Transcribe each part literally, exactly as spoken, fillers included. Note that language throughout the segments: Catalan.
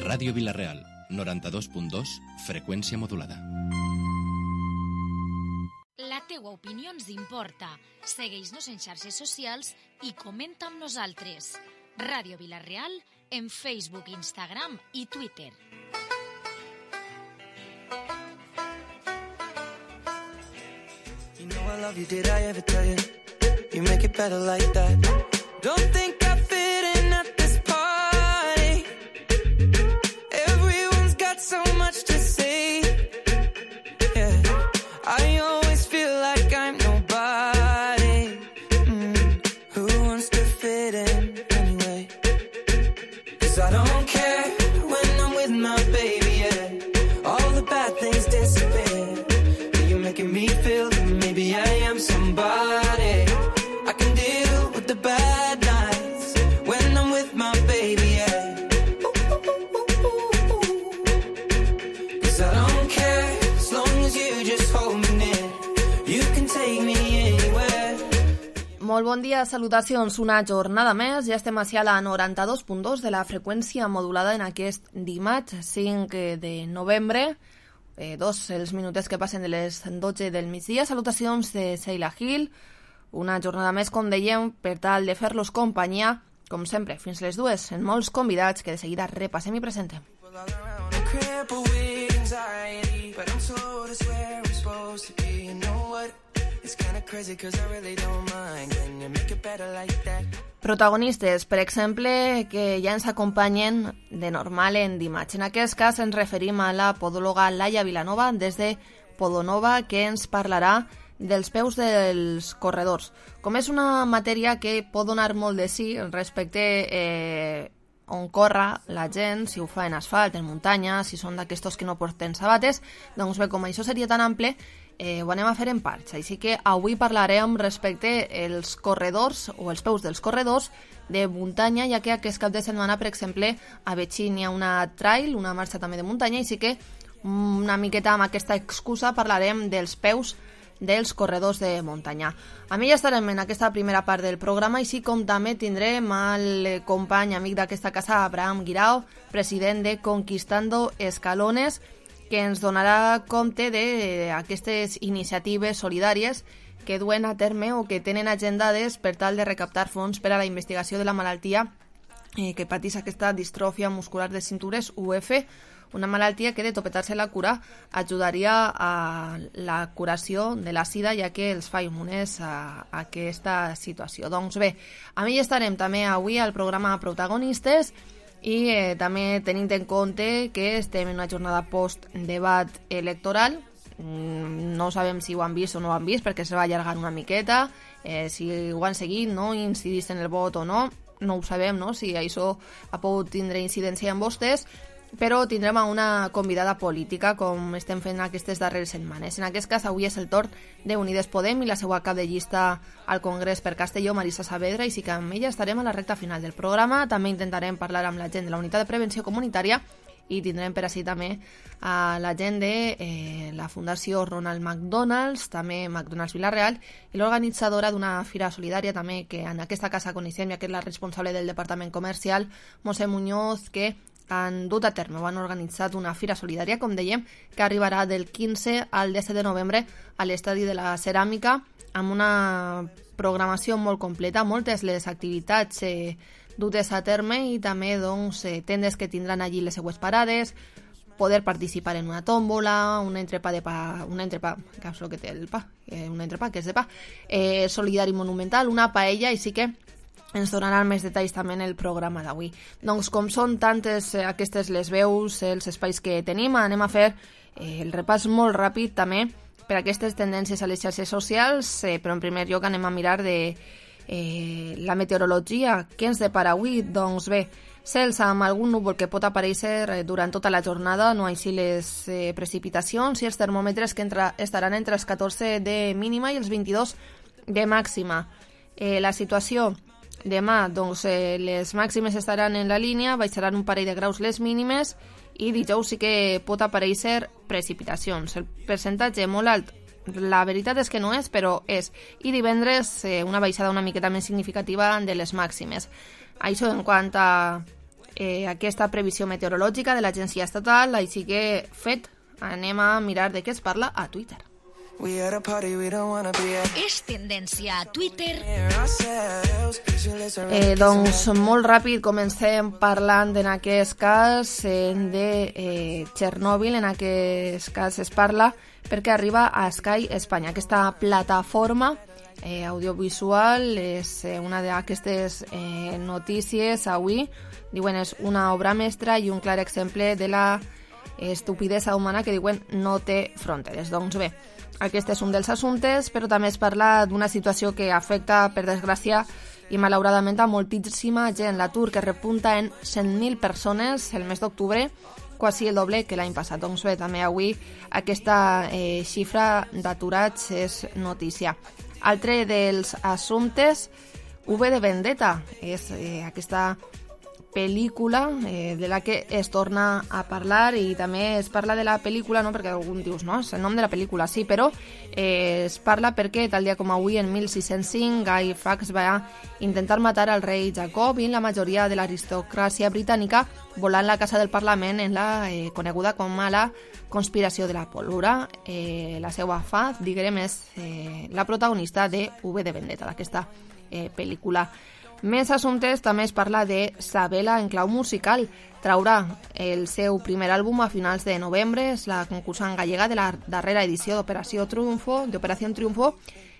Ràdio Vila-real, noranta-dos punt dos, freqüència modulada. La teua opinió ens importa. Segueix-nos en xarxes socials i comenta amb nosaltres. Ràdio Vila-real en Facebook, Instagram i Twitter. You know I love you, did I ever tell you? You make it better like that. Don't think I fit in at this party. Everyone's got so much to say. Yeah, I always feel like I'm nobody. Mm. Who wants to fit in anyway? 'Cause I don't care when I'm with my baby, yeah. All the bad things disappear. You're making me feel that maybe I am somebody. I can deal with the bad nights when I'm with my baby, yeah. Cause I don't care as long as you just hold me near. You can take me anywhere. Molt bon dia, salutacions. Una jornada més. Ja estem ací a la noranta-dos punt dos de la freqüència modulada en aquest dimarts cinc de novembre. Eh, dos els minutets que passen de les dotze del migdia. Salutacions de Sheila Gil. Una jornada més, com dèiem, per tal de fer-los companyia, com sempre, fins les dues, en molts convidats que de seguida repassem i presentem. Protagonistes, per exemple, que ja ens acompanyen de normal en dimarts. En aquest cas ens referim a la podòloga Laia Vilanova des de Podonova, que ens parlarà dels peus dels corredors. Com és una matèria que pot donar molt de sí respecte eh, on corre la gent, si ho fa en asfalt, en muntanya, si són d'aquestos que no porten sabates, doncs bé, com això seria tan ample, eh, ho anem a fer en parts. Així que avui parlarem respecte als corredors o els peus dels corredors de muntanya, ja que aquest cap de setmana, per exemple, a Betxín hi ha una trail, una marxa també de muntanya, així que una miqueta amb aquesta excusa parlarem dels peus dels corredors de muntanya. A mi ja estarem en aquesta primera part del programa, així com també tindrem el company amic d'aquesta casa, Abraham Guirao, president de Conquistando Escalones, que ens donarà compte d'aquestes iniciatives solidàries que duen a terme o que tenen agendades per tal de recaptar fons per a la investigació de la malaltia eh, que patís aquesta distròfia muscular de cintures, U F, una malaltia que de topetar-se la cura ajudaria a la curació de la sida, ja que els fa immunes a, a aquesta situació. Doncs bé, a mi estarem també avui al programa Protagonistes i eh, també tenint en compte que estem en una jornada post-debat electoral. No sabem si ho han vist o no ho han vist perquè se va allargar una miqueta, eh, si ho han seguit, no, incidís en el vot o no, no ho sabem, no, si això ha pogut tindre incidència en vostès, però tindrem una convidada política, com estem fent aquestes darreres setmanes. En aquest cas, avui és el torn d'Unides Podem i la seva cap de llista al Congrés per Castelló, Marisa Saavedra, i sí que amb ella estarem a la recta final del programa. També intentarem parlar amb la gent de la Unitat de Prevenció Comunitària i tindrem per així també a la gent de eh, la Fundació Ronald McDonald's, també McDonald's Vila-real, i l'organitzadora d'una fira solidària també, que en aquesta casa coneixem, ja que és la responsable del Departament Comercial, Montse Muñoz, que han dut a terme o han organitzat una fira solidària, com dèiem, que arribarà del quinze al disset de novembre a l'Estadi de la Ceràmica, amb una programació molt completa, moltes les activitats eh, dutes a terme i també doncs, eh, tendes que tindran allí les seues parades, poder participar en una tòmbola, un entrepà de pa, un entrepà, que és el que té el pa, eh, un entrepà que és de pa, eh, solidari monumental, una paella, i sí que ens donaran més detalls també en el programa d'avui. Doncs com són tantes eh, aquestes les veus, els espais que tenim, anem a fer eh, el repàs molt ràpid també per aquestes tendències a les xarxes socials, eh, però en primer lloc anem a mirar de eh, la meteorologia. Què ens depara avui? Doncs bé, cels amb algun núvol que pot aparèixer durant tota la jornada, no així les eh, precipitacions, i els termòmetres que entra, estaran entre els catorze de mínima i els vint-i-dos de màxima. Eh, la situació demà, doncs, eh, les màximes estaran en la línia, baixaran un parell de graus les mínimes, i dijous sí que pot aparèixer precipitacions. El percentatge molt alt, la veritat és que no és, però és. I divendres eh, una baixada una miqueta més significativa de les màximes. Això en quant a eh, aquesta previsió meteorològica de l'agència estatal, així que fet, anem a mirar de què es parla a Twitter. És tendència a Twitter. Eh, doncs molt ràpid comencem parlant en aquest cas eh, de eh, Txernòbil. En aquest cas es parla perquè arriba a Sky Espanya. Aquesta plataforma eh, audiovisual és eh, una d'aquestes eh, notícies avui. Diuen és una obra mestra i un clar exemple de la estupidesa humana que diuen no té fronteres. Doncs bé, aquest és un dels assumptes, però també es parla d'una situació que afecta, per desgràcia, i malauradament a moltíssima gent. L'atur que repunta en cent mil persones el mes d'octubre, quasi el doble que l'any passat. Doncs bé, també avui aquesta eh, xifra d'aturats és notícia. Altre dels assumptes, V de Vendetta, és eh, aquesta pel·lícula eh, de la que es torna a parlar, i també es parla de la pel·lícula, no perquè algun dius, no, és el nom de la pel·lícula, sí, però eh, es parla perquè tal dia com avui, en mil sis-cents cinc, Guy Fawkes va intentar matar al rei Jacob i la majoria de l'aristocràcia britànica volant la casa del Parlament en la eh, coneguda com a la conspiració de la pólvora. Eh, la seva Faz, diguem, és eh, la protagonista de V de Vendetta, d'aquesta eh, pel·lícula. Més assumptes, també es parla de Sabela en clau musical. Traurà el seu primer àlbum a finals de novembre, és la concursant gallega de la darrera edició d'Operació Triunfo, d'Operació Triunfo,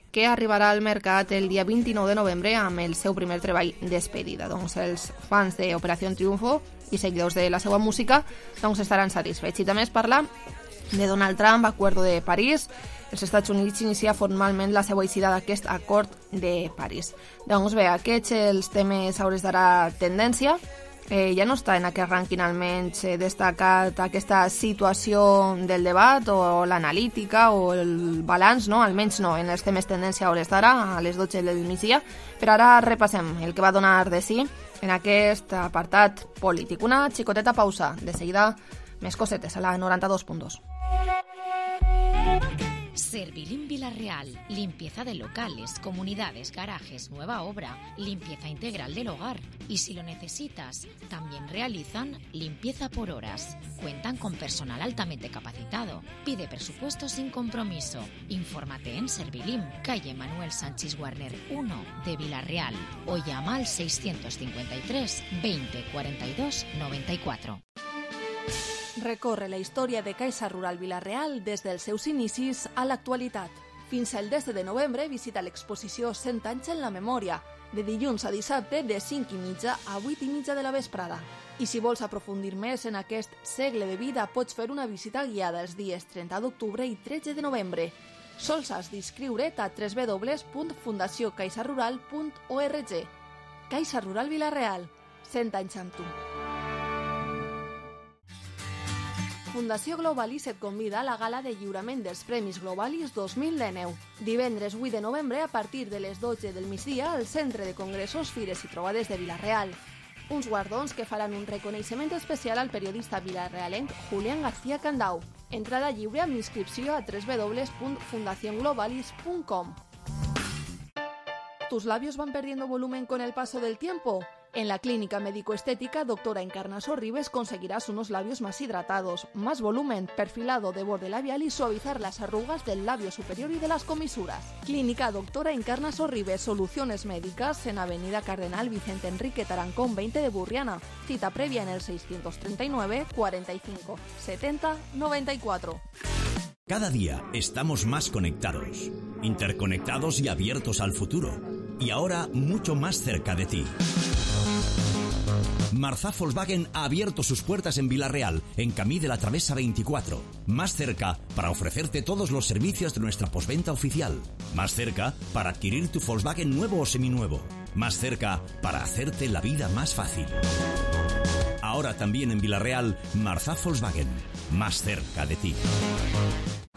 que arribarà al mercat el dia vint-i-nou de novembre amb el seu primer treball Despedida. Doncs els fans d'Operació Triunfo i seguidors de la seva música doncs estaran satisfets. I també es parla de Donald Trump, Acuerdo de París. Els Estats Units inicia formalment la seva eixida d'aquest acord de París. Doncs bé, aquests els temes a hores d'ara tendència. Eh, ja no està en aquest rànquing almenys eh, destacat aquesta situació del debat o l'analítica o el balanç, no? Almenys no, en els temes tendència a hores d'ara, a les dotze del migdia. Però ara repassem el que va donar de sí en aquest apartat polític. Una xicoteta pausa, de seguida més cosetes a la noranta-dos punt dos. Servilín Villarreal, limpieza de locales, comunidades, garajes, nueva obra, limpieza integral del hogar. Y si lo necesitas, también realizan limpieza por horas. Cuentan con personal altamente capacitado. Pide presupuesto sin compromiso. Infórmate en Servilín, calle Manuel Sánchez Warner uno de Villarreal, o llama al seiscientos cincuenta y tres veinte cuarenta y dos noventa y cuatro. Recorre la història de Caixa Rural Vila-real des dels seus inicis a l'actualitat. Fins al desè de novembre visita l'exposició cent anys en la memòria, de dilluns a dissabte de cinc i mitja a vuit i mitja de la vesprada. I si vols aprofundir més en aquest segle de vida, pots fer una visita guiada els dies trenta d'octubre i tretze de novembre. Sols has d'inscriure't a w w w punt fundació caixa rural punt org. Caixa Rural Vila-real, cent anys amb tu. Fundació Globalis et convida a la gala de lliurament dels Premis Globalis dos mil dinou. Divendres vuit de novembre a partir de les dotze del migdia al Centre de Congressos, Fires i Trobades de Vila-real. Uns guardons que faran un reconeixement especial al periodista vilarealenc Julián García Candau. Entrada lliure amb inscripció a w w w punt fundación globalis punt com. ¿Tus labios van perdiendo volumen con el paso del tiempo? En la clínica médico-estética Doctora Encarnaso Ribes conseguirás unos labios más hidratados, más volumen, perfilado de borde labial y suavizar las arrugas del labio superior y de las comisuras. Clínica Doctora Encarnaso Ribes, soluciones médicas en Avenida Cardenal Vicente Enrique Tarancón veinte de Burriana. Cita previa en el seiscientos treinta y nueve cuarenta y cinco setenta noventa y cuatro. Cada día estamos más conectados, interconectados y abiertos al futuro. Y ahora mucho más cerca de ti. Marzá Volkswagen ha abierto sus puertas en Vila-real, en Camí de la Travesa veinticuatro. Más cerca para ofrecerte todos los servicios de nuestra postventa oficial. Más cerca para adquirir tu Volkswagen nuevo o seminuevo. Más cerca para hacerte la vida más fácil. Ahora también en Vila-real, Marzá Volkswagen. Más cerca de ti.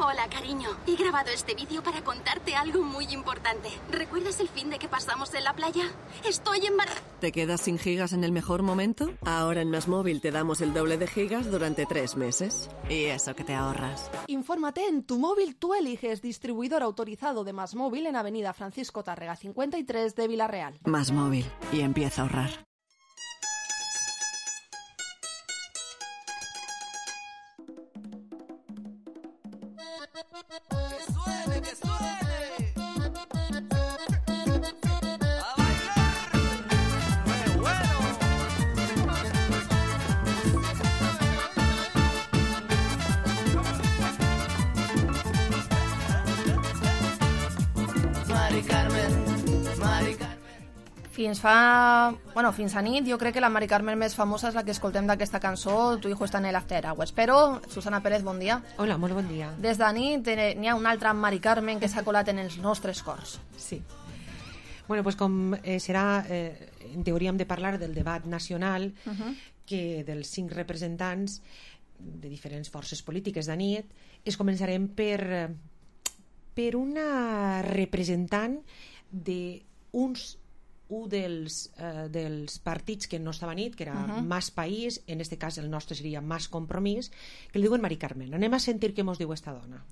Hola, cariño. He grabado este vídeo para contarte algo muy importante. ¿Recuerdas el fin de que pasamos en la playa? Estoy embarazada. ¿Te quedas sin gigas en el mejor momento? Ahora en MásMóvil te damos el doble de gigas durante tres meses. Y eso que te ahorras. Infórmate en Tu Móvil Tú Eliges, distribuidor autorizado de MásMóvil en Avenida Francisco Tárrega cincuenta y tres de Vila-real. MásMóvil. Y empieza a ahorrar. Mari Carmen, Mari Carmen. Fins fa... Bueno, fins a nit, jo crec que la Mari Carmen més famosa és la que escoltem d'aquesta cançó, Tu hijo está en el After Hours. Però, Susana Pérez, bon dia. Hola, molt bon dia. Des de nit eh, n'hi ha una altra Mari Carmen que s'ha colat en els nostres cors. Sí. Bueno, pues com eh, serà, eh, en teoria hem de parlar del debat nacional, uh -huh. que dels cinc representants de diferents forces polítiques de nit, es començarem per, per una representant d'uns un dels, eh, dels partits que no estava a nit, que era uh -huh. Más País, en este cas el nostre seria Más Compromís, que li diuen Mari Carmen. Anem a sentir què mos diu esta dona.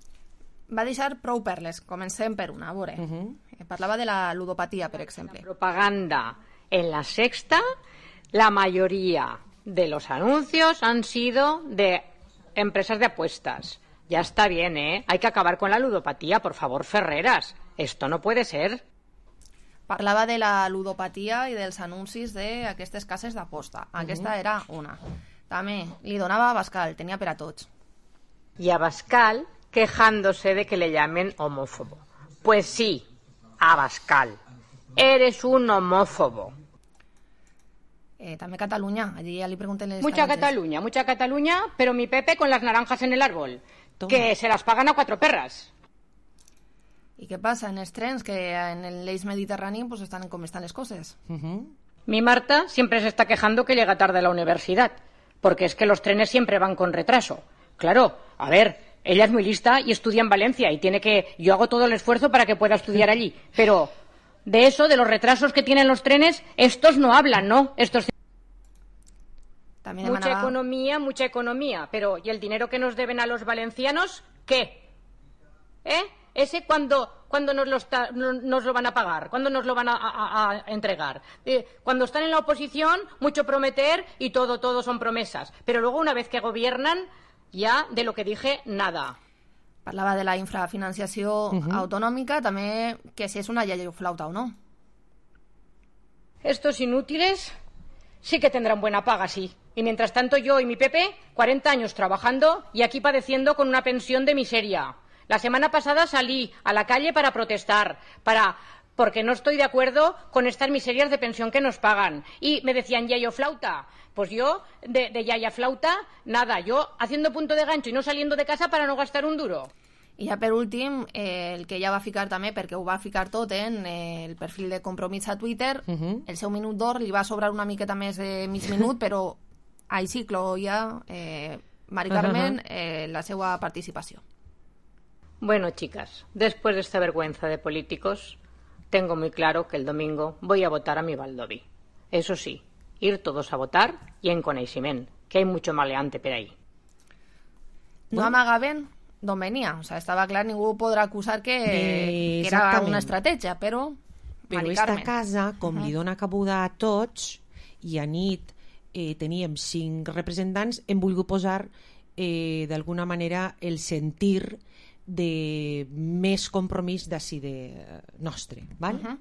Va deixar prou perles, comencem per una, a veure. Uh -huh. Parlava de la ludopatia, per exemple. La propaganda en La Sexta, la mayoría de los anuncios han sido de empresas de apuestas. Ya está bien, ¿eh? Hay que acabar con la ludopatía, por favor, Ferreras. Esto no puede ser. Parlava de la ludopatia i dels anuncis d'aquestes cases d'aposta. Aquesta uh -huh. era una. També li donava a Abascal, tenia per a tots. Y Abascal quejándose de que le llamen homófobo. Pues sí, Abascal, eres un homófobo. Eh, també Catalunya, allí ja li pregunten les Mucha taranges. Cataluña, mucha Cataluña, pero mi Pepe con las naranjas en el árbol. Toma. Que se las pagan a cuatro perras. I què passa en els trens? Que en l'eix mediterrani pues, estan com estan les coses. Uh-huh. Mi Marta siempre se está quejando que llega tarde a la universidad, porque es que los trenes siempre van con retraso. Claro, a ver, ella es muy lista y estudia en Valencia y tiene que... Yo hago todo el esfuerzo para que pueda estudiar allí, pero de eso, de los retrasos que tienen los trenes, estos no hablan, ¿no? Estos... También mucha emanaba... economía, mucha economía, pero ¿y el dinero que nos deben a los valencianos? ¿Qué? ¿Eh? Ese cuando, cuando nos, lo está, nos lo van a pagar, cuando nos lo van a, a, a entregar. Eh, cuando están en la oposición, mucho prometer y todo, todo son promesas. Pero luego, una vez que gobiernan, ya de lo que dije, nada. Parlava de la infrafinanciació uh-huh. autonòmica, també que si és una yayoflauta o no. Estos inútiles sí que tendrán buena paga, sí. Y mientras tanto yo y mi Pepe, cuarenta años trabajando y aquí padeciendo con una pensión de miseria. La semana pasada salí a la calle para protestar, para porque no estoy de acuerdo con estas miserias de pensión que nos pagan. Y me decían, yayo flauta. Pues yo, de, de yaya flauta, nada. Yo haciendo punto de gancho y no saliendo de casa para no gastar un duro. I ja per últim, eh, el que ja va ficar també, perquè ho va ficar tot en eh, el perfil de Compromís a Twitter, uh-huh. el seu minut d'or li va sobrar una miqueta més de mig minut, però així cloïa eh, Mari Carmen eh, la seva participació. Bueno, chicas, después de esta vergüenza de políticos, tengo muy claro que el domingo voy a votar a mi Baldoví. Eso sí, ir todos a votar y en coneixement, que hay mucho maleante per ahí. No amagaven d'on venia, o sea, estava clar, ningú podrà acusar que, eh, que era una estratègia, però però Mari esta Carmen. casa, com uh-huh. li dona cabuda a tots, i a nit eh, teníem cinc representants, hem volgut posar eh, d'alguna manera el sentir de més compromís d'ací de nostre, val? Uh-huh.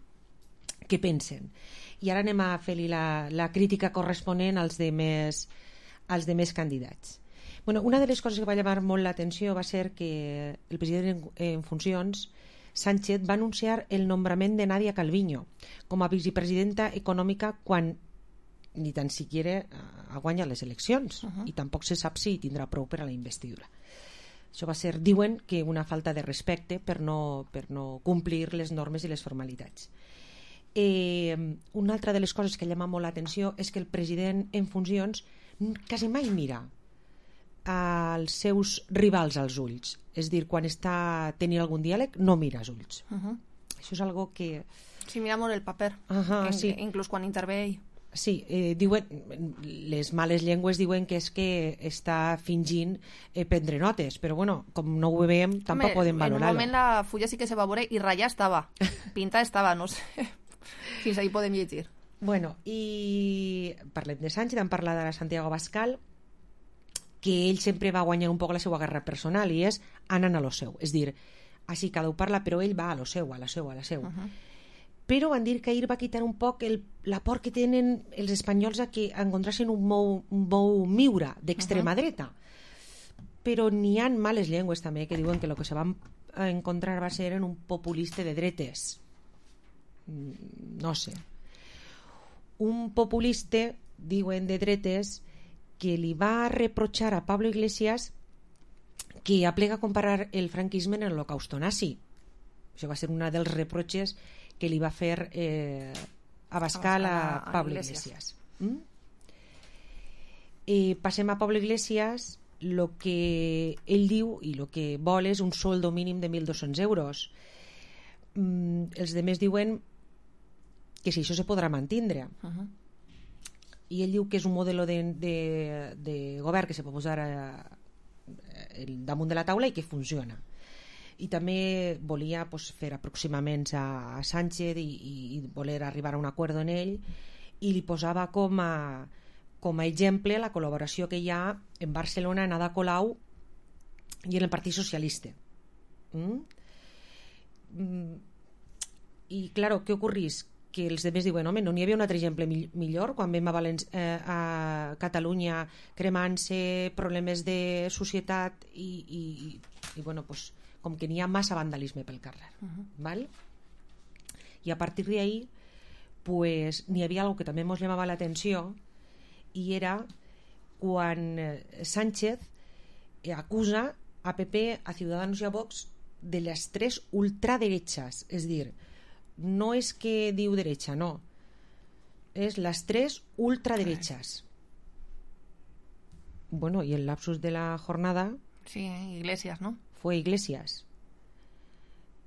Què pensen? I ara anem a fer-li la, la crítica corresponent als demés, als demés candidats. Bueno, una de les coses que va llamar molt l'atenció va ser que el president en, en funcions, Sánchez, va anunciar el nombrament de Nadia Calviño com a vicepresidenta econòmica quan ni tan siquiera ha guanyat les eleccions uh-huh. i tampoc se sap si tindrà prou per a la investidura. Això va ser, diuen, que una falta de respecte per no, per no complir les normes i les formalitats. Eh, una altra de les coses que llama molt l'atenció és que el president en funcions quasi mai mira als seus rivals als ulls. És dir, quan està tenint algun diàleg no mira als ulls. Uh-huh. Això és algo que... Sí, mira molt el paper, uh-huh, en, sí. inclús quan intervé ell. Sí, eh, diuen, les males llengües diuen que és que està fingint eh, prendre notes, però bueno, com no ho veiem, tampoc Home, podem valorar-ho. En un moment la fulla sí que se va veure i ratlla estava, pinta estava, no sé, fins ahí podem llegir. Bueno, i parlem de Sánchez, hem parlat de Santiago Abascal, que ell sempre va guanyar un poc la seva guerra personal i és anant a lo seu, és dir, així cada un parla però ell va a lo seu, a la seu, a la seu. Uh-huh. Però van dir que ahir va quitar un poc el, la por que tenen els espanyols a que encontrassin un mou, un mou miura d'extrema uh-huh. dreta. Però n'hi ha males llengües també que diuen que el que se van encontrar va ser en un populista de dretes. no sé. Un populista, diuen de dretes, que li va reprochar a Pablo Iglesias que aplega a comparar el franquisme en l'Holocausto nazi. Això va ser una dels reproches que li va fer eh, Abascal a, a Pablo Iglesias. Iglesias. ¿Mm? Eh, passem a Pablo Iglesias. Lo que ell diu i el que vol és un soldo mínim de mil dos-cents euros. Mm, els demés diuen que si això se podrà mantindre. Uh-huh. I ell diu que és un model de, de, de govern que se pot posar a, a, damunt de la taula i que funciona. I també volia pues, fer aproximaments a, a Sánchez i, i, i voler arribar a un acord en ell, i li posava com a com a exemple la col·laboració que hi ha en Barcelona, en Ada Colau i en el Partit Socialista. Mm? Mm. I, claro, què ocorrís? Que els demés diuen, home, no n'hi havia un altre exemple millor quan vam a, Valenci- eh, a Catalunya cremant-se problemes de societat i, i, i, i bueno, pues, com que n'hi ha massa vandalisme pel carrer. Uh-huh. Val? I a partir d'ahí pues, n'hi havia algo que també ens llamava l'atenció, i era quan Sánchez acusa a P P, a Ciudadanos i a Vox de les tres ultraderechas, és dir, no és que diu derecha, no, és les tres ultraderechas. Bueno, y el lapsus de la jornada sí, Iglesias, ¿no? Fue Iglesias.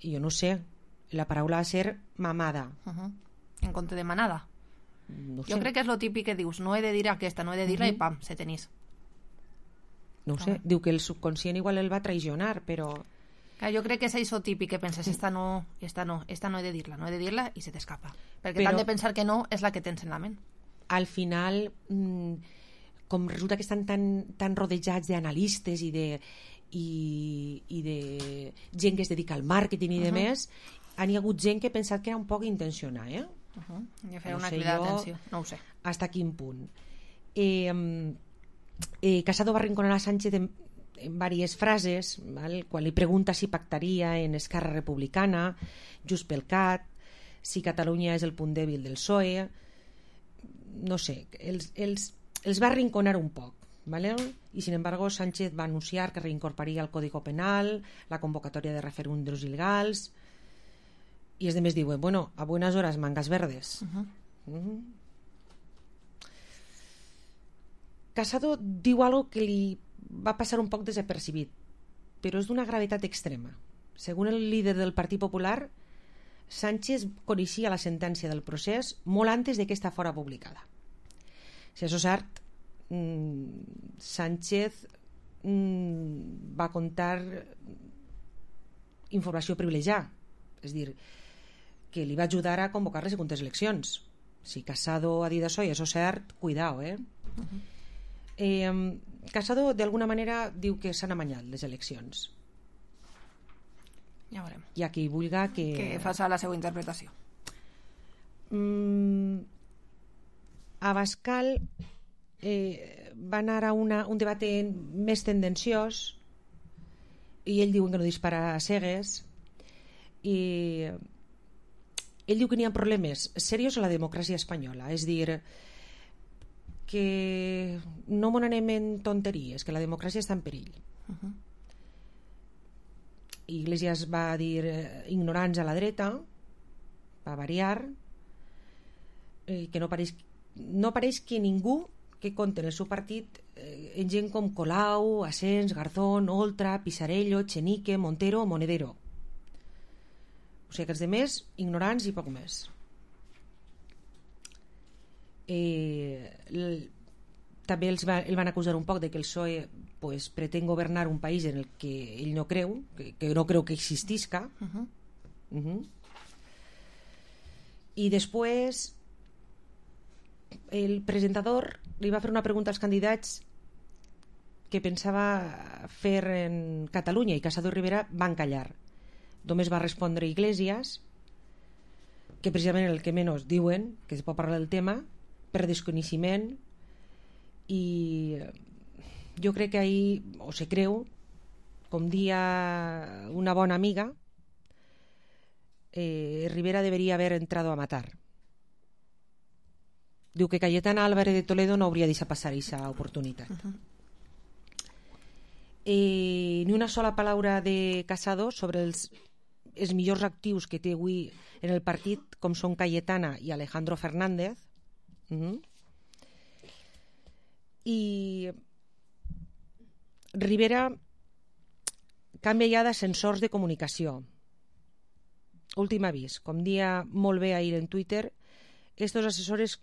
Y yo no sé, la paraula va a ser mamada. Uh-huh. En compte de manada. No sé. Jo crec que és lo típic que dius, no he de dir aquesta, no he de dir-la, uh-huh. i pam, se tenís. No ho sé, ah. Diu que el subconscient igual el va traicionar, però... Clar, jo crec que és això típic que penses, esta no, esta no, esta no he de dir-la, no he de dir-la, i se t'escapa. Perquè però, t'han de pensar que no és la que tens en la ment. Al final, mmm, com resulta que estan tan, tan rodejats d'analistes i de, i, i de gent que es dedica al màrqueting i uh-huh. de més, han hi ha hagut gent que ha pensat que era un poc intencionat, eh? Uh-huh. I a fer no una sé crida jo d'atenció, no ho sé. Hasta quin punt. Eh, eh, Casado va arrinconar a Sánchez en, en diverses frases, val? Quan li pregunta si pactaria en Esquerra Republicana, Junts pel Cat, si Catalunya és el punt dèbil del P S O E, no sé, els, els, els va arrinconar un poc, ¿vale? Y sin embargo Sánchez va anunciar que reincorporaria el Código Penal, la convocatòria de referèndums il·legals, i els demés diuen, bueno, a buenas horas, mangas verdes. Uh-huh. Uh-huh. Casado diu algo que li va passar un poc desapercibit, però és d'una gravetat extrema. Segons el líder del Partit Popular, Sánchez coneixia la sentència del procés molt antes de que esta fora publicada. Si això és cert, mmm, Sánchez mmm, va contar informació privilegiada, és dir, que li va ajudar a convocar les següents eleccions. Si Casado ha dit això i això és cert, cuidao, eh? Uh-huh. eh Casado d'alguna manera diu que s'han amanyat les eleccions. Ja veurem. Hi ha qui vulga que... Que faci la seva interpretació. Mm, Abascal eh, va anar a una, un debat més tendenciós i ell diu que no dispara a cegues, i ell diu que n'hi ha problemes serios a la democràcia espanyola, és dir, que no m'on anem en tonteries, que la democràcia està en perill. Uh-huh. Iglesias va dir eh, ignorants a la dreta, va variar, eh, que no pareix, no pareix que ningú que compta en el seu partit eh, en gent com Colau, Asens, Garzón, Oltra, Pisarello, Chenique, Montero o Monedero. O sigui que els demés ignorants i poc més. Eh, l, també els va, el van acusar un poc de que el P S O E pues, pretén governar un país en el que ell no creu, que, que no creu que existisca. Uh-huh. Uh-huh. I després el presentador li va fer una pregunta als candidats que pensava fer en Catalunya, i Casado i Rivera van callar. Només va respondre Iglesias, que precisament el que menys diuen, que es pot parlar del tema, per desconeixement, i jo crec que ahir, o se creu, com dia una bona amiga, eh, Rivera debería haber entrado a matar. Diu que Cayetana Álvarez de Toledo no hauria deixat passar aquesta oportunitat. Uh-huh. eh, ni una sola paraula de Casado sobre els, els millors actius que té avui en el partit, com són Cayetana i Alejandro Fernández. Uh-huh. I Rivera canvia ja d'ascensors de comunicació. Últim avís, com dia molt bé ahir en Twitter, estos assessors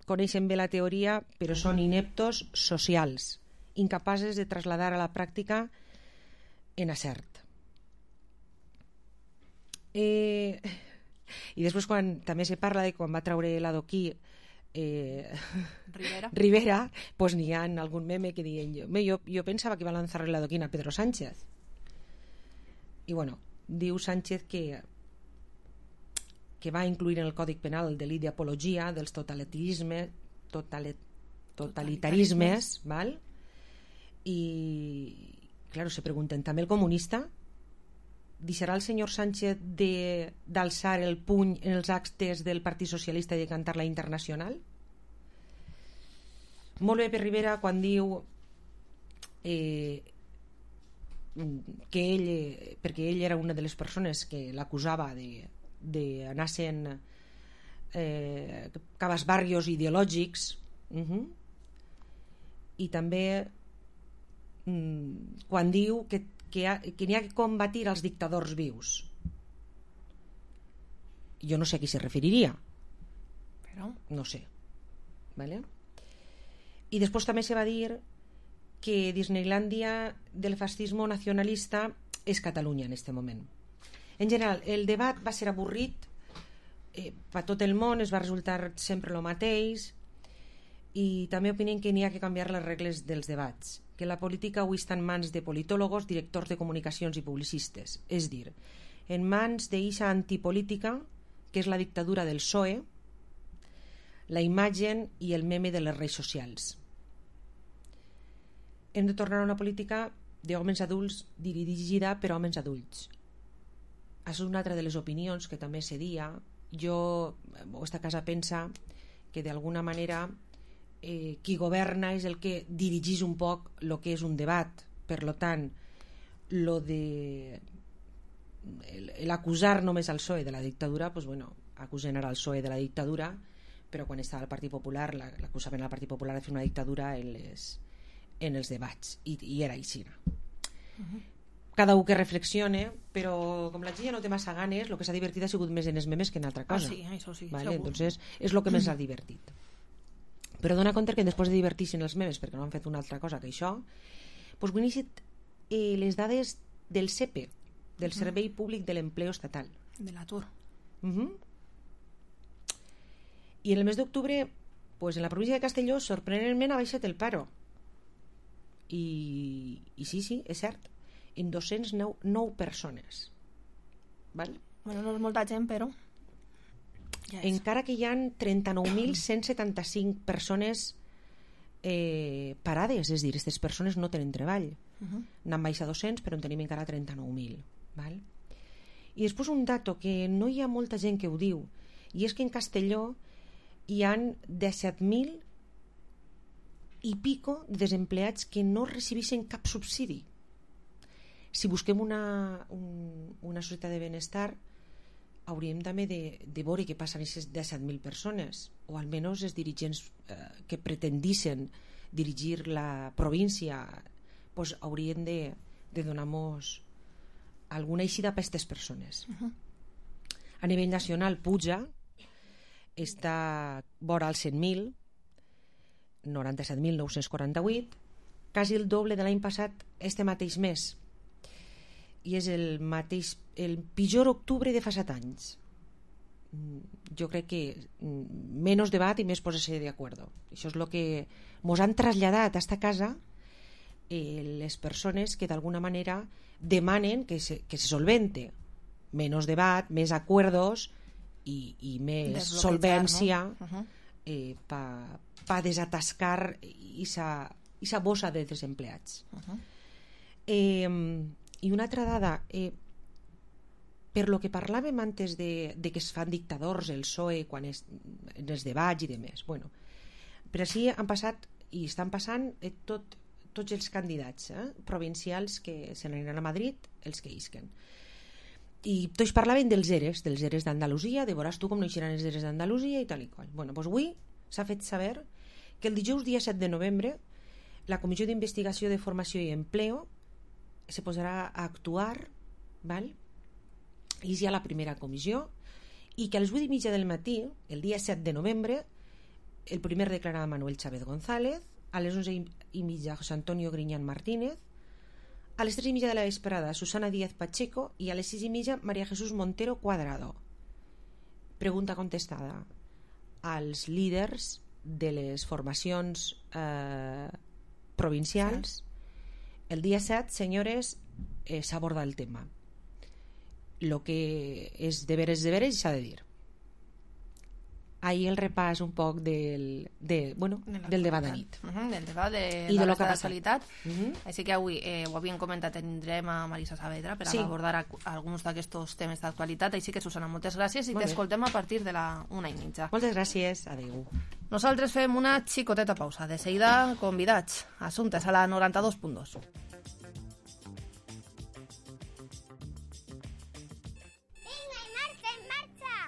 coneixen bé la teoria, però són ineptos socials, incapaces de trasladar a la pràctica en acert. Eh, I després, quan també se parla de quan va treure l'adoquí eh, Rivera, Rivera pues n'hi ha algun meme que diuen jo, jo pensava que iba a lanzar l'adoquín a Pedro Sánchez. I bueno, diu Sánchez que que va incluir en el Còdic Penal el delit d'apologia dels totalitarismes, totalit, totalitarismes, val? I, claro, se pregunten, també el comunista deixarà el senyor Sánchez de, d'alçar el puny en els actes del Partit Socialista i de cantar la Internacional? Molt bé per Rivera quan diu eh, que ell, perquè ell era una de les persones que l'acusava de d'anar sent eh, cabasbarrios ideològics, uh-huh. I també mm, quan diu que, que, ha, que n'hi ha que combatir els dictadors vius. Jo no sé a qui se referiria, però no sé, ¿vale? I després també se va dir que Disneylandia del fascismo nacionalista és Catalunya en este moment. En general, el debat va ser avorrit, eh, per tot el món es va resultar sempre el mateix, i també opinen que n'hi ha que canviar les regles dels debats, que la política avui està en mans de politòlogos, directors de comunicacions i publicistes, és dir, en mans d'eixa antipolítica que és la dictadura del P S O E, la imatge i el meme de les redes socials. Hem de tornar a una política d'homes adults dirigida per homes adults. És una altra de les opinions que també se dia. Jo, aquesta casa pensa que d'alguna manera eh, qui governa és el que dirigís un poc el que és un debat. Per lo tant, lo de l'acusar només al P S O E de la dictadura, pues bueno, acusen ara al P S O E de la dictadura, però quan estava al Partit Popular l'acusaven al Partit Popular de fer una dictadura en, les, en els debats, i, i era així. Uh-huh. Cada un que reflexione, però com la gent ja no té massa ganes, el que s'ha divertit ha sigut més en els memes que en altra cosa. Ah, sí, això sí, vale? segur. Entonces, és el que més ha divertit. Però dona compte que després de divertir-se en els memes, perquè no han fet una altra cosa que això, doncs ho iniciat eh, les dades del S E P E, del Servei Públic de l'Empleo Estatal. De l'atur. Uh-huh. I en el mes d'octubre, pues, en la província de Castelló, sorprenentment ha baixat el paro. I, i sí, sí, és cert, en dos-cents nou persones. Val? Bueno, no és molta gent, però ja és. Encara que hi ha trenta-nou mil cent setanta-cinc persones eh, parades, és a dir, aquestes persones no tenen treball. Uh-huh. N'han baixat dos-cents, però en tenim encara trenta-nou mil. Val? I després un dato que no hi ha molta gent que ho diu, i és que en Castelló hi ha disset mil i pico de desempleats que no recibeixen cap subsidi. Si busquem una, un, una societat de benestar, hauríem també de, de veure què passa amb aquestes disset mil persones, o almenys els dirigents eh, que pretendissin dirigir la província, pues, haurien de, de donar-nos alguna eixida per aquestes persones. Uh-huh. A nivell nacional puja, està vora els cent mil, noranta-set mil nou-cents quaranta-vuit, quasi el doble de l'any passat este mateix mes, i és el mateix, el pitjor octubre de fa set anys. Jo crec que menys debat i més posar-se d'acord. Això és el que ens han traslladat a esta casa eh, les persones que d'alguna manera demanen que se, que se solvente. Menys debat, més acuerdos i, i més solvència, no? Uh-huh. eh, per pa desatascar esa bossa de desempleats. Uh-huh. eh, I una altra dada, eh, per lo que parlàvem antes de, de que es fan dictadors el P S O E quan es, en els debats i demés, bueno, però així han passat i estan passant eh, tot, tots els candidats eh, provincials que se n'aniran a Madrid, els que isquen. I tots parlaven dels ERES, dels ERES d'Andalusia, de veuràs tu com no eixeran els ERES d'Andalusia i tal i qual. Bueno, doncs avui s'ha fet saber que el dijous dia set de novembre la Comissió d'Investigació de Formació i Empleo se posarà a actuar, val? I és ja la primera comissió, i que a les vuit i mitja del matí, el dia set de novembre, el primer declarava Manuel Chávez González, a les onze i mitja José Antonio Griñán Martínez, a les tres i mitja de la vesprada Susana Díaz Pacheco i a les sis i mitja María Jesús Montero Cuadrado. Pregunta contestada als líders de les formacions eh, provincials. El dia set, senyores, eh, s'aborda el tema. Lo que és deberes deberes s'ha de dir. Ahí el repàs un poc del, de, bueno, de del debat de nit. Uh -huh, del debat de I la de lo resta que ha d'actualitat. Uh -huh. Així que avui, eh, ho havíem comentat, tindrem a Marisa Saavedra per sí. abordar a, alguns d'aquests temes d'actualitat. Així que, Susana, moltes gràcies i t'escoltem a partir de la una i mitja. Moltes gràcies. Adéu. Nosaltres fem una xicoteta pausa. De seguida, convidats. Assumptes a la noranta-dos punt dos.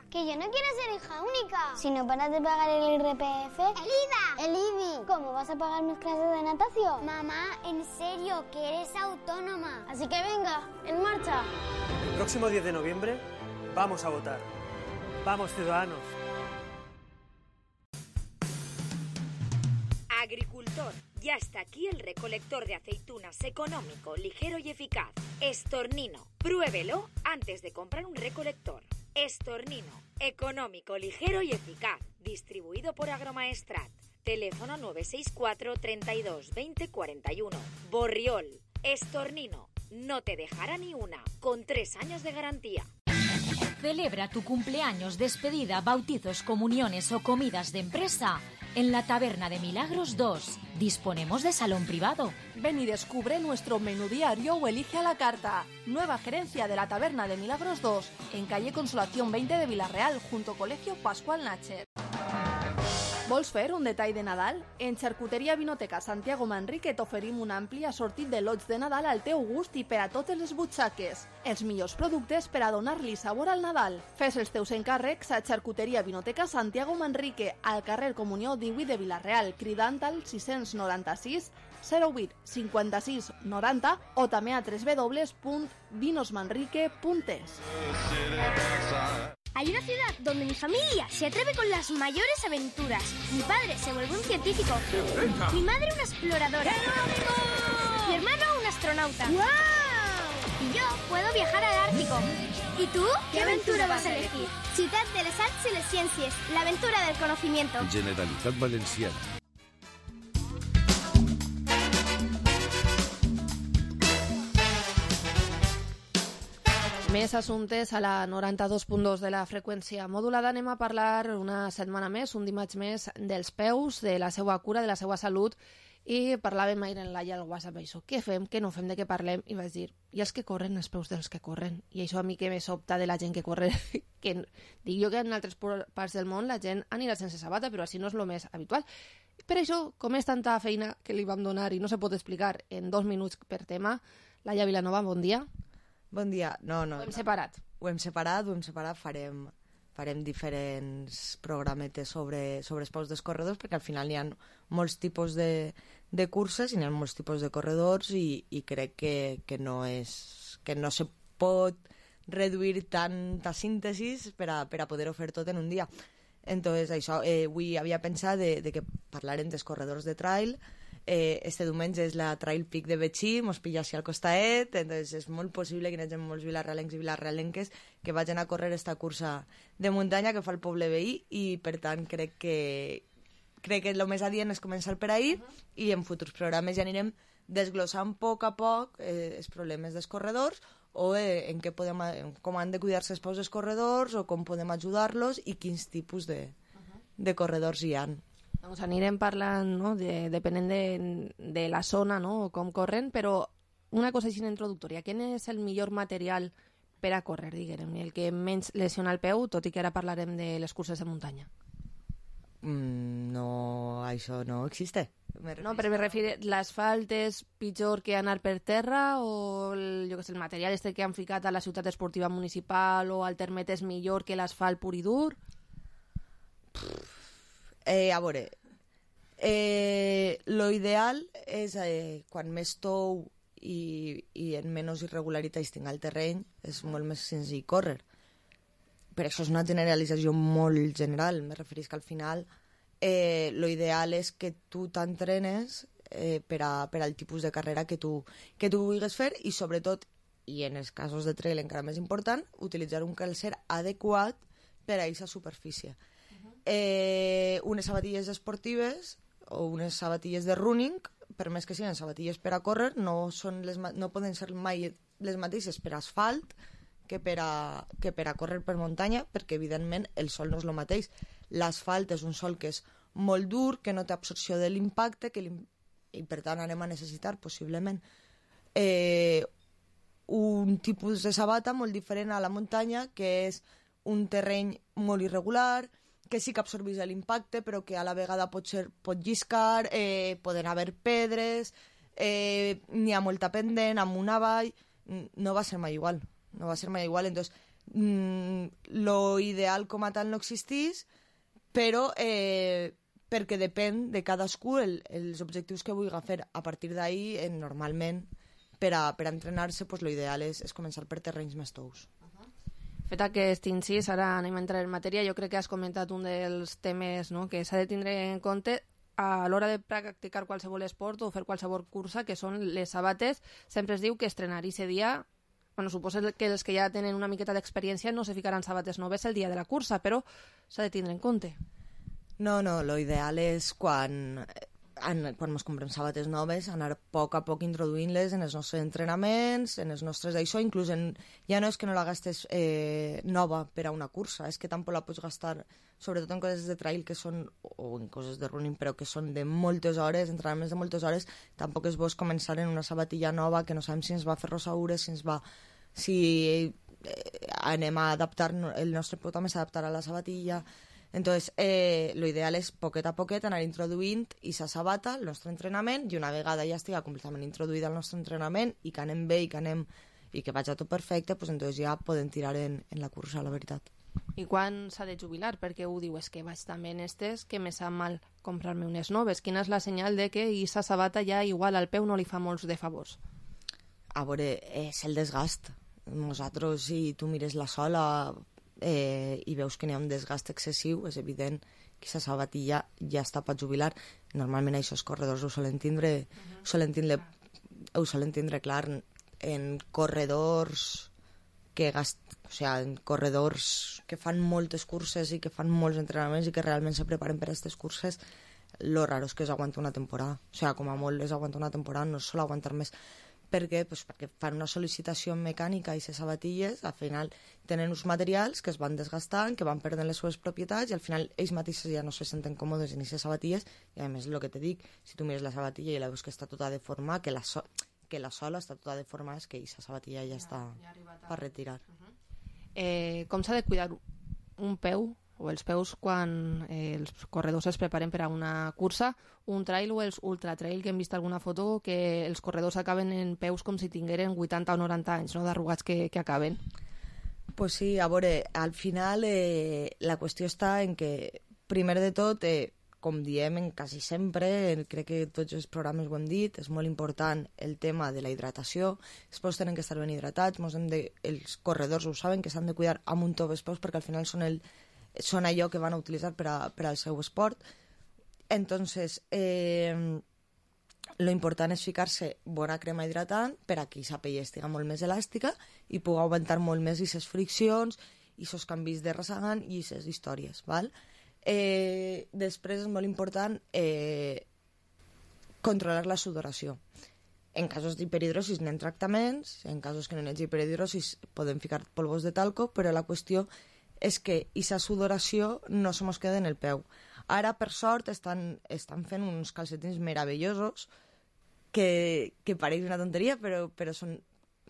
Que yo no quiero ser hija única. Si no paras de pagar el I R P F... ¡El I V A! ¡El I B I! ¿Cómo vas a pagar mis clases de natación? Mamá, en serio, que eres autónoma. Así que venga, en marcha. El próximo diez de noviembre vamos a votar. Vamos, ciudadanos. Agricultor, ya está aquí el recolector de aceitunas económico, ligero y eficaz. Estornino. Pruébelo antes de comprar un recolector. Estornino, económico, ligero y eficaz. Distribuido por Agromaestrat. Teléfono nueve seis cuatro, treinta y dos, veinte, cuarenta y uno. Borriol, Estornino, no te dejará ni una, con tres años de garantía. Celebra tu cumpleaños, despedida, bautizos, comuniones o comidas de empresa en la Taberna de Milagros dos. Disponemos de salón privado. Ven y descubre nuestro menú diario o elige a la carta. Nueva gerencia de la Taberna de Milagros dos, en calle Consolación veinte de Villarreal, junto Colegio Pascual Nacher. Vols fer un detall de Nadal? En Xarcuteria Vinoteca Santiago Manrique t'oferim un ampli assortit de lots de Nadal al teu gust i per a totes les butxaques. Els millors productes per a donar-li sabor al Nadal. Fes els teus encàrrecs a Xarcuteria Vinoteca Santiago Manrique, al carrer Comunió divuit de Villarreal, cridant al sis noranta-sis zero vuit cinquanta-sis noranta o també a doble u doble u doble u punt vinosmanrique punt es. Hay una ciudad donde mi familia se atreve con las mayores aventuras. Mi padre se vuelve un científico. Mi madre una exploradora. Mi hermano un astronauta. ¡Wow! Y yo puedo viajar al Ártico. ¿Y tú? ¿Qué aventura vas a elegir? Ciutat de les Arts i les Ciències. La aventura del conocimiento. Generalitat Valenciana. Més assumptes a la noranta-dos punt dos de la freqüència modulada. Anem a parlar una setmana més, un dimarts més, dels peus, de la seva cura, de la seva salut, i parlàvem ahir en Laia al WhatsApp això. Què fem? Què no fem? De què parlem? I vaig dir, i els que corren, els peus dels que corren. I això a mi que me sobta de la gent que corre, que dic jo que en altres parts del món la gent anirà sense sabata, però així no és el més habitual. Per això, com és tanta feina que li vam donar i no se pot explicar en dos minuts per tema, Laia Vilanova, bon dia. Bon dia. No, no. Ho hem separat. Ho hem separat, ho hem separat, farem, farem diferents programetes sobre, sobre els peus dels corredors, perquè al final hi ha molts tipus de, de curses i hi ha molts tipus de corredors i, i crec que, que, no és, que no se pot reduir tanta síntesis per a, per a poder-ho fer tot en un dia. Entonces, això, eh, avui havia pensat de, de que parlarem dels corredors de trail. Eh, este diumenge és la Trail Peak de Betxí, mos pilla així al costaet, entonces és molt possible que hi hagi molts vilarrealencs i vilarrealenques que vagin a córrer esta cursa de muntanya que fa el poble veí i per tant crec que crec que el més adient és començar per ahir uh -huh. i en futurs programes ja anirem desglossant a poc a poc eh, els problemes dels corredors o eh, en què podem, en com han de cuidar-se els peus dels corredors o com podem ajudar-los i quins tipus de, uh -huh. de corredors hi ha. Doncs anirem parlant, no?, de, depenent de, de la zona, no?, com corren, però una cosa així introductòria. Quin és el millor material per a córrer, diguem, el que menys lesiona el peu, tot i que ara parlarem de les curses de muntanya. Mm, no, això no existe. No, però me refiero, l'asfalt és pitjor que anar per terra o el, jo que sé, el material este que han ficat a la ciutat esportiva municipal o al termet és millor que l'asfalt pur i dur? Eh, a veure, eh, lo ideal és eh, quan més tou i, i en menys irregularitats tinga el terreny, és molt més senzill córrer. Però això és una generalització molt general, me referís que al final eh, lo ideal és que tu t'entrenes eh, per, a, per al tipus de carrera que tu, que tu vulguis fer i sobretot, i en els casos de trail encara més important, utilitzar un calcer adequat per a aquesta superfície. Uh-huh. eh, unes sabatilles esportives o unes sabatilles de running, per més que siguin sabatilles per a córrer, no, són les, no poden ser mai les mateixes per asfalt que per, a, que per a córrer per muntanya, perquè evidentment el sol no és el mateix. L'asfalt és un sol que és molt dur, que no té absorció de l'impacte, que i per tant anem a necessitar possiblement eh, un tipus de sabata molt diferent a la muntanya, que és un terreny molt irregular, que sí que absorbeix l'impacte, però que a la vegada pot, ser, pot lliscar, eh, poden haver pedres, eh, n'hi ha molta pendent, amunt avall, no va ser mai igual. No va ser mai igual, entonces mmm, lo ideal com a tal no existís, però eh, perquè depèn de cadascú el, els objectius que vulgui fer. A partir d'ahí, eh, normalment, per a, per a entrenar-se, pues, lo ideal és, és començar per terrenys més tous. Fet aquest incís, ara anem a entrar en matèria. Jo crec que has comentat un dels temes, no?, que s'ha de tindre en compte a l'hora de practicar qualsevol esport o fer qualsevol cursa, que són les sabates. Sempre es diu que estrenar ese dia... Bueno, suposo que els que ja tenen una miqueta d'experiència no se ficaran sabates noves el dia de la cursa, però s'ha de tindre en compte. No, no, lo ideal és quan, en, quan ens comprem sabates noves, anar a poc a poc introduint-les en els nostres entrenaments, en els nostres d'això, inclús en, ja no és que no la gastes eh, nova per a una cursa, és que tampoc la pots gastar, sobretot en coses de trail que són, o en coses de running, però que són de moltes hores, entrenaments de moltes hores, tampoc és bo començar en una sabatilla nova que no sabem si ens va fer rosaures, si ens va... si eh, anem a adaptar, el nostre peu també s'adaptarà a la sabatilla. Entonces, eh, lo ideal és poquet a poquet anar introduint i sa sabata al nostre entrenament, i una vegada ja estigui completament introduïda al nostre entrenament i que anem bé i que anem i que vagi tot perfecte, pues entonces ja podem tirar en, en la cursa, la veritat. I quan s'ha de jubilar? Perquè ho diu, és que vaig també en estes que me sap mal comprar-me unes noves. Quina és la senyal de que sa sabata ja igual al peu no li fa molts de favors? A veure, és el desgast. Nosaltres, si tu mires la sola eh, i veus que n'hi ha un desgast excessiu, és evident que aquesta sabatilla ja està per jubilar. Normalment això els corredors ho solen tindre, uh-huh. ho solen tindre, ho solen tindre clar en corredors que gast... o sea, en corredors que fan moltes curses i que fan molts entrenaments i que realment se preparen per a aquestes curses. Lo raro és que es aguanta una temporada, o sea, com a molt es aguanta una temporada, no es sol aguantar més. Per què? Pues perquè fan una sol·licitació mecànica i les sabatilles al final tenen uns materials que es van desgastant, que van perdent les seves propietats i al final ells mateixos ja no se senten còmodes en aquestes sabatilles i a més el que te dic, si tu mires la sabatilla i la veus que està tota deformada, que la, so que la sola està tota deformada, és que aquesta sabatilla ja, ja està ja per retirar. Uh-huh. eh, com s'ha de cuidar un peu o els peus quan eh, els corredors es preparen per a una cursa, un trail o els ultra trail, que hem vist alguna foto que els corredors acaben en peus com si tingueren vuitanta o noranta anys, no?, d'arrugats que, que acaben. Pues sí, a veure, al final eh, la qüestió està en que, primer de tot, eh, com diem en quasi sempre, crec que tots els programes ho hem dit, és molt important el tema de la hidratació, els peus tenen que estar ben hidratats, hem de, els corredors ho saben, que s'han de cuidar amb un top els peus perquè al final són el són allò que van a utilitzar per, a, per al seu esport. Entonces, eh, lo important és ficar-se bona crema hidratant per a que aquesta pell estigui molt més elàstica i pugui aguantar molt més aquestes friccions i aquests canvis de rasagant i aquestes històries, val? Eh, després és molt important eh, controlar la sudoració. En casos d'hiperhidrosis n'hi ha tractaments, en casos que no n'hi ha hiperhidrosis podem ficar polvos de talco, però la qüestió és que aquesta sudoració no se mos queda en el peu. Ara, per sort, estan, estan fent uns calcetins meravellosos que, que pareix una tonteria, però, però són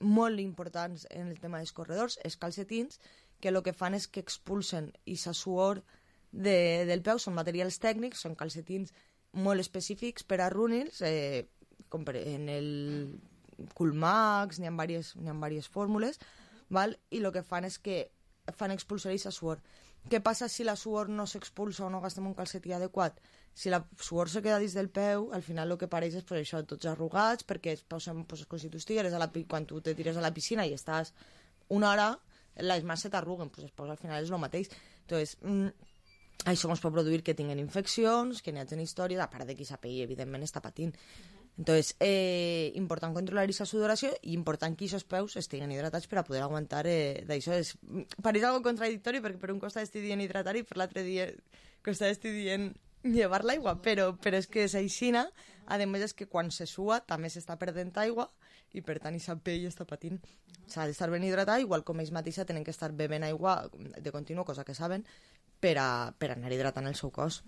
molt importants en el tema dels corredors, els calcetins, que el que fan és que expulsen aquesta suor de, del peu, són materials tècnics, són calcetins molt específics per a runners, eh, com per en el Coolmax, n'hi ha diverses, n'hi ha diverses fórmules, val? I el que fan és que fan expulsar aquesta suor. Què passa si la suor no s'expulsa o no gastem un calcetí adequat? Si la suor se queda dins del peu, al final el que pareix és pues, això, tots arrugats, perquè es posen pues, com si tu estigueres a la, quan tu te tires a la piscina i estàs una hora, les mans se t'arruguen, pues, pues, al final és el mateix. Entonces, mm, això ens pot produir que tinguin infeccions, que n'hi hagi històries, a part de que aquesta pell, evidentment, està patint. Entonces, eh, important controlar aquesta sudoració i important que aquests peus estiguen hidratats per a poder aguantar eh, d'això. És, pareix algo contradictori perquè per un costat estic dient hidratar i per l'altre dia costat estic dient llevar l'aigua, però, però és que és aixina. A més és que quan se sua també s'està perdent aigua i per tant aquesta pell està patint. S'ha d'estar ben hidratada, igual com ells mateixa tenen que estar bevent aigua de continu, cosa que saben, per a, per a anar hidratant el seu cos.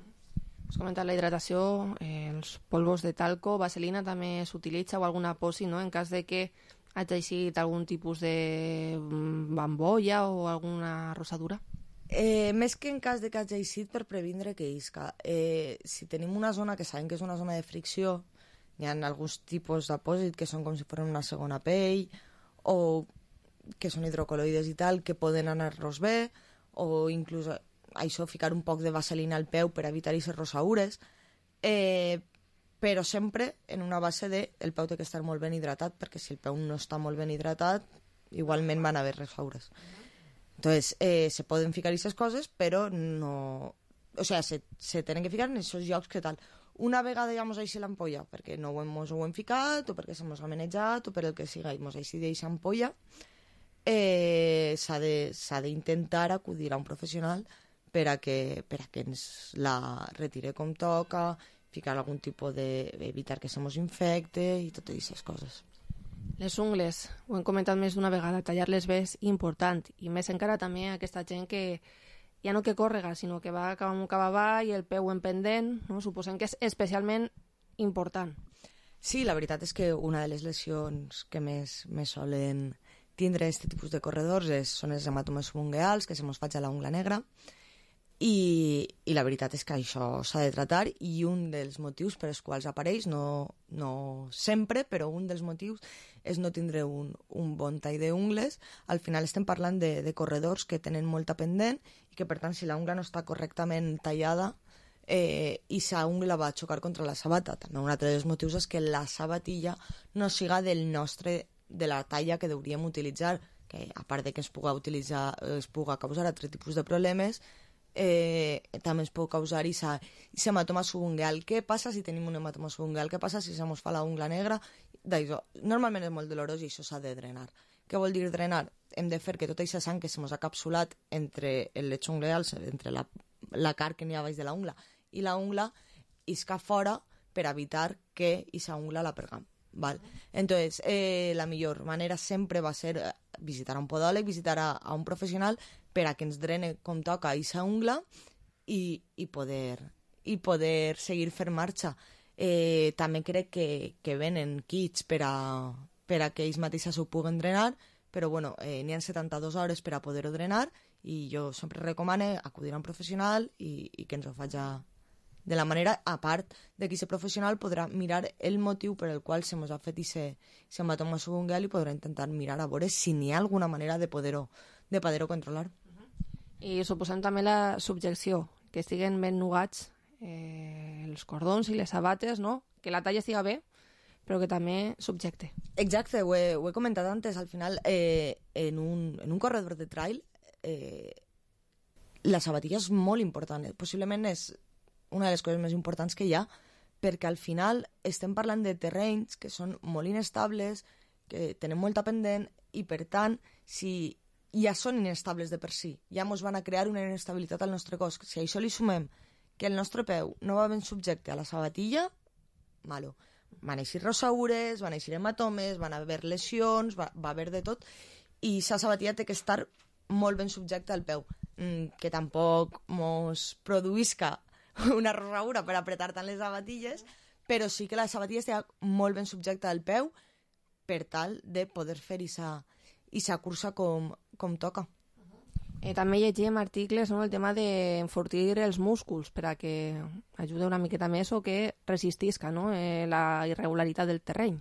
Has comentat la hidratació, eh, els polvos de talco, vaselina també s'utilitza o alguna posi, no?, en cas de que hagi eixit algun tipus de bambolla o alguna rosadura. Eh, més que en cas de que hagi eixit per previndre que isca. Eh, si tenim una zona que sabem que és una zona de fricció, hi ha alguns tipus d'apòsit que són com si fossin una segona pell o que són hidrocoloides i tal, que poden anar-nos bé, o inclús això, ficar un poc de vaselina al peu per evitar aquestes rosaures, eh, però sempre en una base de el peu té que estar molt ben hidratat, perquè si el peu no està molt ben hidratat, igualment van haver rosaures. Entonces, eh, se poden ficar aquestes coses, però no... O sea, se, se tenen que ficar en aquests llocs que tal. Una vegada ja mos així l'ampolla, perquè no ho hem, mos ho hem ficat, o perquè se mos ha manejat, o per el que siga, i mos així d'eixa ampolla, eh, s'ha d'intentar acudir a un professional per a que, per a que ens la retire com toca, ficar algun tipus de... evitar que se mos infecte i totes aquestes coses. Les ungles, ho hem comentat més d'una vegada, tallar-les bé és important, i més encara també aquesta gent que ja no que còrrega, sinó que va cap amunt cap avall i el peu en pendent, no? Suposem que és especialment important. Sí, la veritat és que una de les lesions que més, més solen tindre aquest tipus de corredors és, són els hematomes subungueals, que se mos faig a la ungla negra, I, i la veritat és que això s'ha de tratar, i un dels motius per als quals apareix, no, no sempre, però un dels motius és no tindre un, un bon tall d'ungles. Al final estem parlant de, de corredors que tenen molta pendent i que per tant si la ungla no està correctament tallada eh, i sa ungla va a xocar contra la sabata. També un altre dels motius és que la sabatilla no siga del nostre, de la talla que hauríem utilitzar, que a part de que es puga utilitzar, es puga causar altre tipus de problemes, Eh, també ens pot causar aquest hematoma subungueal. Què passa si tenim un hematoma subungueal? Què passa si se mos fa la ungla negra? Normalment és molt dolorós i això s'ha de drenar. Què vol dir drenar? Hem de fer que tota aquesta sang que se mos ha capsulat entre el lecho ungleal, entre la, la carn que n'hi ha baix de la ungla i la ungla, isca fora per evitar que aquesta ungla la perdam. Val. Entonces, eh, la millor manera sempre va ser visitar a un podòleg, visitar a, a un professional per a que ens drene com toca aquesta ungla i, i, poder, i poder seguir fer marxa. Eh, també crec que, que venen kits per a, per a que ells mateixos ho puguen drenar, però bueno, eh, n'hi ha setanta-dues hores per a poder-ho drenar i jo sempre recomano acudir a un professional i, i que ens ho faci de la manera, a part de que aquest professional podrà mirar el motiu per el qual se mos ha fet aquest hematoma subungueal i podrà intentar mirar a veure si n'hi ha alguna manera de poder-ho de poder-ho controlar. I suposem també la subjecció, que estiguen ben nugats eh, els cordons i les sabates, no? Que la talla estiga bé, però que també subjecte. Exacte, ho he, ho he comentat antes, al final eh, en, un, en un corredor de trail eh, la sabatilla és molt important, possiblement és una de les coses més importants que hi ha, perquè al final estem parlant de terrenys que són molt inestables, que tenen molta pendent, i per tant, si ja són inestables de per si, ja ens van a crear una inestabilitat al nostre cos. Si a això li sumem que el nostre peu no va ben subjecte a la sabatilla, malo. Van eixir rosaures, van eixir hematomes, van haver lesions, va, va haver de tot, i la sabatilla té que estar molt ben subjecta al peu, que tampoc mos produïsca una rosaura per apretar tant les sabatilles, però sí que la sabatilla estigui molt ben subjecta al peu per tal de poder fer aquesta cursa com, com toca. Eh, també llegim articles, no?, el tema d'enfortir els músculs per a que ajude una miqueta més o que resistisca, no?, eh, la irregularitat del terreny.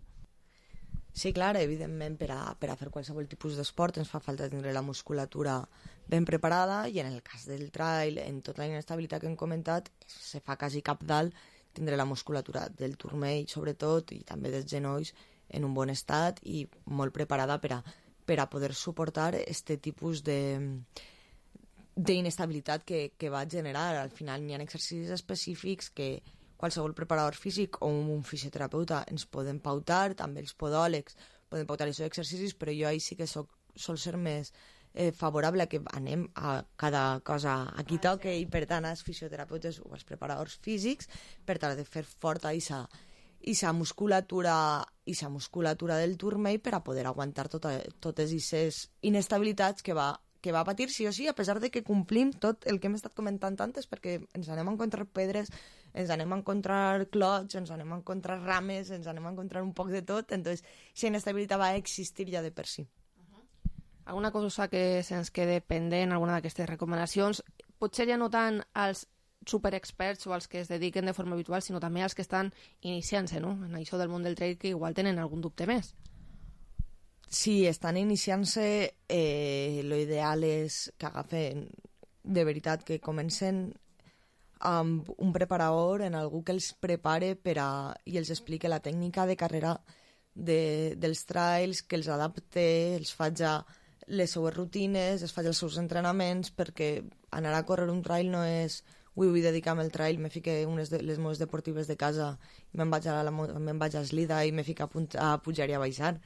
Sí, clar, evidentment per a, per a fer qualsevol tipus d'esport ens fa falta tenir la musculatura ben preparada i en el cas del trail, en tota la inestabilitat que hem comentat, se fa quasi cabdal tindre la musculatura del turmell sobretot i també dels genolls en un bon estat i molt preparada per a per a poder suportar este tipus de d'inestabilitat que, que va generar. Al final hi ha exercicis específics que qualsevol preparador físic o un fisioterapeuta ens poden pautar, també els podòlegs poden pautar aquests exercicis, però jo ahí sí que soc, sol ser més eh, favorable a que anem a cada cosa a qui toque i per tant als fisioterapeutes o als preparadors físics per tal de fer forta aquesta i sa musculatura i sa musculatura del turmell per a poder aguantar tota, totes aquestes inestabilitats que va, que va patir sí o sí, a pesar de que complim tot el que hem estat comentant antes, perquè ens anem a encontrar pedres, ens anem a encontrar clots, ens anem a encontrar rames, ens anem a encontrar un poc de tot, entonces aquesta inestabilitat va existir ja de per si. Alguna cosa que se'ns quede pendent, alguna d'aquestes recomanacions, potser ja no tant als superexperts o als que es dediquen de forma habitual, sinó també als que estan iniciant-se, no?, en això del món del trail, que igual tenen algun dubte més. Si estan iniciant-se, eh, lo ideal és que agafen de veritat, que comencen amb un preparador, en algú que els prepare per a, i els explique la tècnica de carrera de, dels trails, que els adapte, els faci les seues rutines, es faci els seus entrenaments, perquè anar a córrer un trail no és avui vull dedicar-me al trail, me fique unes de les meves deportives de casa i me'n vaig a, la, me'n vaig a Eslida i me fico a, punt, a pujar i a baixar.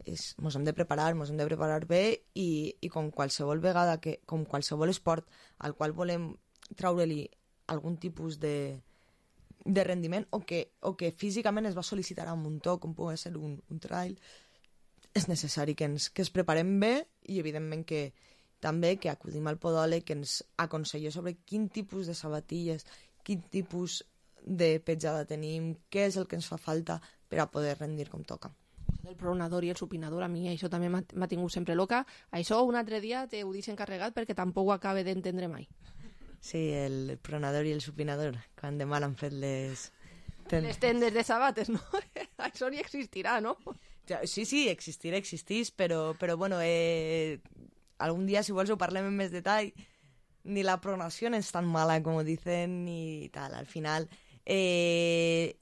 És, mos hem de preparar, mos hem de preparar bé i, i com qualsevol vegada, que, com qualsevol esport al qual volem traure-li algun tipus de, de rendiment o que, o que físicament es va sol·licitar a un muntó, com pugui ser un, un trail, és necessari que ens, que ens preparem bé i evidentment que també que acudim al podòleg que ens aconsella sobre quin tipus de sabatilles, quin tipus de petjada tenim, què és el que ens fa falta per a poder rendir com toca. El pronador i el supinador, a mi això també m'ha tingut sempre loca. Això un altre dia te ho deixo encarregat perquè tampoc ho acabe d'entendre mai. Sí, el pronador i el supinador, quan de mal han fet les... Les tendes de sabates, no? Això ni existirà, no? Sí, sí, existirà, existís, però, però bueno, eh, algun dia, si vols, ho parlem en més detall. Ni la pronació és tan mala com dicen, ni tal. Al final, eh,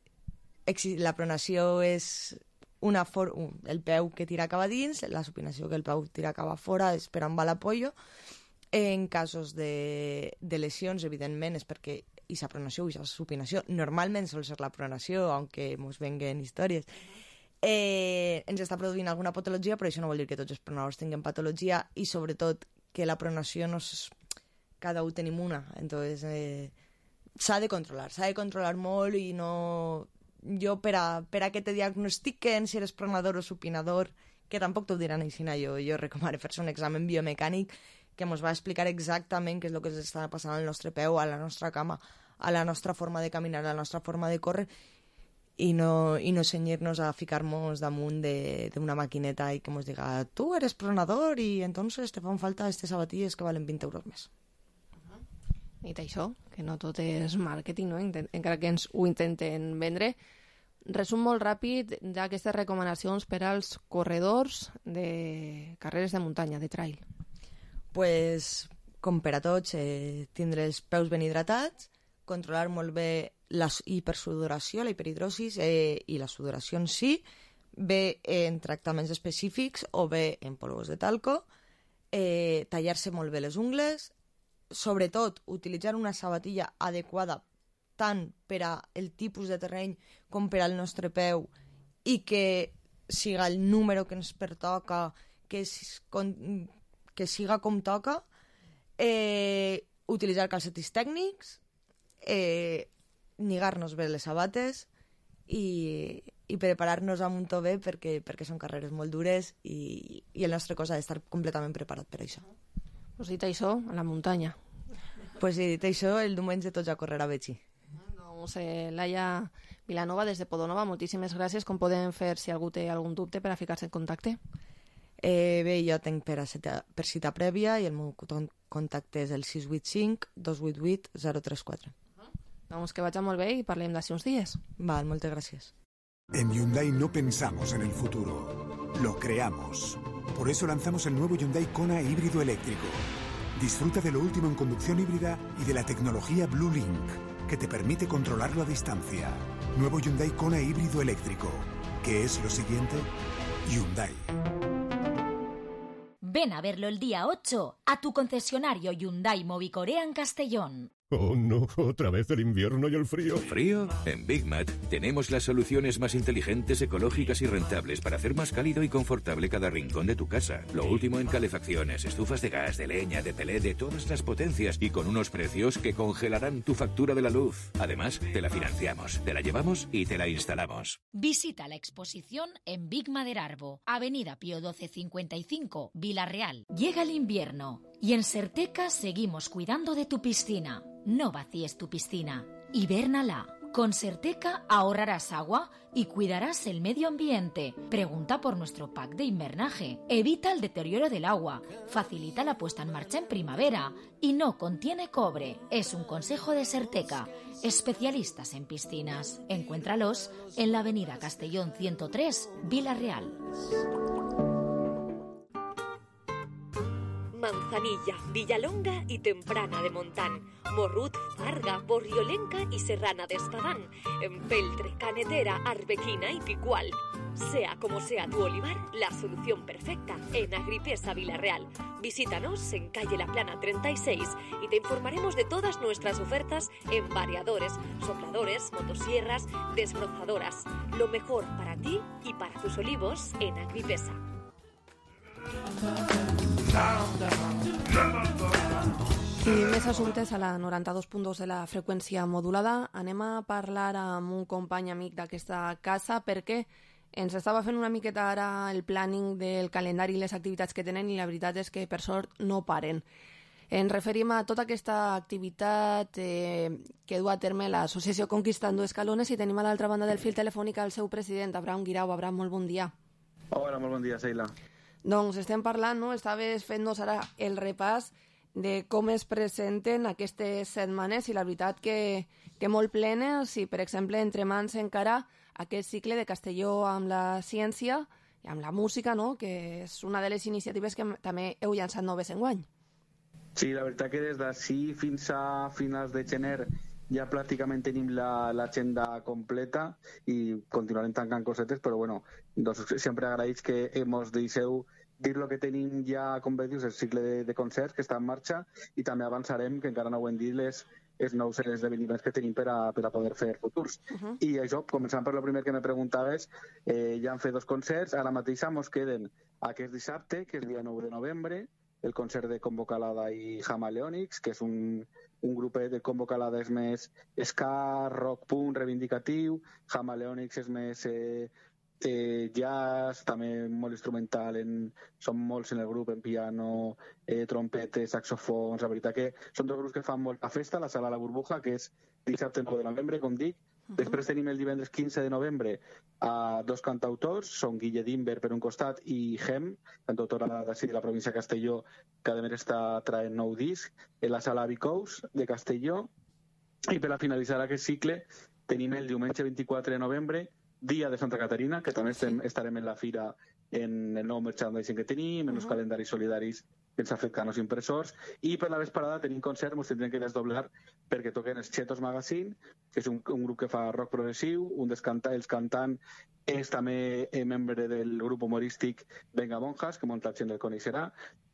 la pronació és una for el peu que tira cap a dins, la supinació que el peu tira cap a fora, esperant va l'apollo. En casos de, de lesions, evidentment, és perquè aquesta pronació o aquesta supinació, normalment sol ser la pronació, aunque ens venguen històries, eh, ens està produint alguna patologia, però això no vol dir que tots els pronadors tinguin patologia i sobretot que la pronació no és... cada un tenim una, entonces eh, s'ha de controlar, s'ha de controlar molt i no... Jo per a, per a que te diagnostiquen si eres pronador o supinador, que tampoc t'ho diran així, jo, jo recomano fer-se un examen biomecànic que ens va explicar exactament què és el que ens està passant al nostre peu, a la nostra cama, a la nostra forma de caminar, a la nostra forma de córrer, i no, i no cenyir-nos a ficar-nos damunt d'una maquineta i que ens diga, tu eres pronador i entonces te fan falta aquestes sabatilles que valen vint euros més. I això, que no tot és màrqueting, no? Encara que ens ho intenten vendre. Resum molt ràpid d'aquestes recomanacions per als corredors de carreres de muntanya, de trail. Pues, com per a tots, eh, tindre els peus ben hidratats, controlar molt bé la hipersudoració, la hiperhidrosis eh, i la sudoració en si, bé en tractaments específics o bé en polvos de talco, eh, tallar-se molt bé les ungles, sobretot utilitzar una sabatilla adequada tant per a el tipus de terreny com per al nostre peu i que siga el número que ens pertoca, que, que siga com toca, eh, utilitzar calcetins tècnics, eh, lligar-nos bé les sabates i, i preparar-nos a un to bé perquè, perquè són carreres molt dures i, i el nostre cos ha d'estar completament preparat per això. Pues dit això, a la muntanya. Pues sí, dit això, el diumenge tots a córrer a Betxí. Doncs eh, Laia Vilanova, des de Podonova, moltíssimes gràcies. Com podem fer, si algú té algun dubte, per a ficar-se en contacte? Eh, bé, jo tinc per, a cita, per cita prèvia i el meu contacte és el sis vuit cinc dos vuit vuit zero tres quatre. Doncs que vagi molt bé i parlem d'ací uns dies. Val, moltes gràcies. En Hyundai no pensamos en el futuro, lo creamos. Por eso lanzamos el nuevo Hyundai Kona híbrido eléctrico. Disfruta de lo último en conducción híbrida y de la tecnología Blue Link, que te permite controlarlo a distancia. Nuevo Hyundai Kona híbrido eléctrico. ¿Qué es lo siguiente? Hyundai. Ven a verlo el día ocho a tu concesionario Hyundai Movicorea en Castellón. Oh no, otra vez el invierno y el frío. ¿Frío? En Big Mat tenemos las soluciones más inteligentes, ecológicas y rentables para hacer más cálido y confortable cada rincón de tu casa. Lo último en calefacciones, estufas de gas, de leña, de pelé, de todas las potencias y con unos precios que congelarán tu factura de la luz. Además, te la financiamos, te la llevamos y te la instalamos. Visita la exposición en Big Maderarbo, Avenida Pío doce cincuenta y cinco, Vila-real. Llega el invierno y en Serteca seguimos cuidando de tu piscina. No vacíes tu piscina. Hibérnala. Con Serteca ahorrarás agua y cuidarás el medio ambiente. Pregunta por nuestro pack de invernaje. Evita el deterioro del agua. Facilita la puesta en marcha en primavera. Y no contiene cobre. Es un consejo de Serteca. Especialistas en piscinas. Encuéntralos en la avenida Castellón ciento tres, Vila-real. Manzanilla, Villalonga y Temprana de Montán, Morrut, Farga, Borriolenca y Serrana de Espadán, Empeltre, Canetera, Arbequina y Picual. Sea como sea tu olivar, la solución perfecta en Agripesa Vila-real. Visítanos en calle La Plana treinta y seis y te informaremos de todas nuestras ofertas en variadores, sopladores, motosierras, desbrozadoras. Lo mejor para ti y para tus olivos en Agripesa. I més assumptes a la noranta-dos punt dos de la freqüència modulada. Anem a parlar amb un company amic d'aquesta casa perquè ens estava fent una miqueta ara el planning del calendari i les activitats que tenen i la veritat és que per sort no paren. Ens referim a tota aquesta activitat eh, que du a terme l'associació Conquistando Escalones i tenim a l'altra banda del fil telefònic el seu president, Abraham Guirao. Abraham, molt bon dia. Hola, molt bon dia, Sheila. Doncs estem parlant, no? Estaves fent-nos ara el repàs de com es presenten aquestes setmanes i la veritat que, que molt plenes i, per exemple, entre mans encara aquest cicle de Castelló amb la ciència i amb la música, no? Que és una de les iniciatives que també heu llançat noves enguany. Sí, la veritat que des d'ací fins a finals de gener ja pràcticament tenim l'agenda la, completa i continuarem tancant cosetes, però bueno, doncs sempre agraïts que ens deixeu dir el que tenim ja, com bé dius, el cicle de, de concerts que està en marxa i també avançarem, que encara no ho hem dit, les, els nous esdeveniments que tenim per a, per a poder fer futurs. Uh-huh. I això, començant per el primer que me preguntaves, eh, ja han fet dos concerts, ara mateix mos queden aquest dissabte, que és el dia nou de novembre, el concert de Convocalada i Hamaleonics, que és un, un grupet de Convocalada és més ska, rock punk, reivindicatiu, Hamaleonics és més eh, eh, jazz, també molt instrumental, en, són molts en el grup, en piano, eh, trompetes, saxofons, la veritat que són dos grups que fan molta festa, la sala La Burbuja, que és dissabte nou de novembre, com dic. Uh-huh. Després tenim el divendres quinze de novembre a dos cantautors, són Guille Dimber per un costat i Gem, cantautora d'ací de la província de Castelló, que a més està traient nou disc, en la sala Vicous de Castelló. I per a finalitzar aquest cicle tenim el diumenge vint-i-quatre de novembre, dia de Santa Caterina, que també estem, estarem en la fira en el nou merchandising que tenim, en els uh-huh. calendaris solidaris que ens ha fet Canos Impressors, i per la vesprada tenim concert, ens tindrem que desdoblar perquè toquen els Chetos Magazine, que és un, un grup que fa rock progressiu, un dels canta, els cantant és també eh, membre del grup humorístic Venga Monjas, que molta gent el coneixerà,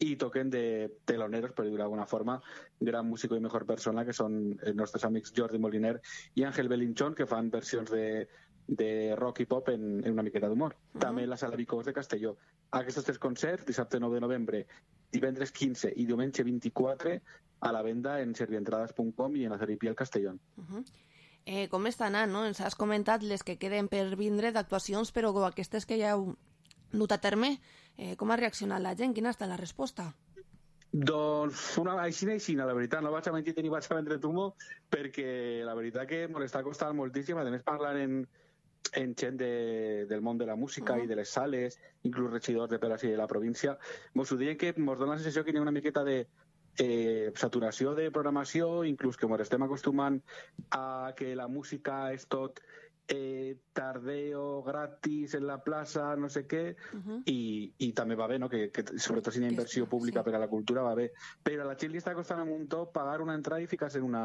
i toquen de teloneros, per dir d'alguna forma, gran músico i mejor persona, que són els nostres amics Jordi Moliner i Àngel Belinchón, que fan versions de de rock i pop en, en una miqueta d'humor. Uh-huh. També la sala Vicós de Castelló. Aquests tres concerts, dissabte nou de novembre, divendres quinze i diumenge vint-i-quatre, a la venda en servientrades punt com i en Azeripiel Castellón. Uh-huh. eh, com està anant, no? Ens has comentat les que queden per vindre d'actuacions, però aquestes que ja heu dut a terme, eh, com ha reaccionat la gent? Quina ha estat la resposta? Doncs una aixina aixina, la veritat, no vaig a mentir ni vaig a vendre tumo, perquè la veritat que m'està costant moltíssim, a més parlant en, en gent de, del món de la música uh-huh. i de les sales, inclús regidors de Peras i de la província, mos ho diuen que mos dona la sensació que hi ha una miqueta de eh, saturació de programació, inclús que mos estem acostumant a que la música és tot eh, tardeo, gratis, en la plaça, no sé què, uh-huh. i, i també va bé, no? que, que sobretot si hi ha inversió pública sí. per a la cultura va bé, però a la gent li està costant un muntó pagar una entrada i ficar-se en una,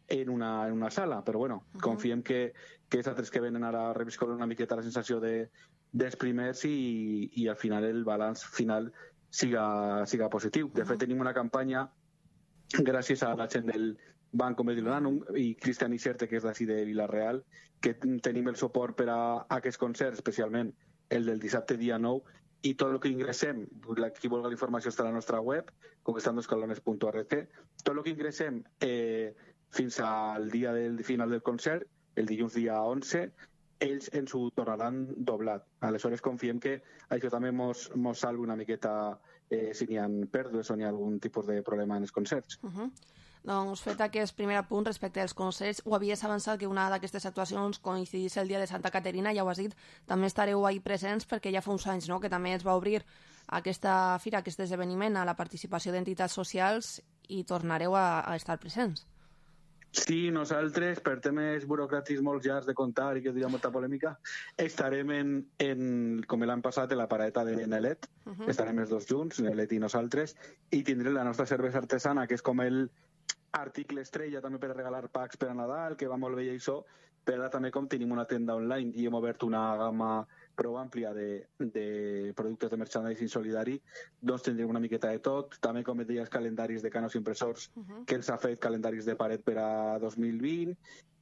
en una, en una sala, però bueno, uh-huh. confiem que, que els altres que venen ara reviscolen una miqueta la sensació de, dels primers i, i al final el balanç final siga, siga positiu. De uh-huh. fet, tenim una campanya gràcies a la gent del Banco Mediolanum i Cristian Ixerte, que és d'ací de Vila-real, que tenim el suport per a aquests concerts, especialment el del dissabte dia nou, i tot el que ingressem, qui vulgui la informació està a la nostra web, conquistandoscalones punt org, tot el que ingressem eh, fins al dia del final del concert, el dilluns dia onze, ells ens ho tornaran doblat. Aleshores confiem que això també mos, mos salvi una miqueta eh, si n'hi ha pèrdues o n'hi ha algun tipus de problema en els concerts. Uh-huh. Doncs fet aquest primer apunt respecte als concerts, ho havies avançat que una d'aquestes actuacions coincidís el dia de Santa Caterina, ja ho has dit, també estareu ahí presents perquè ja fa uns anys no? que també es va obrir aquesta fira, aquest esdeveniment a la participació d'entitats socials i tornareu a, a estar presents. Sí, nosaltres, per temes burocràtics molt llargs de contar i que diria molta polèmica, estarem en, en com l'any passat, en la paradeta de Nelet, uh-huh. estarem els dos junts, Nelet i nosaltres, i tindrem la nostra cervesa artesana, que és com el article estrella també per a regalar packs per a Nadal, que va molt bé i això, però també com tenim una tenda online i hem obert una gamma prou àmplia de, de productes de merchandising solidari, doncs tindrem una miqueta de tot, també com et deies calendaris de Canos Impressors, uh-huh. que ens ha fet calendaris de paret per a dos mil vint,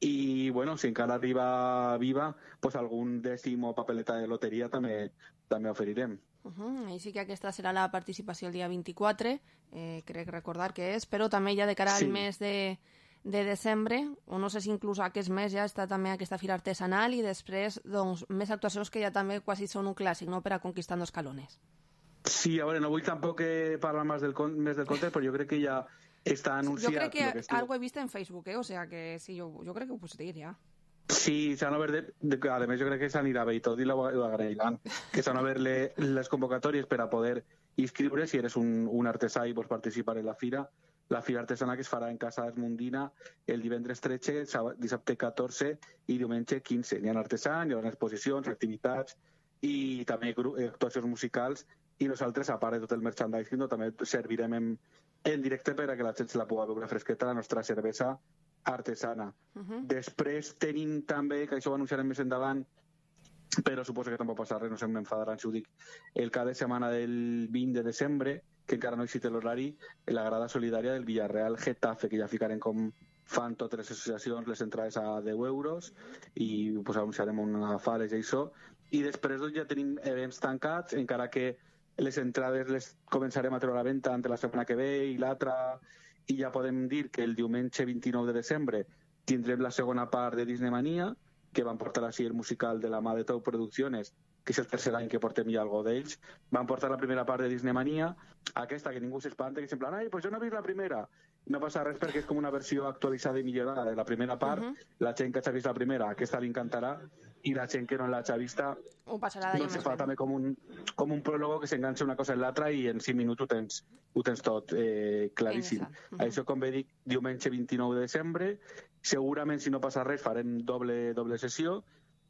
i bueno, si encara arriba viva, pues algun dècim o papeleta de loteria també, també oferirem. Uh-huh. Així que aquesta serà la participació el dia vint-i-quatre, eh, crec recordar que és, però també ja de cara al sí. mes de, de desembre, o no sé si inclús aquest mes ja està també aquesta fira artesanal i després doncs, més actuacions que ja també quasi són un clàssic, no?, per a Conquistando Escalones. Sí, a veure, no vull tampoc parlar més del, més del conte, però jo crec que ja està anunciat... Jo crec que, que estiu... algo he vist en Facebook, eh? O sea que sí, jo, jo crec que ho pots dir ja. Sí, s'han obert, de, de, a més jo crec que s'anirà bé i tot i ho agrairan, que s'han obert le, les convocatòries per a poder inscriure si eres un, un artesà i vols participar en la fira. La fira artesana que es farà en Casa Esmundina el divendres tretze, dissabte catorze i diumenge quinze. Hi ha artesans, hi ha exposicions, activitats i també actuacions musicals, i nosaltres, a part de tot el merchandising, també servirem en, en directe per a que la gent se la pugui beure fresqueta, la nostra cervesa artesana. Uh-huh. Després tenim també, que això ho anunciarem més endavant, però suposo que tampoc passarà res, no se m'enfadaran si ho dic, el cap de setmana del vint de desembre, que encara no existe l'horari, la grada solidària del Villarreal Getafe, que ja ficarem com fan totes les associacions les entrades a deu euros i pues, anunciarem una fales i això, i després doncs, ja tenim events tancats, encara que les entrades les començarem a treure a la venda entre la setmana que ve i l'altra, i ja podem dir que el diumenge vint-i-nou de desembre tindrem la segona part de Disney Mania, que van portar així el musical de la mà de Tau Producciones, que és el tercer any que portem ja algo d'ells. Van portar la primera part de Disney Mania, aquesta que ningú s'espanta, que sempre, ai, pues jo no he vist la primera. No passa res perquè és com una versió actualitzada i millorada de la primera part. Uh-huh. La gent que ha vist la primera, aquesta li encantarà, i la gent que no l'ha vista ho passarà d'allà no se fa també com un, com un pròlogo que s'enganxa una cosa en l'altra i en cinc minuts ho tens, ho tens tot eh, claríssim. Uh-huh. Això, com bé dic, diumenge vint-i-nou de desembre, segurament si no passa res farem doble, doble sessió,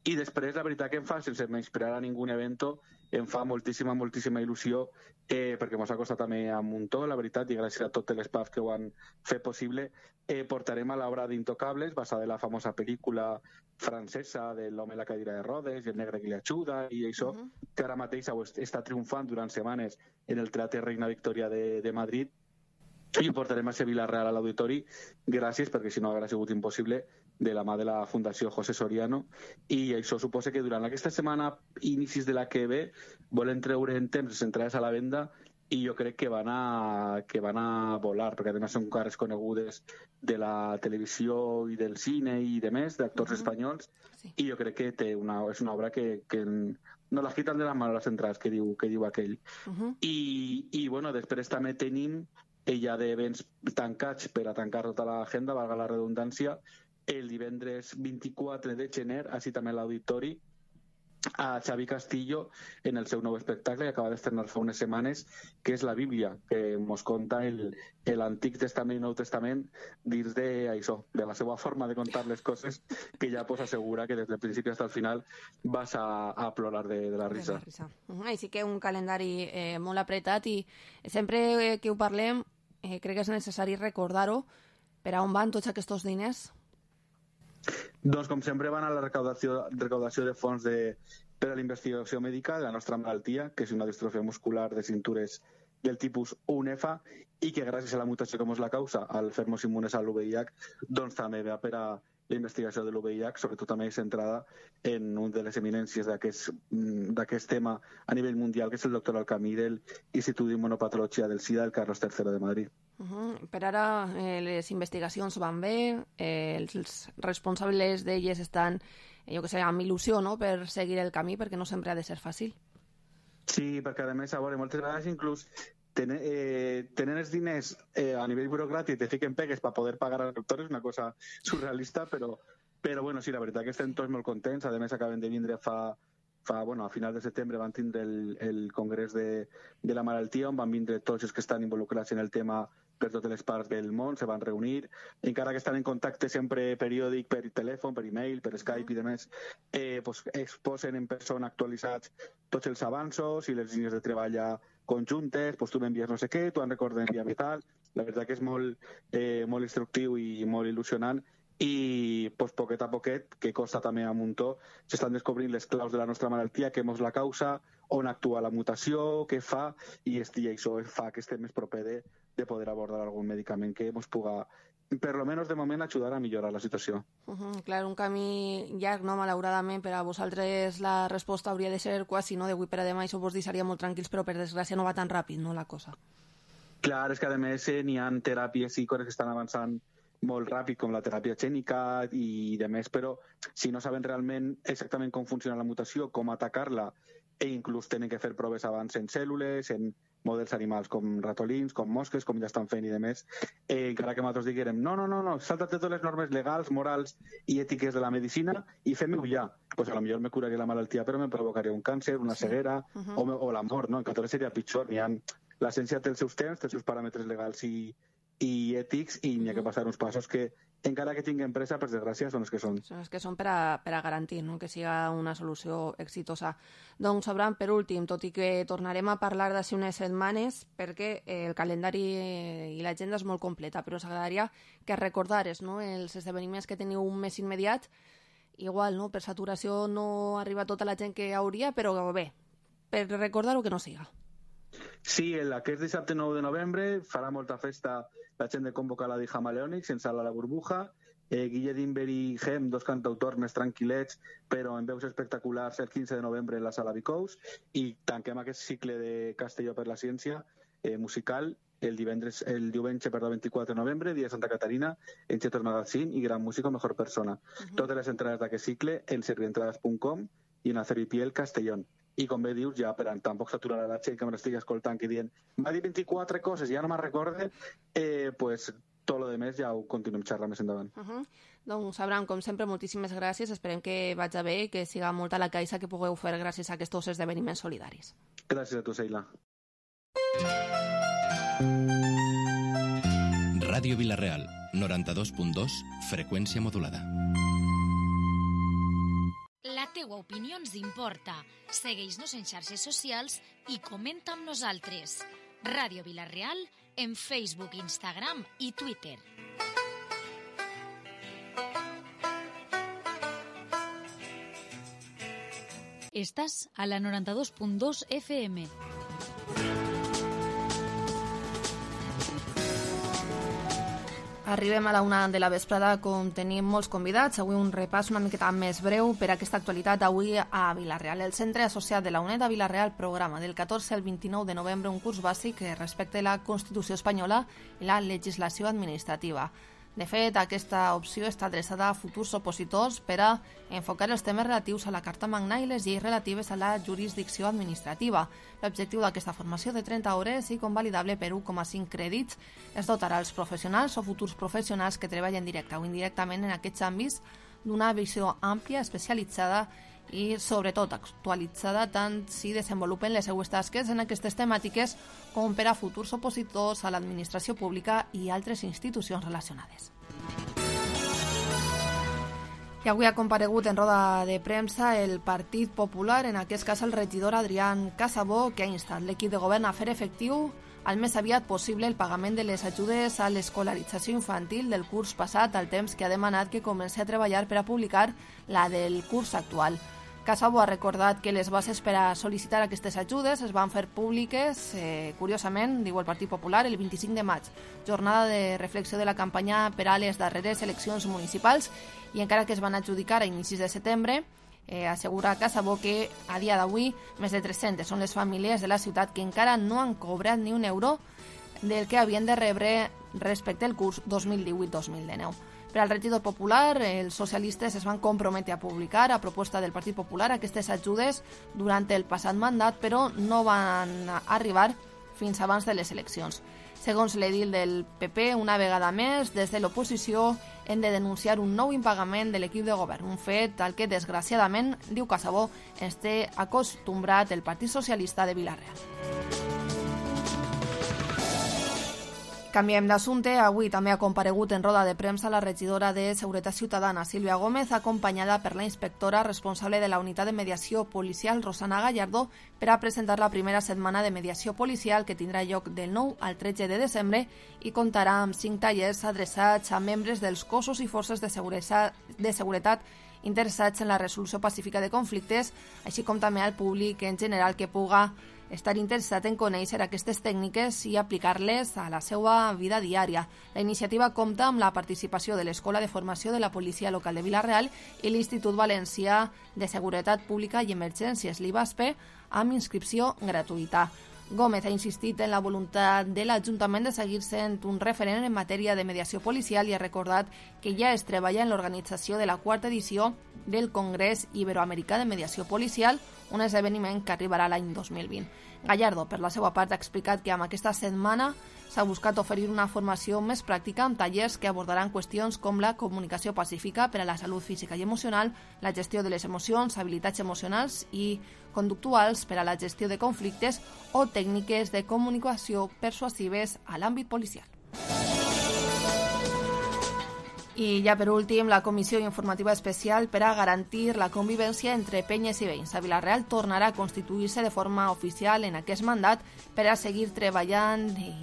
i després la veritat que em fa, sense menysprear a ningú evento, em fa moltíssima, moltíssima il·lusió, eh, perquè mos ha costat també a un muntó, la veritat, i gràcies a totes les pubs que ho han fet possible, eh, portarem a l'obra d'Intocables, basada en la famosa pel·lícula francesa de l'home en la cadira de rodes, i el negre que li ajuda, i això, uh-huh. que ara mateix està triomfant durant setmanes en el Teatre Reina Victoria de, de Madrid, i ho portarem a Sevilla Real a l'Auditori, gràcies, perquè si no hauria sigut impossible, de la mà de la Fundació José Soriano, i això suposa que durant aquesta setmana, inicis de la que ve, volen treure en temps les entrades a la venda, i jo crec que van a, que van a volar, perquè a més són cares conegudes de la televisió i del cine i de més, d'actors uh-huh. espanyols, sí. I jo crec que té una, és una obra que, que no les quiten de les mans les entrades, que diu, que diu aquell. Uh-huh. I, I, bueno, després també tenim hi ha d'events tancats per a tancar tota l'agenda, valga la redundància, el divendres vint-i-quatre de gener, així també l'auditori, a Xavi Castillo en el seu nou espectacle que acaba d'estrenar fa unes setmanes, que és la Bíblia, que mos conta l'Antic Testament i Nou Testament dins de això, de la seva forma de contar les coses, que ja pues assegura que des del principi fins al final vas a, a plorar de, de la risa. De la risa. Uh, I sí que un calendari eh, molt apretat i sempre que ho parlem eh, crec que és necessari recordar-ho per a on van tots aquests diners. Doncs, com sempre, van a la recaudació, recaudació de fons de, per a la investigació mèdica de la nostra malaltia, que és una distrofia muscular de cintures del tipus U N E F A, i que gràcies a la mutació que és la causa, al fer-nos immunes a l'U V I H, doncs també va per a la investigació de l'U V I H, sobretot també centrada en un de les eminències d'aquest tema a nivell mundial, que és el doctor Alcamí del Institut d'Immunopatologia del SIDA del Carlos tercero de Madrid. Uh -huh. Per ara eh, les investigacions van bé, eh, els responsables d'elles estan, eh, jo que sé, amb il·lusió, no?, per seguir el camí, perquè no sempre ha de ser fàcil. Sí, perquè a més, a veure, moltes vegades inclús tenen, eh, tenen els diners eh, a nivell burocràtic, te fiquen pegues per poder pagar als doctors, és una cosa surrealista, però, però bueno, sí, la veritat que estem tots molt contents. A més, acaben de vindre fa, fa bueno, a final de setembre van tindre el, el congrés de, de la malaltia, on van vindre tots els que estan involucrats en el tema per totes les parts del món, se van reunir, encara que estan en contacte sempre periòdic per telèfon, per e-mail, per Skype i demés, eh, pues, exposen en persona actualitzats tots els avanços i les línies de treball conjuntes, pues tu m'envies no sé què, tu en recordes enviar i tal. La veritat que és molt, eh, molt instructiu i molt il·lusionant, i pues, poquet a poquet, que costa també a muntó, s'estan descobrint les claus de la nostra malaltia, què és la causa, on actua la mutació, què fa, i això fa que estem més proper de, de poder abordar algun medicament que ens puga, per lo menos de moment, ajudar a millorar la situació. Uh -huh, clar, un camí llarg, no?, malauradament, per a vosaltres la resposta hauria de ser quasi, no?, d'avui per a demà, això vos deixaria molt tranquils, però per desgràcia no va tan ràpid, no?, la cosa. Clar, és que a més eh, n'hi ha teràpies i coses que estan avançant molt ràpid, com la teràpia gènica i de més, però si no saben realment exactament com funciona la mutació, com atacar-la, e inclús tenen que fer proves abans en cèl·lules, en models animals com ratolins, com mosques, com ja estan fent i de més, eh, encara que nosaltres diguérem no, no, no, no, salta't totes les normes legals, morals i ètiques de la medicina i fem-ho ja. Pues a lo millor me curaria la malaltia, però me provocaria un càncer, una ceguera, sí. uh-huh. o, o la mort, no? En català seria pitjor. N'hi ha... La ciència té els seus temps, té els seus paràmetres legals i, i ètics, i n'hi ha que passar uns passos que, encara que tinguin pressa, per desgràcia, són els que són. Són els que són per a, per a garantir, no?, que siga una solució exitosa. Doncs, Abraham, per últim, tot i que tornarem a parlar d'ací unes setmanes, perquè el calendari i l'agenda és molt completa, però s'agradaria que recordares, no?, els esdeveniments que teniu un mes immediat. Igual, no?, per saturació no arriba tota la gent que hauria, però bé, per recordar-ho que no siga. Sí, el, aquest dissabte nou de novembre farà molta festa la gent de Convocar la Dijama Leònix en Sala La Burbuja. Eh, Guille Dimber i Gem, dos cantautors més tranquil·lets, però en veus espectaculars, el quinze de novembre en la Sala Bicous. I tanquem aquest cicle de Castelló per la Ciència eh, musical el divendres, el diumenge, perdó, vint-i-quatre de novembre, dia de Santa Caterina, en Chetos Magazine i Gran Músico, Mejor Persona. Uh-huh. Totes les entrades d'aquest cicle en servientrades punt com i en Aceripiel Castellón. I com bé dius, ja per a tampoc s'aturarà la gent que m'estigui escoltant que dient m'ha dit vint-i-quatre coses i ja no me'n recorde, eh, pues tot lo de més ja ho continuem xerrant més endavant. Uh -huh. Doncs, Abraham, com sempre, moltíssimes gràcies. Esperem que vagi bé i que siga molta la caixa que pugueu fer gràcies a aquests esdeveniments solidaris. Gràcies a tu, Seila. Ràdio Vila-real, noranta-dos punt dos, freqüència modulada. La teua opinió ens importa. Segueix-nos en xarxes socials i comenta amb nosaltres. Ràdio Vila-real en Facebook, Instagram i Twitter. Estàs a la noranta-dos punt dos F M. Arribem a la una de la vesprada com tenim molts convidats. Avui un repàs una miqueta més breu per a aquesta actualitat. Avui a Vila-real. El Centre Associat de la UNED a Vila-real programa del catorze al vint-i-nou de novembre un curs bàsic respecte a la Constitució espanyola i la legislació administrativa. De fet, aquesta opció està adreçada a futurs opositors per a enfocar els temes relatius a la Carta Magna i les lleis relatives a la jurisdicció administrativa. L'objectiu d'aquesta formació de trenta hores i convalidable per un coma cinc crèdits es dotarà als professionals o futurs professionals que treballen directa o indirectament en aquests àmbits d'una visió àmplia, especialitzada i sobretot actualitzada tant si desenvolupen les seues tasques en aquestes temàtiques com per a futurs opositors a l'administració pública i altres institucions relacionades. I avui ha comparegut en roda de premsa el Partit Popular, en aquest cas el regidor Adrián Casabó, que ha instat l'equip de govern a fer efectiu al més aviat possible el pagament de les ajudes a l'escolarització infantil del curs passat, al temps que ha demanat que comenci a treballar per a publicar la del curs actual. Casabó ha recordat que les bases per a sol·licitar aquestes ajudes es van fer públiques, eh, curiosament, diu el Partit Popular, el vint-i-cinc de maig, jornada de reflexió de la campanya per a les darreres eleccions municipals, i encara que es van adjudicar a inicis de setembre, eh, assegura Casabó que a dia d'avui més de tres-centes són les famílies de la ciutat que encara no han cobrat ni un euro del que havien de rebre respecte al curs dos mil divuit dos mil dinou. Per al regidor popular, els socialistes es van comprometre a publicar, a proposta del Partit Popular, aquestes ajudes durant el passat mandat, però no van arribar fins abans de les eleccions. Segons l'edil del P P, una vegada més, des de l'oposició hem de denunciar un nou impagament de l'equip de govern, un fet al que, desgraciadament, diu Casabó, ens té acostumbrat el Partit Socialista de Vila-real. Canviem d'assumpte. Avui també ha comparegut en roda de premsa la regidora de Seguretat Ciutadana, Sílvia Gómez, acompanyada per la inspectora responsable de la unitat de mediació policial, Rosana Gallardo, per a presentar la primera setmana de mediació policial que tindrà lloc del nou al tretze de desembre i comptarà amb cinc tallers adreçats a membres dels cossos i forces de seguretat, de seguretat interessats en la resolució pacífica de conflictes, així com també al públic en general que puga estar interessat en conèixer aquestes tècniques i aplicar-les a la seva vida diària. La iniciativa compta amb la participació de l'Escola de Formació de la Policia Local de Vila-real i l'Institut Valencià de Seguretat Pública i Emergències, l'I V A S P, amb inscripció gratuïta. Gómez ha insistit en la voluntat de l'Ajuntament de seguir sent un referent en matèria de mediació policial i ha recordat que ja es treballa en l'organització de la quarta edició del Congrés Iberoamericà de Mediació Policial, un esdeveniment que arribarà l'any dos mil vint. Gallardo, per la seva part, ha explicat que amb aquesta setmana s'ha buscat oferir una formació més pràctica amb tallers que abordaran qüestions com la comunicació pacífica per a la salut física i emocional, la gestió de les emocions, habilitats emocionals i conductuals per a la gestió de conflictes o tècniques de comunicació persuasives a l'àmbit policial. I ja per últim, la Comissió Informativa Especial per a garantir la convivència entre penyes i veïns a Vila-real tornarà a constituir-se de forma oficial en aquest mandat per a seguir treballant i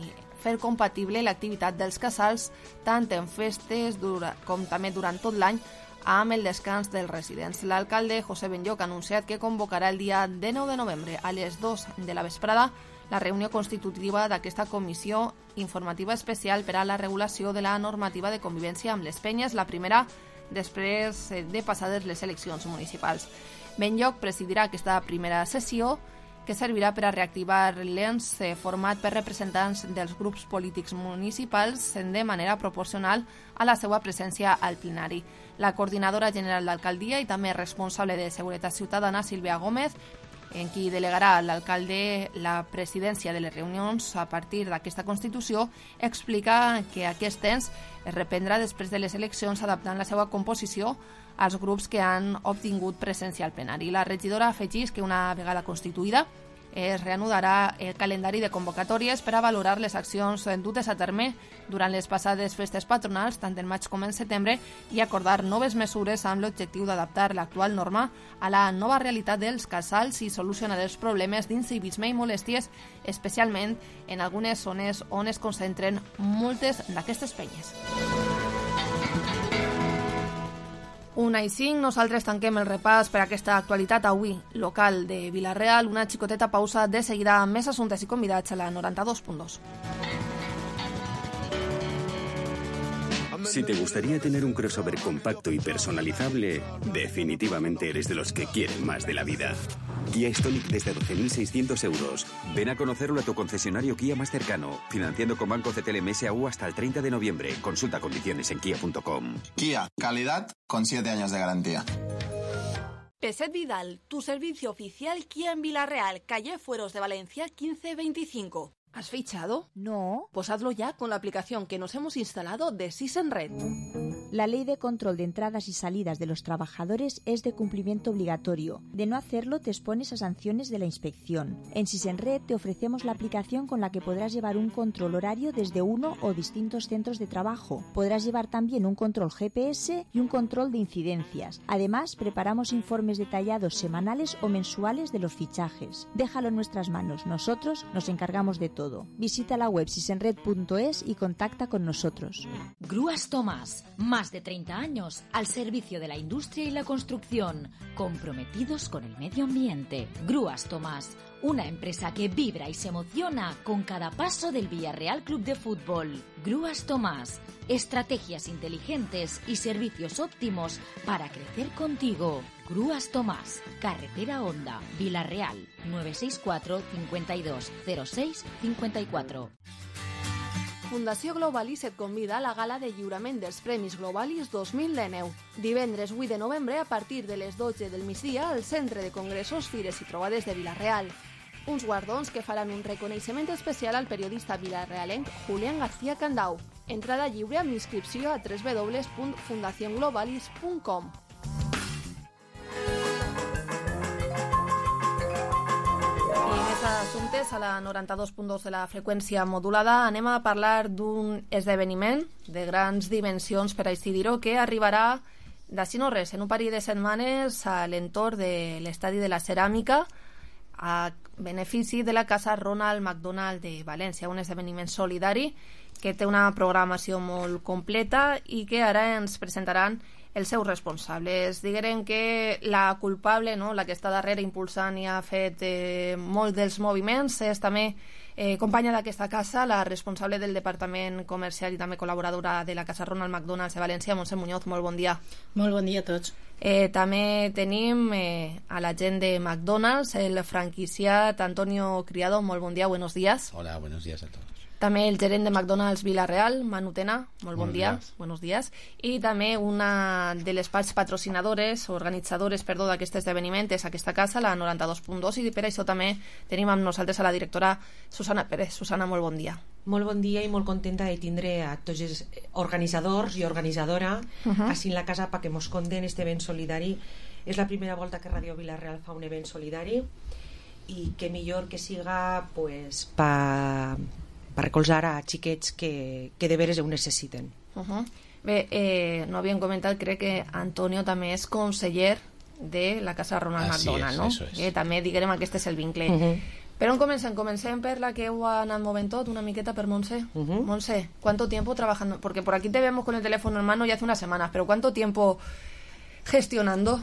fer compatible l'activitat dels casals tant en festes dura, com també durant tot l'any amb el descans dels residents. L'alcalde José Benlloc ha anunciat que convocarà el dia dinou de novembre a les dues de la vesprada la reunió constitutiva d'aquesta Comissió Informativa Especial per a la regulació de la normativa de convivència amb les penyes, la primera després de passades les eleccions municipals. Benlloc presidirà aquesta primera sessió, que servirà per a reactivar l'ens format per representants dels grups polítics municipals de manera proporcional a la seva presència al plenari. La coordinadora general d'alcaldia i també responsable de Seguretat Ciutadana, Sílvia Gómez, en qui delegarà l'alcalde la presidència de les reunions a partir d'aquesta Constitució, explica que aquest ens es reprendrà després de les eleccions adaptant la seva composició als grups que han obtingut presència al plenari. La regidora afegeix que una vegada constituïda es reanudarà el calendari de convocatòries per a valorar les accions dutes a terme durant les passades festes patronals, tant en maig com en setembre, i acordar noves mesures amb l'objectiu d'adaptar l'actual norma a la nova realitat dels casals i solucionar els problemes d'incivisme i molèsties, especialment en algunes zones on es concentren moltes d'aquestes penyes. Una i cinc, nosaltres tanquem el repàs per aquesta actualitat avui local de Vila-real. Una xicoteta pausa, de seguida amb més assumptes i convidats a la noranta-dos punt dos. Si te gustaría tener un crossover compacto y personalizable, definitivamente eres de los que quieren más de la vida. Kia Stonic desde doce mil seiscientos euros. Ven a conocerlo a tu concesionario Kia más cercano, financiando con Banco C T L M S A U hasta el treinta de noviembre. Consulta condiciones en kia punto com. Kia, calidad con siete años de garantía. Peset Vidal, tu servicio oficial Kia en Villarreal, calle Fueros de Valencia quince veinticinco. ¿Has fichado? No. Pues hazlo ya con la aplicación que nos hemos instalado de Sisenred. La ley de control de entradas y salidas de los trabajadores es de cumplimiento obligatorio. De no hacerlo te expones a sanciones de la inspección. En Sisenred te ofrecemos la aplicación con la que podrás llevar un control horario desde uno o distintos centros de trabajo. Podrás llevar también un control G P S y un control de incidencias. Además, preparamos informes detallados semanales o mensuales de los fichajes. Déjalo en nuestras manos. Nosotros nos encargamos de todo. Visita la web sisenred punto es y contacta con nosotros. Grúas Tomás, más de treinta años al servicio de la industria y la construcción, comprometidos con el medio ambiente. Grúas Tomás, una empresa que vibra y se emociona con cada paso del Villarreal Club de Fútbol. Grúas Tomás, estrategias inteligentes y servicios óptimos para crecer contigo. Grúas Tomás, carretera Honda, Villarreal, nueve seis cuatro, cincuenta y dos, cero seis, cincuenta y cuatro. Fundació Globalis et convida a la gala de lliurament dels Premis Globalis dos mil dinou. Divendres vuit de novembre a partir de les dotze del migdia al Centre de Congressos, Fires i Trobades de Villarreal. Uns guardons que faran un reconeixement especial al periodista vilarrealenc Julián García Candau. Entrada lliure amb inscripció a w w w punt fundación globalis punt com. Assumptes a la noranta-dos punt dos de la freqüència modulada anem a parlar d'un esdeveniment de grans dimensions, per així dir-ho, que arribarà d'ací no res, en un parell de setmanes a l'entorn de l'estadi de la Ceràmica a benefici de la Casa Ronald McDonald de València, un esdeveniment solidari que té una programació molt completa i que ara ens presentaran els seus responsables. Diguem que la culpable, no, la que està darrere impulsant i ha fet eh, molt dels moviments, és també eh, companya d'aquesta casa, la responsable del Departament Comercial i també col·laboradora de la Casa Ronald McDonald de València, Montse Muñoz. Molt bon dia. Molt bon dia a tots. Eh, també tenim eh, a la gent de McDonald's, el franquiciat Antonio Criado. Molt bon dia, buenos días. Hola, buenos días a todos. També el gerent de McDonald's Villarreal, Manu Tena, molt bon dia, buenos días. I també una de les parts patrocinadores, organitzadores, perdó, d'aquest esdeveniment és aquesta casa, la noranta-dos punt dos, i per això també tenim amb nosaltres a la directora Susana Pérez. Susana, molt bon dia. Molt bon dia i molt contenta de tindre a tots els organitzadors i organitzadora uh -huh. així en la casa perquè mos conten este event solidari. És la primera volta que Radio Villarreal fa un event solidari i que millor que siga pues, pa... per recolzar a xiquets que, que de veres ho necessiten. Uh -huh. Bé, eh, no havíem comentat, crec que Antonio també és conseller de la Casa Ronald Así McDonald, es, no? Eso es. Eh, també, diguem, aquest és el vincle. Uh -huh. Per on comencem? Comencem per la que ho ha anat movent tot, una miqueta per Montse. Uh -huh. Montse, ¿cuánto tiempo trabajando? Porque por aquí te vemos con el teléfono en mano ya hace unas semanas, pero ¿cuánto tiempo gestionando?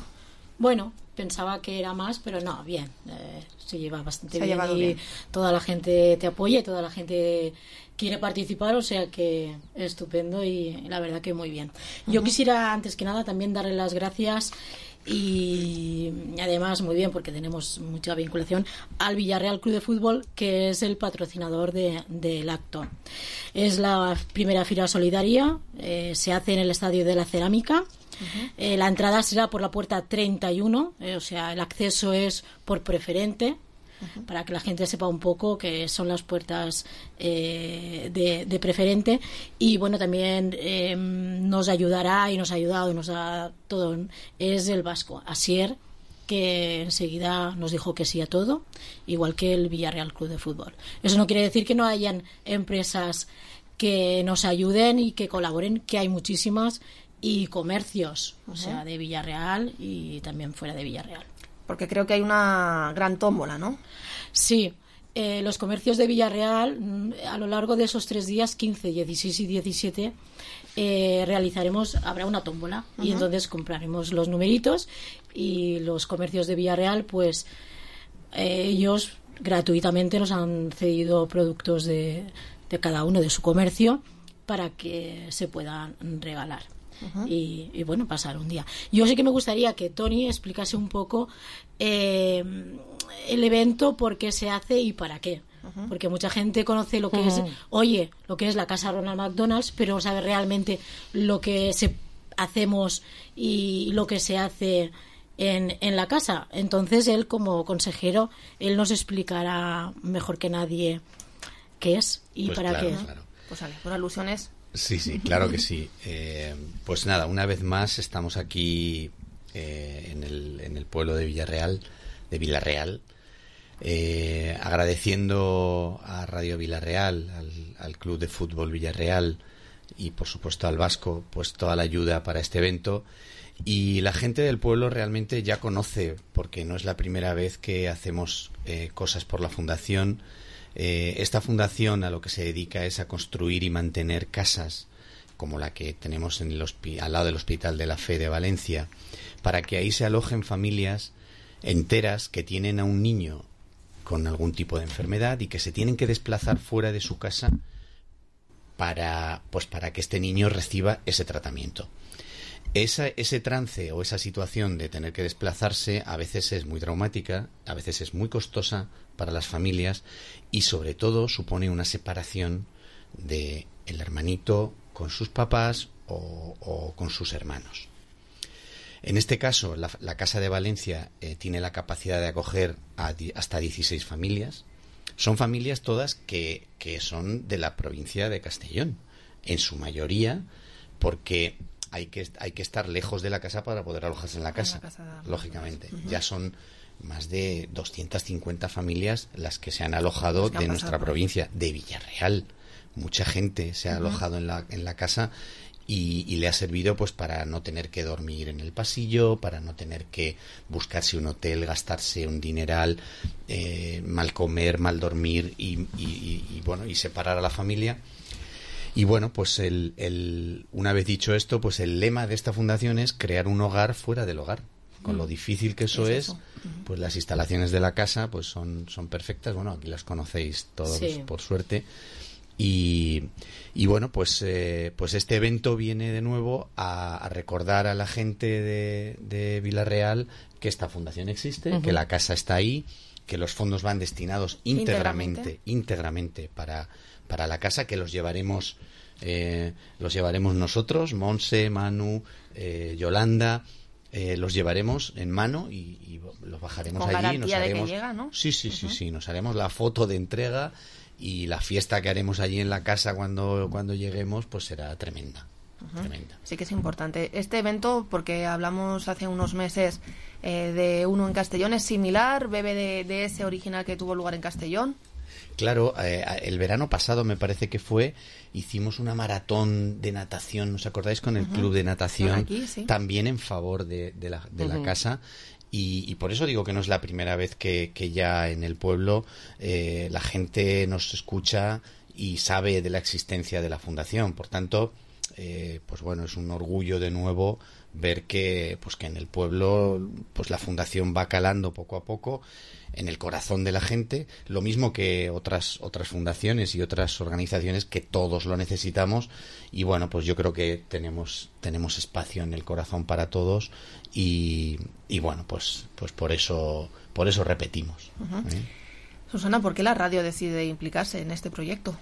Bueno, pensaba que era más, pero no, bien, eh, se lleva bastante se bien ha y bien. Toda la gente te apoya y toda la gente quiere participar, o sea que estupendo y la verdad que muy bien. Uh-huh. Yo quisiera antes que nada también darle las gracias y además muy bien porque tenemos mucha vinculación al Villarreal Club de Fútbol, que es el patrocinador de, del acto. Es la primera fila solidaria, eh, se hace en el Estadio de la Ceràmica. Uh-huh. Eh, la entrada será por la puerta treinta y uno, eh, o sea, el acceso es por preferente, uh-huh, para que la gente sepa un poco que son las puertas eh, de, de preferente. Y bueno, también eh, nos ayudará y nos ha ayudado y nos ha todo, es el vasco Asier, que enseguida nos dijo que sí a todo, igual que el Villarreal Club de Fútbol. Eso no quiere decir que no hayan empresas que nos ayuden y que colaboren, que hay muchísimas, y comercios, uh-huh, o sea, de Villarreal y también fuera de Villarreal. Porque creo que hay una gran tómbola, ¿no? Sí, eh, los comercios de Villarreal, a lo largo de esos tres días, quince, dieciséis y diecisiete, eh, realizaremos, habrá una tómbola, uh-huh, y entonces compraremos los numeritos y los comercios de Villarreal, pues eh, ellos gratuitamente nos han cedido productos de, de cada uno de su comercio. para que se puedan regalar. Ujú. y, y bueno, pasar un día. Yo sí que me gustaría que Tony explicase un poco eh, el evento, por qué se hace y para qué. Ujú. Porque mucha gente conoce lo que Ujú. es, oye, lo que es la casa Ronald McDonald's, pero no sabe realmente lo que se hacemos y lo que se hace en, en la casa. Entonces él, como consejero, él nos explicará mejor que nadie qué es y Pues para claro, qué. claro. Pues vale, por alusiones. Sí, sí, claro que sí. Eh, pues nada, una vez más estamos aquí eh, en, el, en el pueblo de Villarreal, de Villarreal, eh, agradeciendo a Radio Villarreal, al, al Club de Fútbol Villarreal y por supuesto al Vasco, pues toda la ayuda para este evento. Y la gente del pueblo realmente ya conoce, porque no es la primera vez que hacemos eh, cosas por la fundación. Eh, esta fundación a lo que se dedica es a construir y mantener casas como la que tenemos en el hospi- al lado del Hospital de la Fe de Valencia, para que ahí se alojen familias enteras que tienen a un niño con algún tipo de enfermedad y que se tienen que desplazar fuera de su casa para, pues para que este niño reciba ese tratamiento. Esa, ese trance o esa situación de tener que desplazarse a veces es muy traumática, a veces es muy costosa para las familias y sobre todo supone una separación de el hermanito con sus papás o, o con sus hermanos. En este caso, la, la Casa de Valencia eh, tiene la capacidad de acoger a di, hasta dieciséis familias. Son familias todas que, que son de la provincia de Castellón, en su mayoría, porque hay que, hay que estar lejos de la casa para poder alojarse en la casa, en la casa lógicamente. Uh-huh. Ya son más de doscientas cincuenta familias las que se han alojado de nuestra provincia, de Villarreal. Mucha gente se ha uh-huh. alojado en la, en la casa y, y le ha servido pues para no tener que dormir en el pasillo, para no tener que buscarse un hotel, gastarse un dineral, eh, mal comer, mal dormir y, y, y, y bueno, y separar a la familia. Y bueno, pues el, el, una vez dicho esto, pues el lema de esta fundación es crear un hogar fuera del hogar. Con lo difícil que eso es, es pues las instalaciones de la casa pues son, son perfectas. Bueno, aquí las conocéis todos, sí, por suerte. Y, y bueno, pues, eh, pues este evento viene de nuevo a, a recordar a la gente de, de Villarreal que esta fundación existe, uh-huh. que la casa está ahí, que los fondos van destinados íntegramente, íntegramente, íntegramente para, para la casa, que los llevaremos, eh, los llevaremos nosotros, Monse, Manu, eh, Yolanda. Eh, los llevaremos en mano y, y los bajaremos con allí y nos haremos de que llega, ¿no? sí sí sí uh-huh. sí nos haremos la foto de entrega y la fiesta que haremos allí en la casa cuando cuando lleguemos pues será tremenda. Uh-huh. Tremenda. Sí que es importante este evento porque hablamos hace unos meses eh, de uno en Castellón, es similar, bebe de, de ese original que tuvo lugar en Castellón. Claro, eh, el verano pasado me parece que fue, hicimos una maratón de natación, ¿os acordáis? Con el uh-huh. club de natación, aquí, sí. también en favor de, de, la, de uh-huh. la casa. Y, y por eso digo que no es la primera vez que, que ya en el pueblo eh, la gente nos escucha y sabe de la existencia de la fundación. Por tanto, eh, pues bueno, es un orgullo de nuevo ver que, pues que en el pueblo pues la fundación va calando poco a poco en el corazón de la gente, lo mismo que otras otras fundaciones y otras organizaciones que todos lo necesitamos. Y bueno, pues yo creo que tenemos tenemos espacio en el corazón para todos y, y bueno, pues pues por eso por eso repetimos. Uh-huh. ¿Eh? Susana, ¿por qué la radio decide implicarse en este proyecto?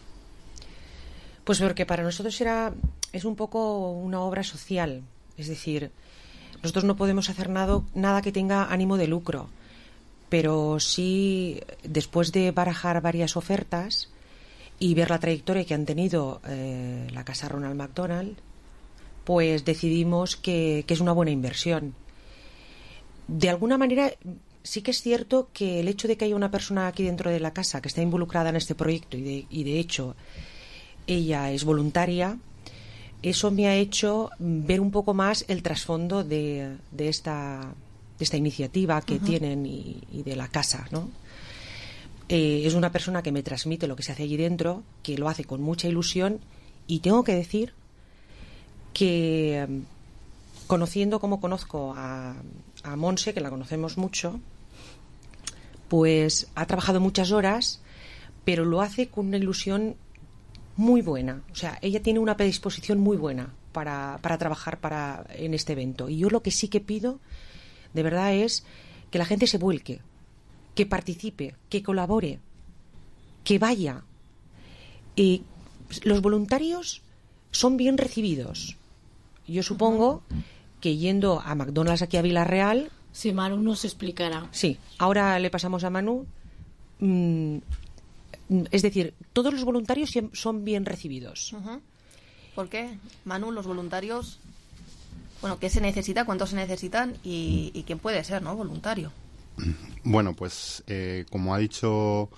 Pues porque para nosotros era es un poco una obra social, es decir, nosotros no podemos hacer nada nada que tenga ánimo de lucro. Pero sí, después de barajar varias ofertas y ver la trayectoria que han tenido eh, la Casa Ronald McDonald, pues decidimos que, que es una buena inversión. De alguna manera, sí que es cierto que el hecho de que haya una persona aquí dentro de la casa que está involucrada en este proyecto y de, y de hecho ella es voluntaria, eso me ha hecho ver un poco más el trasfondo de, de esta... de esta iniciativa que uh-huh. tienen y, y de la casa, ¿no? Eh, es una persona que me transmite lo que se hace allí dentro, que lo hace con mucha ilusión y tengo que decir que conociendo como conozco a, a Monse, que la conocemos mucho, pues ha trabajado muchas horas, pero lo hace con una ilusión muy buena. O sea, ella tiene una predisposición muy buena para, para trabajar para, en este evento. Y yo lo que sí que pido, de verdad, es que la gente se vuelque, que participe, que colabore, que vaya. Y los voluntarios son bien recibidos. Yo supongo que yendo a McDonald's aquí a Vila-real... Sí, Manu nos explicará. Sí, ahora le pasamos a Manu. Mm, es decir, todos los voluntarios son bien recibidos. Uh-huh. ¿Por qué? Manu, los voluntarios... Bueno, ¿qué se necesita? ¿Cuántos se necesitan? Y, y quién puede ser, ¿no? Voluntario. Bueno, pues eh, como ha dicho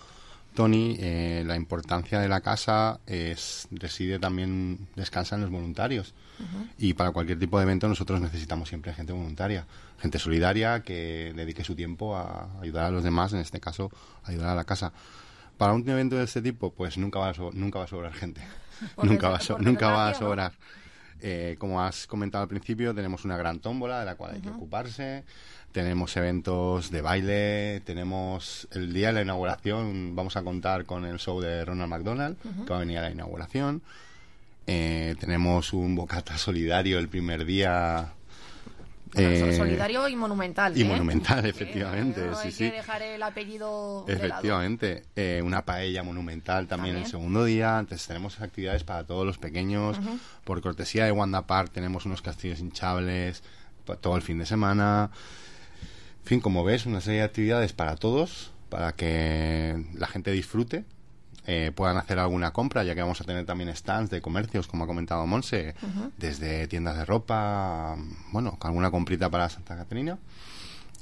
Tony, eh, la importancia de la casa es reside también, descansa en los voluntarios. Uh-huh. Y para cualquier tipo de evento nosotros necesitamos siempre gente voluntaria, gente solidaria que dedique su tiempo a ayudar a los demás, en este caso ayudar a la casa. Para un evento de este tipo, pues nunca va a, so- nunca va a sobrar gente, nunca va a, so- nunca va a sobrar. Eh, como has comentado al principio, tenemos una gran tómbola de la cual hay que uh-huh. ocuparse. Tenemos eventos de baile, tenemos el día de la inauguración, vamos a contar con el show de Ronald McDonald, uh-huh. que va a venir a la inauguración. Eh, tenemos un bocata solidario el primer día. Bueno, eh, solidario y monumental. Y ¿eh? monumental, efectivamente. Eh, no sí, hay sí. que dejar el apellido efectivamente. Eh, una paella monumental también, también el segundo día. Entonces tenemos actividades para todos los pequeños. Uh-huh. Por cortesía de Wanda Park tenemos unos castillos hinchables todo el fin de semana. En fin, como ves, una serie de actividades para todos, para que la gente disfrute, eh, puedan hacer alguna compra, ya que vamos a tener también stands de comercios, como ha comentado Monse, uh-huh. desde tiendas de ropa, bueno, alguna comprita para Santa Caterina.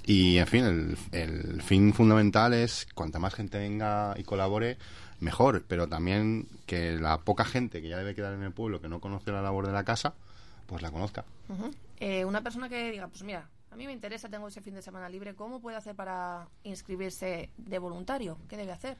Y, en fin, el, el fin fundamental es cuanta más gente venga y colabore, mejor, pero también que la poca gente que ya debe quedar en el pueblo, que no conoce la labor de la casa, pues la conozca. Uh-huh. Eh, una persona que diga, pues mira, a mí me interesa, tengo ese fin de semana libre, ¿cómo puede hacer para inscribirse de voluntario? ¿Qué debe hacer?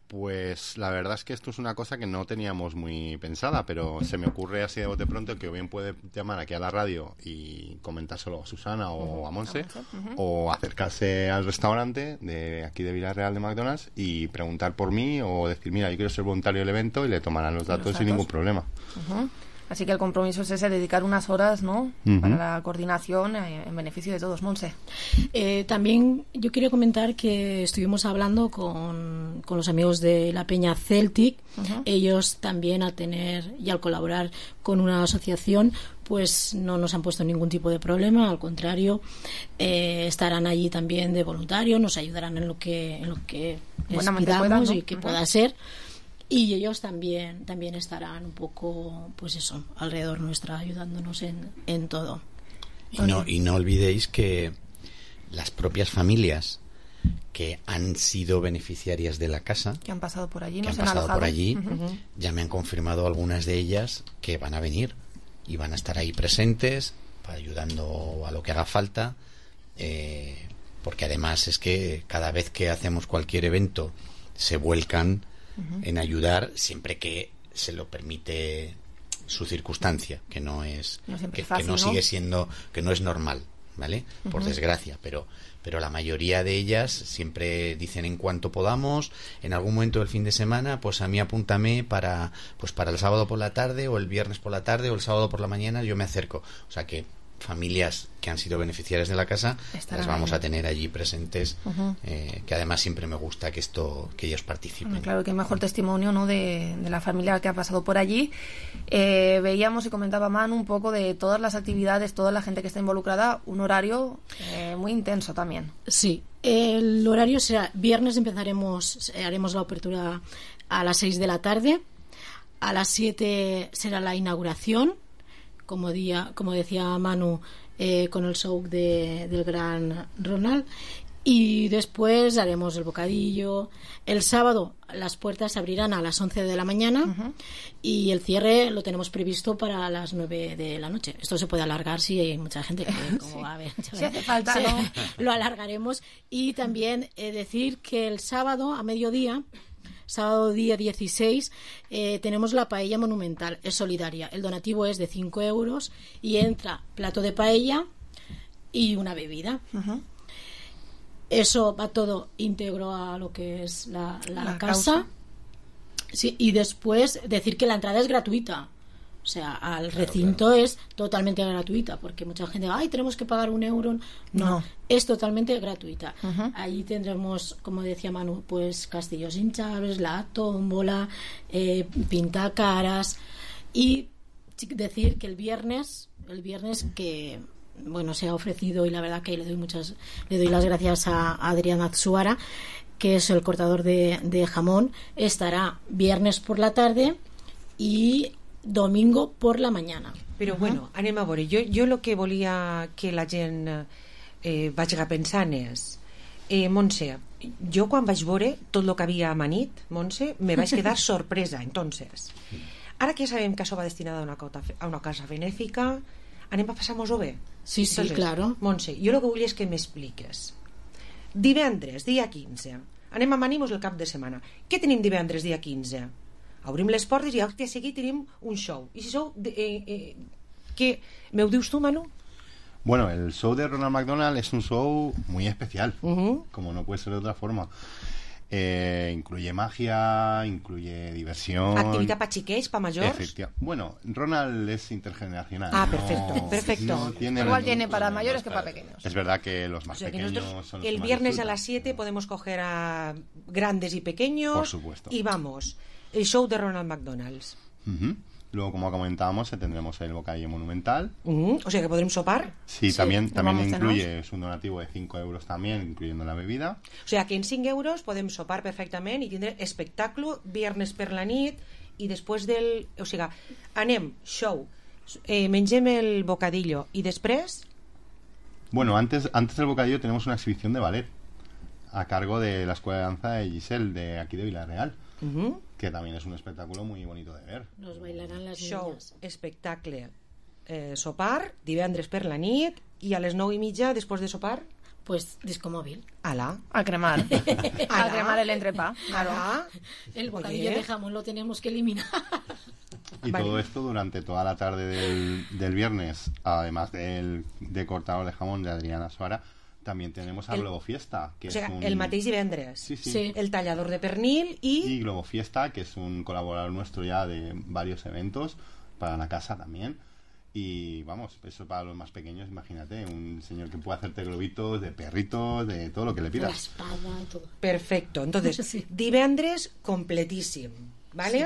Pues la verdad es que esto es una cosa que no teníamos muy pensada, pero se me ocurre así de bote pronto que o bien puede llamar aquí a la radio y comentárselo a Susana o uh-huh. a Monse, uh-huh. o acercarse al restaurante de aquí de Vila-real de McDonald's y preguntar por mí o decir, mira, yo quiero ser voluntario del evento, y le tomarán los datos, los datos. sin ningún problema. Uh-huh. Así que el compromiso es ese, dedicar unas horas, ¿no? Uh-huh. Para la coordinación eh, en beneficio de todos. Monse. Eh, también yo quería comentar que estuvimos hablando con, con los amigos de la Peña Celtic. Uh-huh. Ellos también, al tener y al colaborar con una asociación, pues no nos han puesto ningún tipo de problema. Al contrario, eh, estarán allí también de voluntario, nos ayudarán en lo que, en lo que les pidamos, ¿no? Y que uh-huh. pueda ser. Y ellos también también estarán un poco, pues eso, alrededor nuestra, ayudándonos en, en todo. Y no, y no olvidéis que las propias familias que han sido beneficiarias de la casa, que han pasado por allí, que no han se han pasado alojado. por allí, uh-huh. ya me han confirmado algunas de ellas que van a venir y van a estar ahí presentes, ayudando a lo que haga falta, eh, porque además es que cada vez que hacemos cualquier evento se vuelcan Uh-huh. en ayudar, siempre que se lo permite su circunstancia, que no es no que, fácil, que no, ¿no? sigue siendo, que no es normal, ¿vale? Uh-huh. Por desgracia, pero pero la mayoría de ellas siempre dicen en cuanto podamos, en algún momento del fin de semana, pues a mí apúntame para pues para el sábado por la tarde o el viernes por la tarde o el sábado por la mañana, yo me acerco. O sea que familias que han sido beneficiarias de la casa Estarán las vamos ahí. a tener allí presentes, uh-huh. eh, que además siempre me gusta que esto que ellos participen. Bueno, claro, que mejor testimonio, ¿no? de, de la familia que ha pasado por allí. Eh, veíamos y comentaba Manu un poco de todas las actividades, toda la gente que está involucrada, un horario eh, muy intenso también. Sí, el horario será viernes, empezaremos, haremos la apertura a las seis de la tarde, a las siete será la inauguración, como, día, como decía Manu, eh, con el show de, del gran Ronald, y después haremos el bocadillo. El sábado las puertas se abrirán a las once de la mañana, uh-huh. y el cierre lo tenemos previsto para las nueve de la noche. Esto se puede alargar si hay mucha gente que como sí. va a ver. Si hace falta, sí, ¿no? Lo alargaremos. Y también eh, decir que el sábado a mediodía, sábado día dieciséis, eh, tenemos la paella monumental, es solidaria. El donativo es de cinco euros y entra plato de paella y una bebida. Uh-huh. Eso va todo íntegro a lo que es la, la, la casa. causa. Sí, y después decir que la entrada es gratuita. O sea, al recinto claro, claro. es totalmente gratuita, porque mucha gente, ay, tenemos que pagar un euro. No, no. es totalmente gratuita. Uh-huh. Ahí tendremos, como decía Manu, pues castillos hinchables, la tómbola, eh, pintacaras. Y decir que el viernes, el viernes que, bueno, se ha ofrecido, y la verdad que le doy muchas, le doy las gracias a Adrián Atsuara, que es el cortador de, de jamón, estará viernes por la tarde y domingo por la mañana. Però uh-huh. bueno, anem a veure, jo, jo el que volia que la gent eh, vagi pensant és eh, Montse, jo quan vaig veure tot el que havia amanit, Montse, me vaig quedar sorpresa. Entonces, ara que ja sabem que això va destinada a una, cota, a una casa benèfica, anem a passar-nos-ho bé? Sí, sí, Entonces, claro. Montse, jo el que vull és que m'expliques. Divendres, dia quinze, anem a amanir-nos el cap de setmana. Què tenim divendres, dia quinze? Obrim les portes i acte seguit tenim un show. I si sou... De, eh, eh, ¿qué? ¿Me ho dius tu, Manu? Bueno, el show de Ronald McDonald es un show muy especial, uh-huh. como no puede ser de otra forma. Eh, incluye magia, incluye diversión. Actividad para chiquets, para mayores. Efectivamente. Bueno, Ronald es intergeneracional. Ah, perfecto, no, perfecto. No tiene Igual el, tiene para mayores que para pequeños. Es verdad que los más o sea, que pequeños son los el que más viernes disfrutan. A las siete podemos coger a grandes y pequeños. Por supuesto. Y vamos, el show de Ronald McDonald's. Uh-huh. Luego, como comentábamos, tendremos el bocadillo monumental. Uh-huh. O sea, que podremos sopar. Sí, sí también, también incluye, es un donativo de cinco euros también, incluyendo la bebida. O sea, que en cinc euros podem sopar perfectament i tindre espectacle viernes per la nit i després del... O sigui, anem, show, eh, mengem el bocadillo i després... Bueno, antes, antes del bocadillo tenemos una exhibición de ballet a cargo de la Escuela de Danza de Giselle, de aquí de Villarreal. Uh-huh. Que también es un espectáculo muy bonito de ver. Nos bailarán las Show, niñas. espectacle, eh, sopar, divendres per la nit i a les nou i mitja, després de sopar... Pues disco móvil. Ala. A cremar. A cremar el entrepá. Ala. El bocadillo de jamón lo tenemos que eliminar. Y vale. Todo esto durante toda la tarde del, del viernes, además del de cortador de jamón de Adriana Suara, también tenemos a el, Globo Fiesta, que o sea, es un... el mateix divendres. Sí, sí. Sí. El tallador de pernil y... Y Globo Fiesta, que es un colaborador nuestro ya de varios eventos para la casa también. Y vamos, eso para los más pequeños, imagínate, un señor que puede hacerte globitos de perritos, de todo lo que le pidas. La espada, todo. Perfecto, entonces, sí. Divendres completíssim, ¿vale? Sí.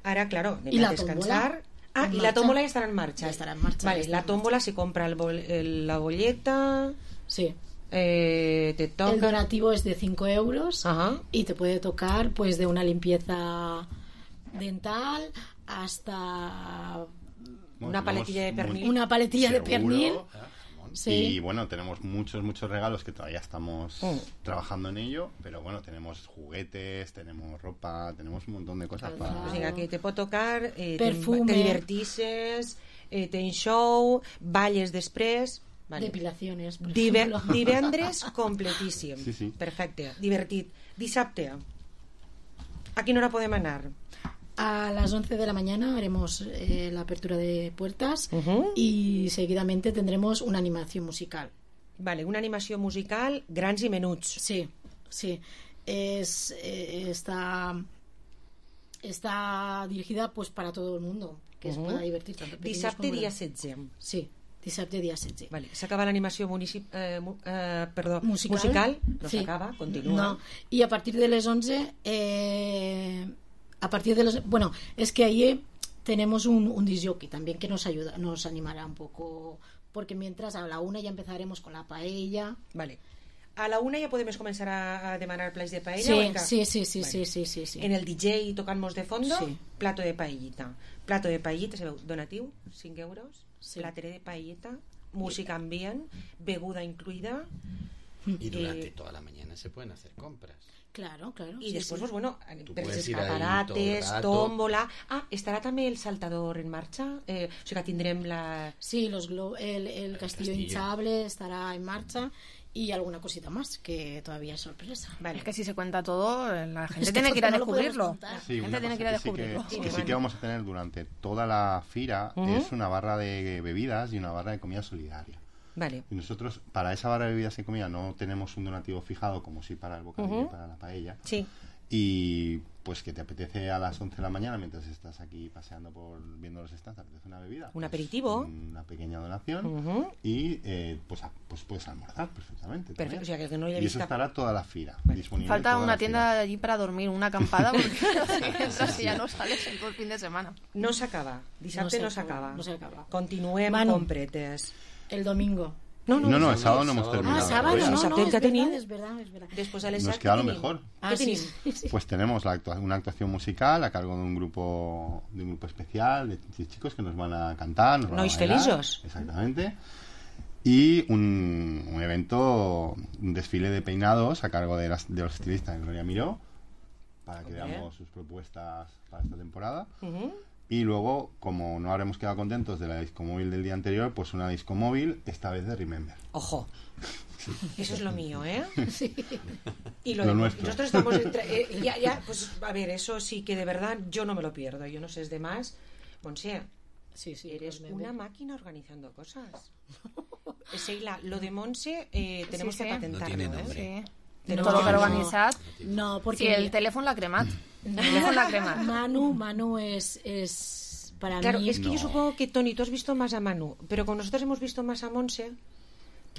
Ahora, claro, ¿Y la a descansar. Tómbola? Ah, y la tómbola ya estará en marcha. Ya estará en marcha. Vale, la tómbola se compra el bol, el, la bolleta. Sí. Eh, te toca... El donativo es de cinco euros. Ajá. Y te puede tocar pues de una limpieza dental hasta bueno, una paletilla de pernil. Una paletilla seguro, de pernil. Sí. Y bueno, tenemos muchos, muchos regalos que todavía estamos mm. trabajando en ello, pero bueno, tenemos juguetes, tenemos ropa, tenemos un montón de cosas para... O sea, que te puede tocar, eh, perfume, te, te divertisses, eh, tens show, balles després... Vale. Depilaciones, por Dive divendres completíssim. Sí, sí. Perfecte, divertit. Dissabte, ¿a quina hora podem anar? A las once de la mañana haremos eh, la apertura de puertas uh-huh. y seguidamente tendremos una animación musical. Vale, una animación musical, grans i menuts. Sí, sí. Es, eh, está, está dirigida pues para todo el mundo, que uh-huh. es para divertir tanto. Dissabte dia setze. Sí. Dissabte dia setze. Vale. S'acaba l'animació municip... eh, eh, perdó, musical. musical. No sí. s'acaba, continua. No. Y a partir de las once, eh, a partir de los... Bueno, es que ahí tenemos un, un disc jockey también que nos ayuda, nos animará un poco, porque mientras a la una ya empezaremos con la paella. Vale. A la una ja podem començar a, a demanar plats de paella? Sí, que... sí, sí, sí, vale. sí, sí, sí, sí. En el D J tocant-nos de fondo, sí. plato de paellita. Plato de paellita, sabeu, donatiu, cinc euros, sí. Plateré de paellita, música ambient, beguda incluida. Y durante eh... toda la mañana se pueden hacer compras. Claro, claro. Y sí, después, sí. pues bueno, Tú per puedes escaparates, tómbola... Ah, estarà també el saltador en marxa? Eh, o sigui que tindrem la... Sí, los glo el, el, el castillo, castillo hinchable estará en marcha y alguna cosita más que todavía es sorpresa. Vale. Es que si se cuenta todo, la gente es que tiene que ir a no descubrirlo. Sí, la gente tiene que ir a descubrirlo. Sí que, sí, que, sí que vamos a tener durante toda la fira uh-huh. es una barra de bebidas y una barra de comida solidaria. Vale. Y nosotros, para esa barra de bebidas y comida, no tenemos un donativo fijado como sí para el bocadillo uh-huh. y para la paella. Sí. Y pues que te apetece a las once de la mañana, mientras estás aquí paseando por viendo los stands, te apetece una bebida. Un pues, aperitivo. Una pequeña donación. Uh-huh. Y eh, pues, a, pues puedes almorzar perfectamente. Perfecto, o sea, que el que no y haya eso vista... estará toda la fira disponible. Falta toda una la tienda fira. allí para dormir, una acampada, porque Sí, sí. ya no sales en todo el fin de semana. No s'acaba. Dissabte no s'acaba. No s'acaba. Continuem Manu. con pretes. El domingo. No, no, No, no, el sábado no hemos terminado. Ah, sábado, no, no, Dissabte es que tenim. verdad, es verdad, es verdad. Després a les Nos set, queda què lo tenim? mejor. Ah, Què sí, tenim? sí, sí. Pues tenemos la actua- una actuación musical a cargo de un grupo de un grupo especial de ch- chicos que nos van a cantar, nos van Nois a bailar. feliços. Exactamente. Y un, un evento, un desfile de peinados a cargo de, las, de los estilistas Gloria Miró, para que Hombre. veamos sus propuestas para esta temporada. Uh-huh. Y luego, como no habremos quedado contentos de la disco móvil del día anterior, pues una disco móvil, esta vez de Remember. Ojo. Eso es lo mío, ¿eh? Sí. Y lo, Lo de- nuestro. nosotros estamos entre- eh, ya, ya, pues a ver, eso sí que de verdad yo no me lo pierdo. Yo no sé es de más. Monse, Sí, sí, eres pues me una ve. máquina organizando cosas. Eh, Sheila, lo de Monse eh, tenemos Sí, que sí. patentarlo, No tiene ¿eh? nombre. Sí. Tenemos Todo que- lo organizat. No, porque Sí, el teléfono l'ha cremat. El teléfono l'ha cremat. Manu, Manu es, es para Claro, mí... es que yo supongo que Tony, tú has visto más a Manu, pero con nosotros hemos visto más a Monse.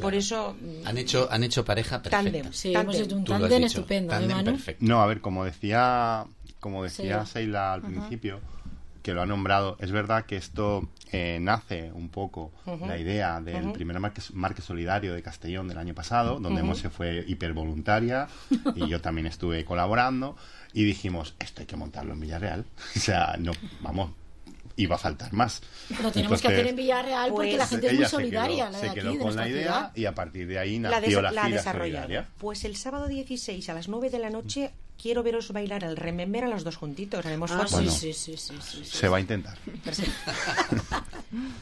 Por eso. mm, Han hecho, han hecho pareja perfecta. Tándem. Sí, Tándem. hemos hecho un Tú lo has tándem dicho, estupendo, ¿eh, tándem Manu? perfecto. No, a ver, como decía, como decía Sí. Sheila al principio, que lo ha nombrado, es verdad que esto eh, nace un poco Ujú. la idea del Ujú. primer marque, marque solidario de Castellón del año pasado, donde Ujú. Monse fue hipervoluntaria y yo también estuve colaborando y dijimos, esto hay que montarlo en Villarreal. O sea, no, vamos, iba a faltar más. Lo tenemos que Entonces, hacer en Villarreal porque pues, la gente es muy ella se solidaria, quedó, la se de aquí, quedó de con la nuestra idea ciudad. y a partir de ahí la, nació des- la, la gira desarrollado. solidaria. Pues el sábado dieciséis a las nueve de la noche quiero veros bailar el Remember a los dos juntitos. Haremos Ah, fotos. sí, Bueno. sí, sí, sí, sí, sí. Se va a intentar.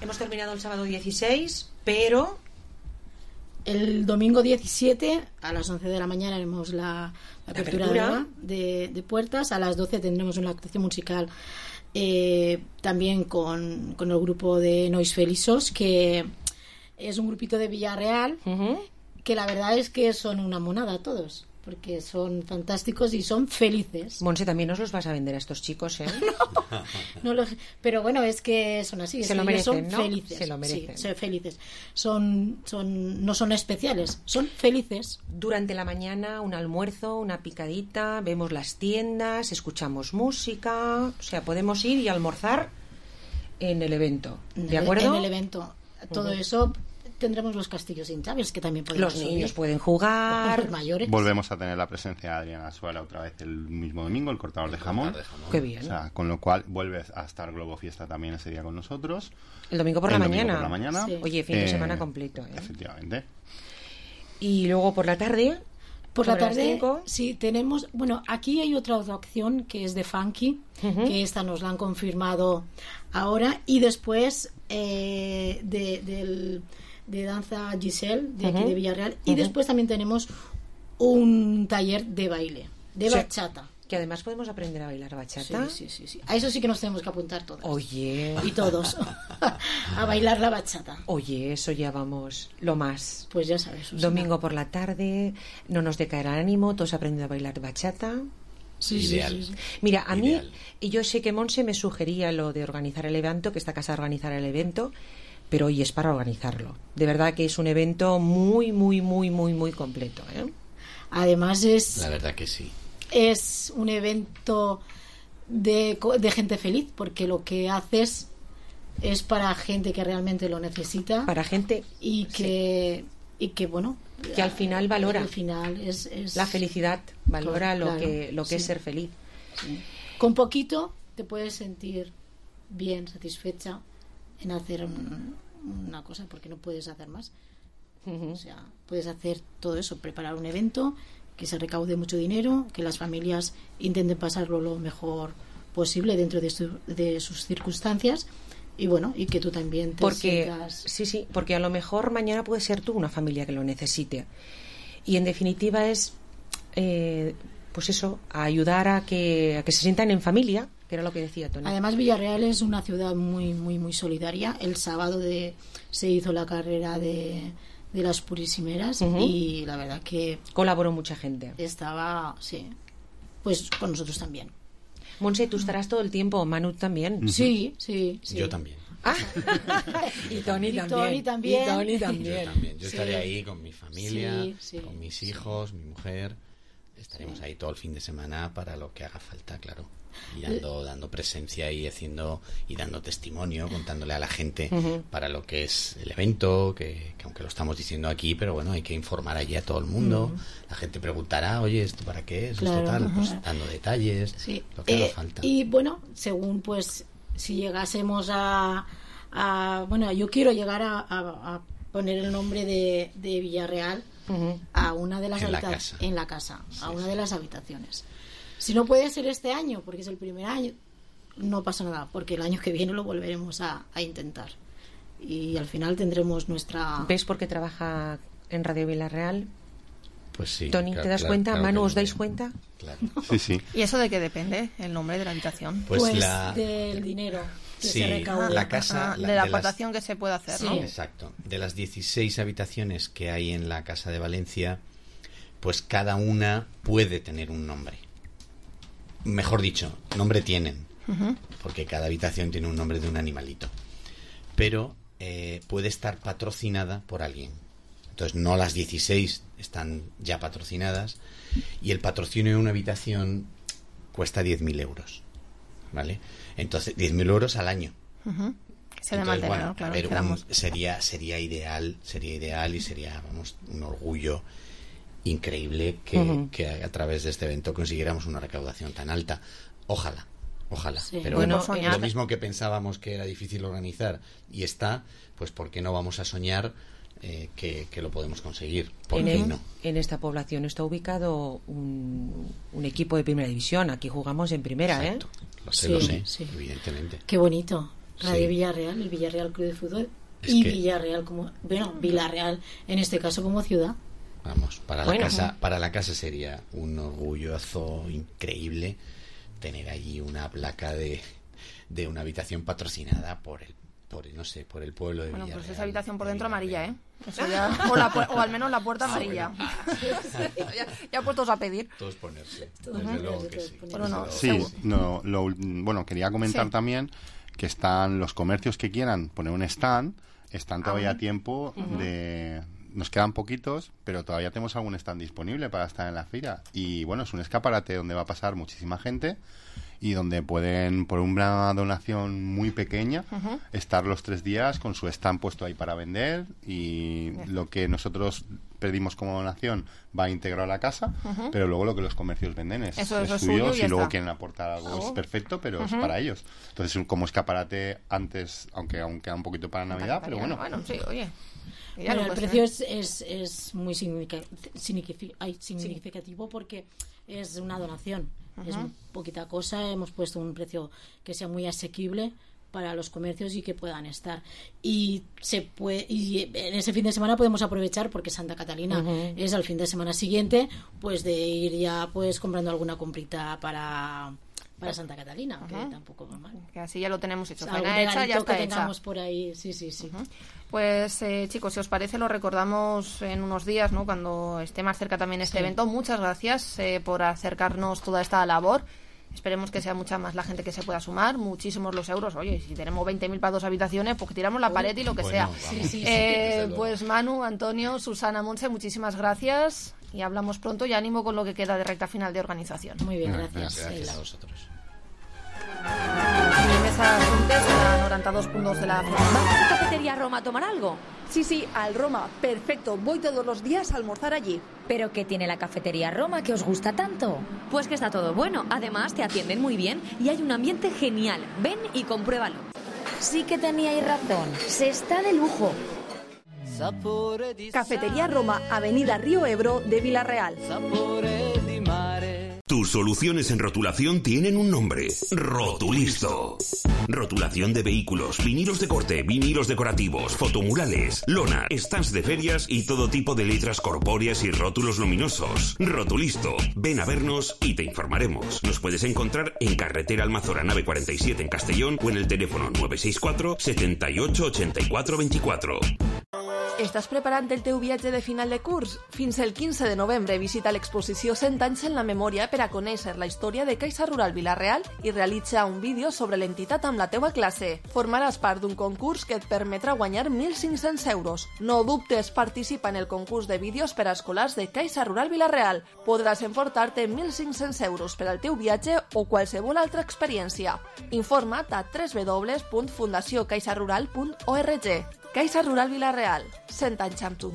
Hemos terminado el sábado dieciséis, pero El domingo diecisiete a las once de la mañana haremos la, la apertura, apertura. De, de puertas. A las doce tendremos una actuación musical eh, también con, con el grupo de Nois Feliços, que es un grupito de Villarreal, ujú, que la verdad es que son una monada todos, porque son fantásticos y son felices. Monse, también nos los vas a vender a estos chicos, ¿eh? No lo- pero bueno, es que son así, es Se que lo ellos merecen, son ¿no? felices. Se lo merecen. Sí, son felices. Son, son, no son especiales, son felices. Durante la mañana un almuerzo, una picadita, vemos las tiendas, escuchamos música, o sea, podemos ir y almorzar en el evento, ¿de acuerdo? En el evento. Todo Ujú. eso tendremos los castillos hinchables que también podemos Los niños subir. pueden jugar. Los mayores. Volvemos a tener la presencia de Adriana Suara otra vez el mismo domingo, el cortador de jamón. Qué bien. O sea, con lo cual vuelve a estar Globo Fiesta también ese día con nosotros. El domingo por El la domingo mañana. por la mañana. Sí. Oye, fin de Eh, semana completo, ¿eh? Efectivamente. Y luego por la tarde. Por la sobre las tarde, cinco. sí, tenemos... Bueno, aquí hay otra opción que es de Funky, Ujú. que esta nos la han confirmado ahora. Y después eh, de, del- de danza Giselle, de aquí Ujú. de Villarreal. Y Ujú. después también tenemos un taller de baile, de Sí. bachata. Que además podemos aprender a bailar bachata. Sí, sí, sí, sí. A eso sí que nos tenemos que apuntar todas. Oye. Y todos. A bailar la bachata. Oye, eso ya vamos, lo más. Pues ya sabes, Susana. Domingo por la tarde, no nos decaerá el ánimo, todos aprendiendo a bailar bachata. Sí, sí, Ideal. sí, sí. Mira, a Ideal. mí, y yo sé que Monse me sugería lo de organizar el evento, que esta casa organizará el evento, pero hoy es para organizarlo. De verdad que es un evento muy, muy, muy, muy, muy completo, ¿eh? Además es... La verdad que sí. es un evento de, co- de gente feliz, porque lo que haces es para gente que realmente lo necesita Para gente y que y que bueno, que al final valora al final es, es- la felicidad, valora lo Claro, que lo que es sí. ser feliz. sí. Con poquito te puedes sentir bien, satisfecha en hacer un- una cosa, porque no puedes hacer más. O sea, puedes hacer todo eso, preparar un evento, que se recaude mucho dinero, que las familias intenten pasarlo lo mejor posible dentro de, su- de sus circunstancias, y bueno, y que tú también te Porque sientas... sí, sí, porque a lo mejor mañana puede ser tú una familia que lo necesite. Y en definitiva es eh, pues eso, a ayudar a que a que se sientan en familia, que era lo que decía Tony. Además, Villarreal es una ciudad muy, muy, muy solidaria. El sábado de, se hizo la carrera de, de las Purísimeras, Ujú. y la verdad que colaboró mucha gente. estaba, sí, pues con nosotros también. Monse, tú estarás todo el tiempo, Manu también. Sí, sí, sí. Yo también. Ah. y Tony y también. Tony también. Y Tony también. Yo también. Yo Sí. estaré ahí con mi familia, Sí, sí, con mis hijos, mi mujer. Estaremos ahí todo el fin de semana para lo que haga falta, claro. Y dando, dando presencia y haciendo y dando testimonio, contándole a la gente Ujú. para lo que es el evento, que, que aunque lo estamos diciendo aquí, pero bueno, hay que informar allí a todo el mundo. Ujú. La gente preguntará, oye, ¿esto para qué es? Claro. ¿Esto tal? Pues Ujú. dando detalles, Sí. lo que Eh, haga falta. Y bueno, según pues si llegásemos a, a bueno, yo quiero llegar a, a- a poner el nombre de, de Villarreal a una de las En la habita- casa. en la casa, a una de las habitaciones. Si no puede ser este año, porque es el primer año, no pasa nada, porque el año que viene lo volveremos a, a intentar. Y al final tendremos nuestra... ¿Ves por qué trabaja en Radio Villarreal? Pues sí. Tony, claro, ¿te das claro, cuenta? claro Manu, que ¿os lo dais veo. cuenta? Claro. Sí, sí. ¿Y eso de qué depende, el nombre de la habitación? Pues Pues la- del dinero que Sí, se recauda. la casa... Ah, la- de la de las- aportación que se puede hacer, ¿no? Exacto. De las dieciséis habitaciones que hay en la Casa de Valencia, pues cada una puede tener un nombre. Mejor dicho, nombre tienen, Ujú. porque cada habitación tiene un nombre de un animalito. Pero eh, puede estar patrocinada por alguien. Entonces, no las dieciséis están ya patrocinadas, y el patrocinio de una habitación cuesta diez mil euros. ¿Vale? Entonces, diez mil euros al año. Ujú. Que se de Entonces, mantener, bueno, ¿no? Claro, a ver, dijéramos. un- sería sería ideal, sería ideal y sería, vamos, un orgullo increíble que, Ujú. que a, a través de este evento consiguiéramos una recaudación tan alta. Ojalá, ojalá. Sí. Pero Bueno, bueno, soñar. lo mismo que pensábamos que era difícil organizar y está, pues ¿por qué no vamos a soñar eh, que, que lo podemos conseguir? ¿Por En, qué el- no? en esta población está ubicado un, un equipo de primera división. Aquí jugamos en primera, Exacto. ¿eh? Lo sé, Sí, lo sé, sí. evidentemente. Qué bonito. Radio Sí. Villarreal, el Villarreal Club de Fútbol. Es y que- Villarreal como... Bueno, Villarreal, en este caso como ciudad. Vamos, para Bueno. la casa, para la casa sería un orgulloso increíble tener allí una placa de, de una habitación patrocinada por el, por el, no sé, por el pueblo de Bueno, Villarreal. pues esa habitación por dentro amarilla, ¿eh? Eso ya, o, la pu- o al menos la puerta amarilla. ya, ya puestos a pedir. Todos ponerse. Todos Desde ponerse, luego que todos sí. ponerse. desde Bueno, luego. Sí, no, lo ul- bueno, quería comentar Sí. también que están los comercios que quieran poner un stand, están todavía Ah, a tiempo ujú. de... Nos quedan poquitos, pero todavía tenemos algún stand disponible para estar en la feria. Y bueno, es un escaparate donde va a pasar muchísima gente y donde pueden, por una donación muy pequeña, Ujú. estar los tres días con su stand puesto ahí para vender, y lo que nosotros pedimos como donación va íntegro a la casa, Ujú. pero luego lo que los comercios venden es, Eso- es eso es suyo. suyo y Si ya luego está. quieren aportar algo es Algo. perfecto, pero es Ujú. para ellos. Entonces, como escaparate antes, aunque aún queda un poquito para Navidad, pero bueno. Bueno, sí, oye. Ya Bueno, lo el puedes precio tener. es, es, es muy significa- significi- ay, significativo porque es una donación. Es Ujú. poquita cosa. Hemos puesto un precio que sea muy asequible para los comercios y que puedan estar. Y se puede, y en ese fin de semana podemos aprovechar, porque Santa Catalina Ujú. es al fin de semana siguiente, pues de ir ya pues comprando alguna comprita para para Santa Catalina, que Ujú. tampoco va mal. Que así ya lo tenemos hecho. O sea, algún Faena hecha, ya regalito está que hecha. tengamos por ahí, sí, sí, sí. Pues eh, chicos, si os parece, lo recordamos en unos días, ¿no? Cuando esté más cerca también este Sí. evento. Muchas gracias eh, por acercarnos toda esta labor. Esperemos que sea mucha más la gente que se pueda sumar. Muchísimos los euros. Oye, si tenemos veinte mil para dos habitaciones, pues que tiramos la pared y lo que Bueno, sea. vamos. Sí, sí, sí, Eh, desde luego. pues Manu, Antonio, Susana, Monse, muchísimas gracias. Y hablamos pronto y ánimo con lo que queda de recta final de organización. Muy bien, Gracias, gracias. gracias Sheila. a vosotros. Mesa Juntes, a noranta dos punto dos de la ¿Vamos a Cafetería Roma a tomar algo? Sí, sí, al Roma. Perfecto. Voy todos los días a almorzar allí. ¿Pero qué tiene la Cafetería Roma que os gusta tanto? Pues que está todo bueno. Además, te atienden muy bien y hay un ambiente genial. Ven y compruébalo. Sí que teníais razón. Se está de lujo. Cafetería Roma, Avenida Río Ebro de Villarreal. Tus soluciones en rotulación tienen un nombre: Rotulisto. Rotulación de vehículos, vinilos de corte, vinilos decorativos, fotomurales, lona, stands de ferias y todo tipo de letras corpóreas y rótulos luminosos. Rotulisto. Ven a vernos y te informaremos. Nos puedes encontrar en Carretera Almazora nave cuarenta y siete en Castellón o en el teléfono nueve seis cuatro, setenta y ocho, ochenta y cuatro veinticuatro. Estàs preparant el teu viatge de final de curs? Fins el quinze de novembre visita l'exposició cent anys en la memòria per a conèixer la història de Caixa Rural Vila-real i realitza un vídeo sobre l'entitat amb la teua classe. Formaràs part d'un concurs que et permetrà guanyar mil cinc-cents euros. No dubtes, participa en el concurs de vídeos per a escolars de Caixa Rural Vila-real. Podràs emportar-te mil cinc-cents euros per al teu viatge o qualsevol altra experiència. Informa't a w w w punt fundació caixa rural punt org. Caixa Rural Vila-real, cent anys amb tu.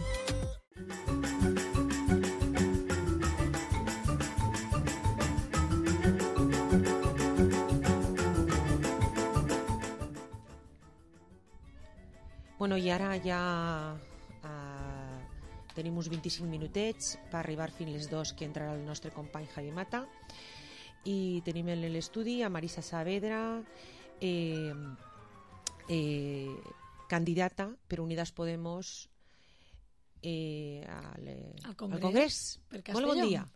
Bueno, i ara ja eh, tenim uns vint-i-cinc minutets per arribar fins les dos, que entrarà el nostre company Javi Mata, i tenim en l'estudi a Marisa Saavedra, eh, eh, candidata per Unidas Podemos eh, al, al Congrés. Al Congrés. Per molt bon dia.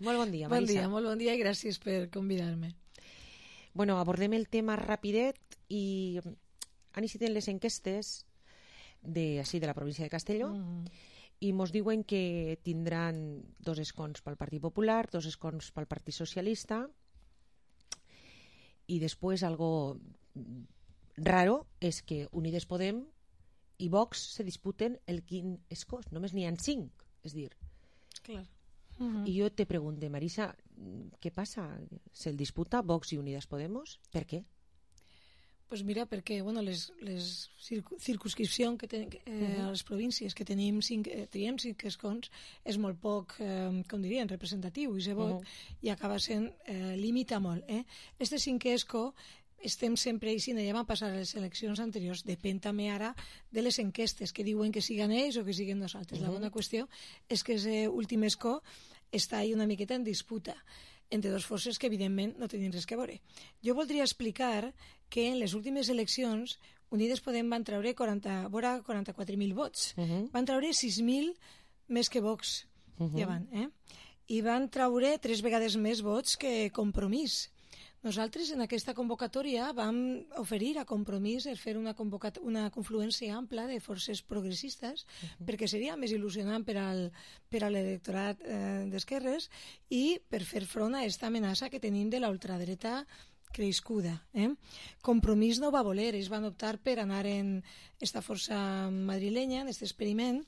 Molt bon dia, Marisa. Bon dia, molt bon dia i gràcies per convidar-me. Bueno, abordem el tema rapidet i han iniciat les enquestes de, així, de la província de Castelló mm. i mos diuen que tindran dos escons pel Partit Popular, dos escons pel Partit Socialista i després algo raro és que Unides Podem i Vox se disputen el quin escó, només n'hi ha cinc, és dir. Clar. Uh-huh. I jo te pregunto, Marisa, què passa? ¿Se el disputa Vox i Unidas Podemos? Per què? Pues mira, perquè bueno, les, les circu circunscripcions que ten, eh, uh-huh. a les províncies que tenim cinc, eh, triem cinc escons és molt poc, eh, com dirien, representatiu i se vot uh-huh. i acaba sent, eh, limita molt. Eh? Este cinquè escó estem sempre i si no ja van passar les eleccions anteriors, depèn també ara de les enquestes que diuen que siguen ells o que siguen nosaltres. Uh-huh. La bona qüestió és que aquest últim escó està ahí una miqueta en disputa entre dues forces que evidentment no tenen res que veure. Jo voldria explicar que en les últimes eleccions Unides Podem van treure quaranta, vora quaranta-quatre mil vots. Uh-huh. Van treure sis mil més que Vox. Uh-huh. Ja van, eh? I van treure tres vegades més vots que Compromís. Nosaltres en aquesta convocatòria vam oferir a Compromís fer una, una confluència ampla de forces progressistes uh-huh. perquè seria més il·lusionant per al, per a l'electorat eh, d'esquerres i per fer front a aquesta amenaça que tenim de la ultradreta crescuda. Eh? Compromís no va voler, ells van optar per anar en esta força madrilenya, en aquest experiment,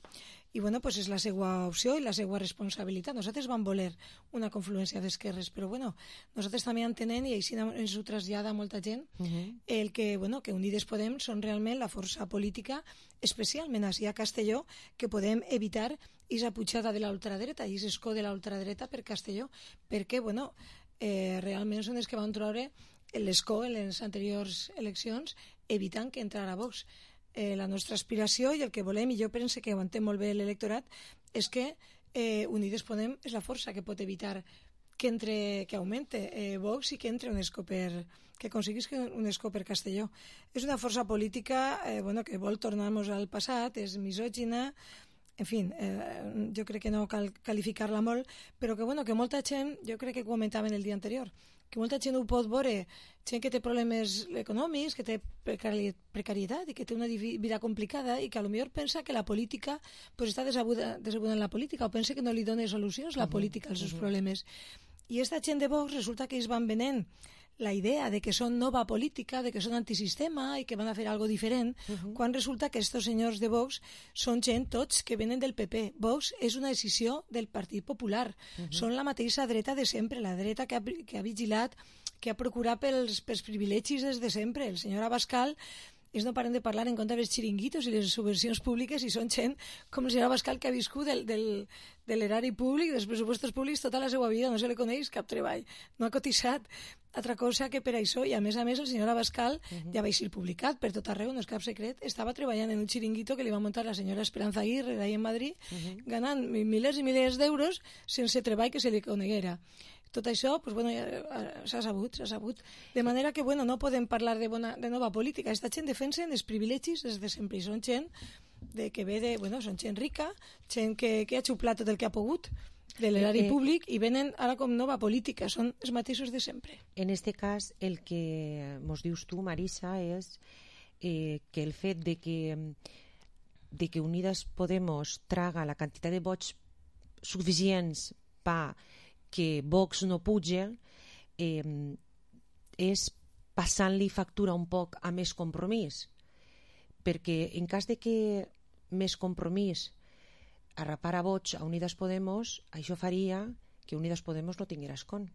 i bueno, pues és la seva opció i la seva responsabilitat. Nosaltres vam voler una confluència d'esquerres, però bueno, nosaltres també entenem, i així ens ho trasllada molta gent, uh-huh. el que, bueno, que Unides Podem són realment la força política, especialment així a Castelló, que podem evitar aquesta pujada de la ultradreta, i aquest escó de la ultradreta per Castelló, perquè, bueno, eh, realment són els que van treure l'escó en les anteriors eleccions, evitant que entrara Vox. Eh, la nostra aspiració i el que volem, i jo penso que ho entén molt bé l'electorat, és que eh, Unides Podem és la força que pot evitar que entre, que augmente eh, Vox i que entre un escó per, que aconseguís un escó per Castelló. És una força política eh, bueno, que vol tornar-nos al passat, és misògina, en fi, eh, jo crec que no cal qualificar-la molt, però que, bueno, que molta gent, jo crec que comentaven el dia anterior, que molta gent ho pot veure, gent que té problemes econòmics, que té precarietat i que té una vida complicada i que a lo millor pensa que la política pues, està desabuda, desabuda en la política o pensa que no li dona solucions la política als seus problemes. I aquesta gent de Vox resulta que ells van venent la idea de que són nova política, de que són antisistema i que van a fer algo diferent, uh-huh. quan resulta que estos senyors de Vox són gent tots que venen del P P. Vox és una decisió del Partit Popular. Uh-huh. Són la mateixa dreta de sempre, la dreta que ha, que ha vigilat, que ha procurat pels, pels privilegis des de sempre. El senyor Abascal, ells no paren de parlar en contra dels xiringuitos i les subvencions públiques i són gent com el senyor Abascal que ha viscut del, del, de l'erari públic, dels pressupostos públics tota la seva vida, no se li coneix cap treball, no ha cotitzat altra cosa que per això, i a més a més el senyor Abascal uh-huh. ja va ser publicat per tot arreu, no és cap secret, estava treballant en un xiringuito que li va muntar la senyora Esperanza Aguirre d'ahí en Madrid, uh-huh. ganant milers i milers d'euros sense treball que se li coneguera. Tot això, pues, bueno, s'ha sabut, s'ha sabut. De manera que, bueno, no podem parlar de, bona, de nova política. Aquesta gent defensen els privilegis des de sempre. I són gent de, que ve de... Bueno, són gent rica, gent que, que ha xuplat tot el que ha pogut de l'erari eh, públic i venen ara com nova política. Són els mateixos de sempre. En este cas, el que mos dius tu, Marisa, és eh, que el fet de que de que Unidas Podemos traga la quantitat de vots suficients per que Vox no puja, eh, és passant-li factura un poc a més compromís, perquè en cas de que més compromís arrapara vots a Unidas Podemos, això faria que Unidas Podemos no tinguera escon.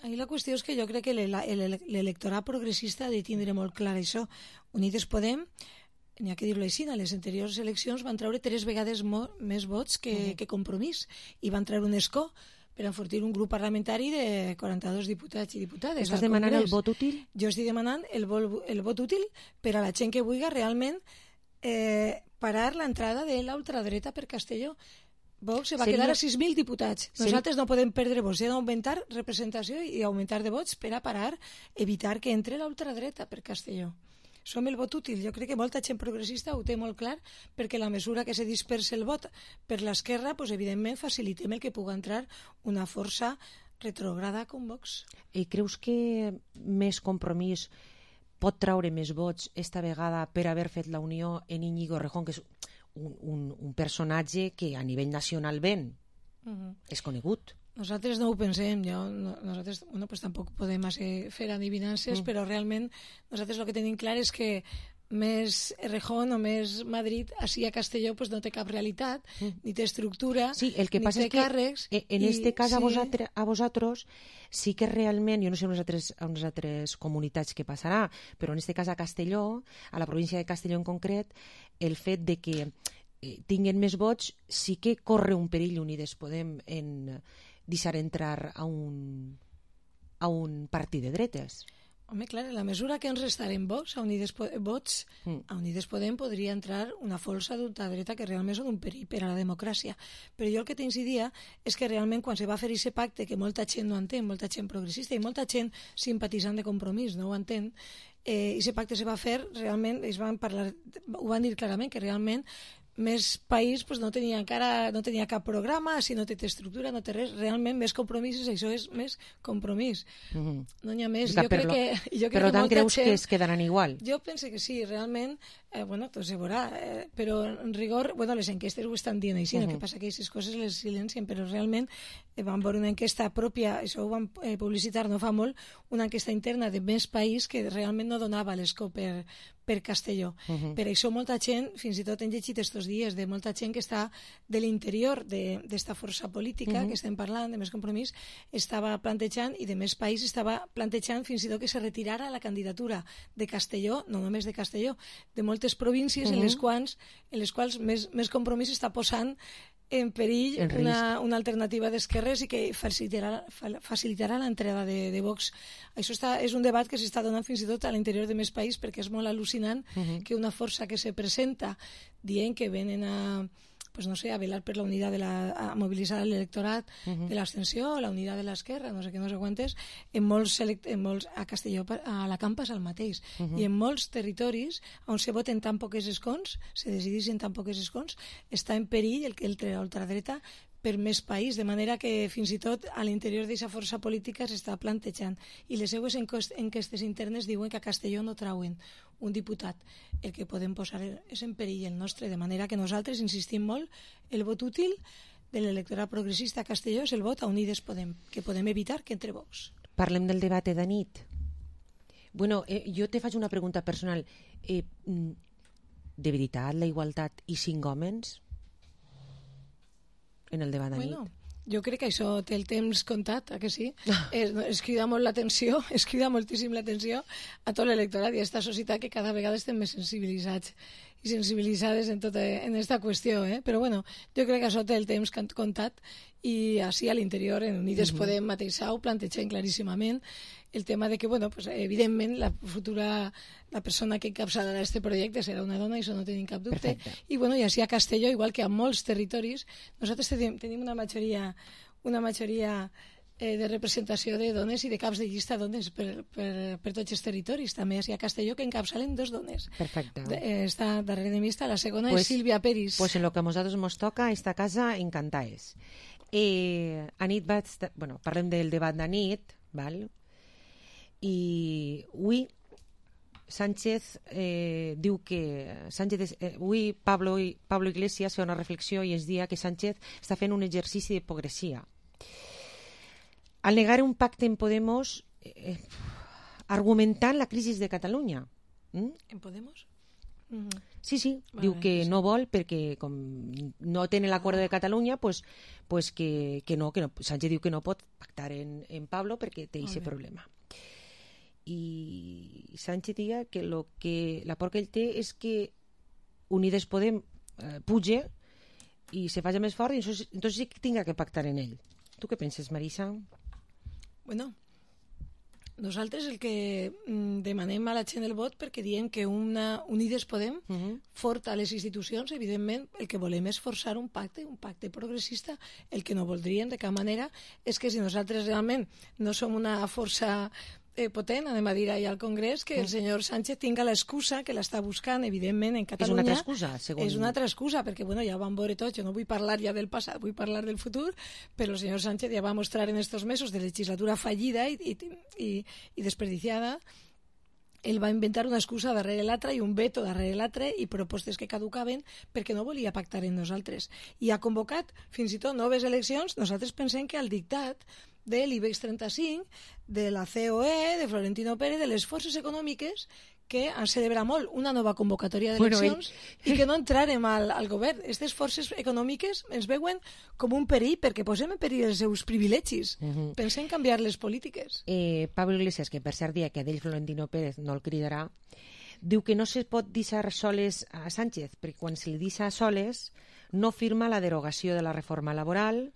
Ahí la qüestió és que jo crec que l'electorat progressista ha de tindre molt clar això. Unides Podem, n'hi ha que dir-ho així, a les anteriors eleccions van treure tres vegades més vots que, uh-huh. que Compromís, i van treure un escó per enfortir un grup parlamentari de quaranta-dos diputats i diputades. Estàs demanant el vot útil? Jo estic demanant el, vol, el vot útil per a la gent que vulgui realment eh, parar l'entrada de la ultradreta per Castelló. Vox se va Seria... quedar a sis mil diputats. Nosaltres Seria... no podem perdre vots, hem d'augmentar representació i augmentar de vots per a parar, evitar que entre la ultradreta per Castelló. Som el vot útil. Jo crec que molta gent progressista ho té molt clar, perquè la mesura que se dispersa el vot per l'esquerra, pues, evidentment facilitem el que pugui entrar una força retrograda com Vox. I creus que més Compromís pot traure més vots esta vegada per haver fet la unió en Íñigo Errejón, que és un, un, un personatge que a nivell nacional ven, uh-huh. és conegut? Nosaltres no ho pensem, jo, no, nosaltres bueno, pues tampoc podem fer adivinances, mm. però realment nosaltres el que tenim clar és que més Errejón o més Madrid, així a Castelló pues no té cap realitat, mm. ni té estructura, sí, el que ni passa té és que càrrecs. En i, este cas sí. a, vosaltres, a vosaltres sí que realment, jo no sé en les altres, en les altres comunitats què passarà, però en este cas a Castelló, a la província de Castelló en concret, el fet de que eh, tinguen més vots sí que corre un perill Unides Podem en deixar entrar a un, a un partit de dretes. Home, clar, en la mesura que ens restaren vots a Unides, vots, mm. a Unides Podem podria entrar una força d'ultradreta que realment són un perill per a la democràcia. Però jo el que t'incidia és que realment quan se va fer aquest pacte, que molta gent no entén, molta gent progressista i molta gent simpatitzant de Compromís no ho entén, eh, aquest pacte se va fer realment, es van parlar, ho van dir clarament, que realment més país pues, no tenia encara no tenia cap programa, si no té estructura, no té res, realment més compromisos, això és més compromís. Mm-hmm. No n'hi ha més. Jo crec per, que, jo per crec tant, que creus gent, que es quedaran igual? Jo penso que sí, realment, eh, bueno, tot se veurà, eh, però en rigor, bueno, les enquestes ho estan dient així, mm-hmm. no? Que passa que aquestes coses les silencien, però realment eh, van veure una enquesta pròpia, això ho van eh, publicitar no fa molt, una enquesta interna de més país que realment no donava l'escó per, per Castelló. Uh-huh. Per això molta gent, fins i tot hem llegit estos dies de molta gent que està de l'interior d'esta força política uh-huh. que estem parlant, de Més Compromís, estava plantejant, i de Més País estava plantejant fins i tot que se retirara la candidatura de Castelló, no només de Castelló, de moltes províncies uh-huh. en les quals, en les quals més, més Compromís està posant en perill en una, una alternativa d'esquerres i que facilitarà, facilitarà l'entrada de, de Vox. Això està, és un debat que s'està donant fins i tot a l'interior de Més País, perquè és molt al·lucinant uh-huh. que una força que se presenta dient que venen a, pues no sé, a velar per la unitat de la, a mobilitzar l'electorat uh-huh. de l'abstenció, la unitat de l'esquerra, no sé què, no sé quantes, en molts, en molts a Castelló, a la Campa és el mateix, uh-huh. i en molts territoris on se voten tan poques escons, se decideixen tan poques escons, està en perill el que el ultradreta per Més País, de manera que fins i tot a l'interior d'aquesta força política s'està plantejant. I les seues enquestes internes diuen que a Castelló no trauen un diputat. El que podem posar és en perill el nostre, de manera que nosaltres insistim molt, el vot útil de l'electorat progressista a Castelló és el vot a Unides Podem, que podem evitar que entre Vox. Parlem del debat de nit. Bueno, eh, jo te faig una pregunta personal. Eh, de veritat, la igualtat i cinc homes en el debat de bueno, nit? Jo crec que això té el temps comptat, eh, que sí? es, es crida molt l'atenció, es crida moltíssim l'atenció a tot l'electorat i a aquesta societat que cada vegada estem més sensibilitzats i sensibilitzades en tota en esta qüestió, eh? Però bueno, jo crec que això té el temps comptat i així a l'interior, en Unides uh-huh. Podem mateix ho plantegem claríssimament el tema de que, bueno, pues, evidentment la futura, la persona que encapçalarà aquest projecte serà una dona, i això no tenim cap dubte. Perfecte. I bueno, i així a Castelló, igual que a molts territoris, nosaltres tenim, tenim una majoria una majoria eh, de representació de dones i de caps de llista dones per, per, per tots els territoris, també així a Castelló, que encapçalen dos dones. Perfecte. De, eh, està darrere de mi, està la segona, pues, és Sílvia Peris. Pues en lo que a nosaltres nos toca, esta casa encantaes. Eh, a nit va estar, bueno, parlem del debat de nit, val? I avui Sánchez eh, diu que Sánchez, eh, avui Pablo, Pablo Iglesias fa una reflexió i ens dia que Sánchez està fent un exercici d'hipocresia. Al negar un pacte en Podemos eh, argumentant la crisi de Catalunya. ¿Mm? En Podemos? Mm-hmm. Sí, sí, vale, diu que sí. no vol perquè com no tenen l'acord de Catalunya, pues, pues que, que no, que no, Sánchez diu que no pot pactar en, en Pablo perquè té aquest problema. I Sánchez diu que, lo que la por que ell té és que Unides Podem eh, puge i se faci més fort i entonces, entonces sí que tinga que pactar en ell. Tu què penses, Marisa? Bueno, nosaltres el que mm, demanem a la gent del vot perquè diem que una Unides Podem uh-huh. fort a les institucions, evidentment el que volem és forçar un pacte, un pacte progressista. El que no voldríem de cap manera és que si nosaltres realment no som una força eh, potent, anem a dir allà al Congrés, que el senyor Sánchez tinga l'excusa que l'està buscant, evidentment, en Catalunya. És una altra excusa, segons... És una altra excusa, perquè bueno, ja ho vam veure tots, jo no vull parlar ja del passat, vull parlar del futur, però el senyor Sánchez ja va mostrar en estos mesos de legislatura fallida i, i, i, i desperdiciada. Ell va inventar una excusa darrere l'altra i un veto darrere l'altre i propostes que caducaven perquè no volia pactar amb nosaltres. I ha convocat fins i tot noves eleccions. Nosaltres pensem que al dictat de l'IBEX trenta-cinc, de la C O E, de Florentino Pérez, de les forces econòmiques que han celebrat molt una nova convocatòria d'eleccions bueno, ell... i que no entrarem al, al govern. Aquestes forces econòmiques ens veuen com un perill perquè posem en perill els seus privilegis. Uh-huh. Pensem canviar les polítiques. Eh, Pablo Iglesias, que per cert dia que d'ell Florentino Pérez no el cridarà, diu que no se pot deixar soles a Sánchez, perquè quan se li deixa soles no firma la derogació de la reforma laboral.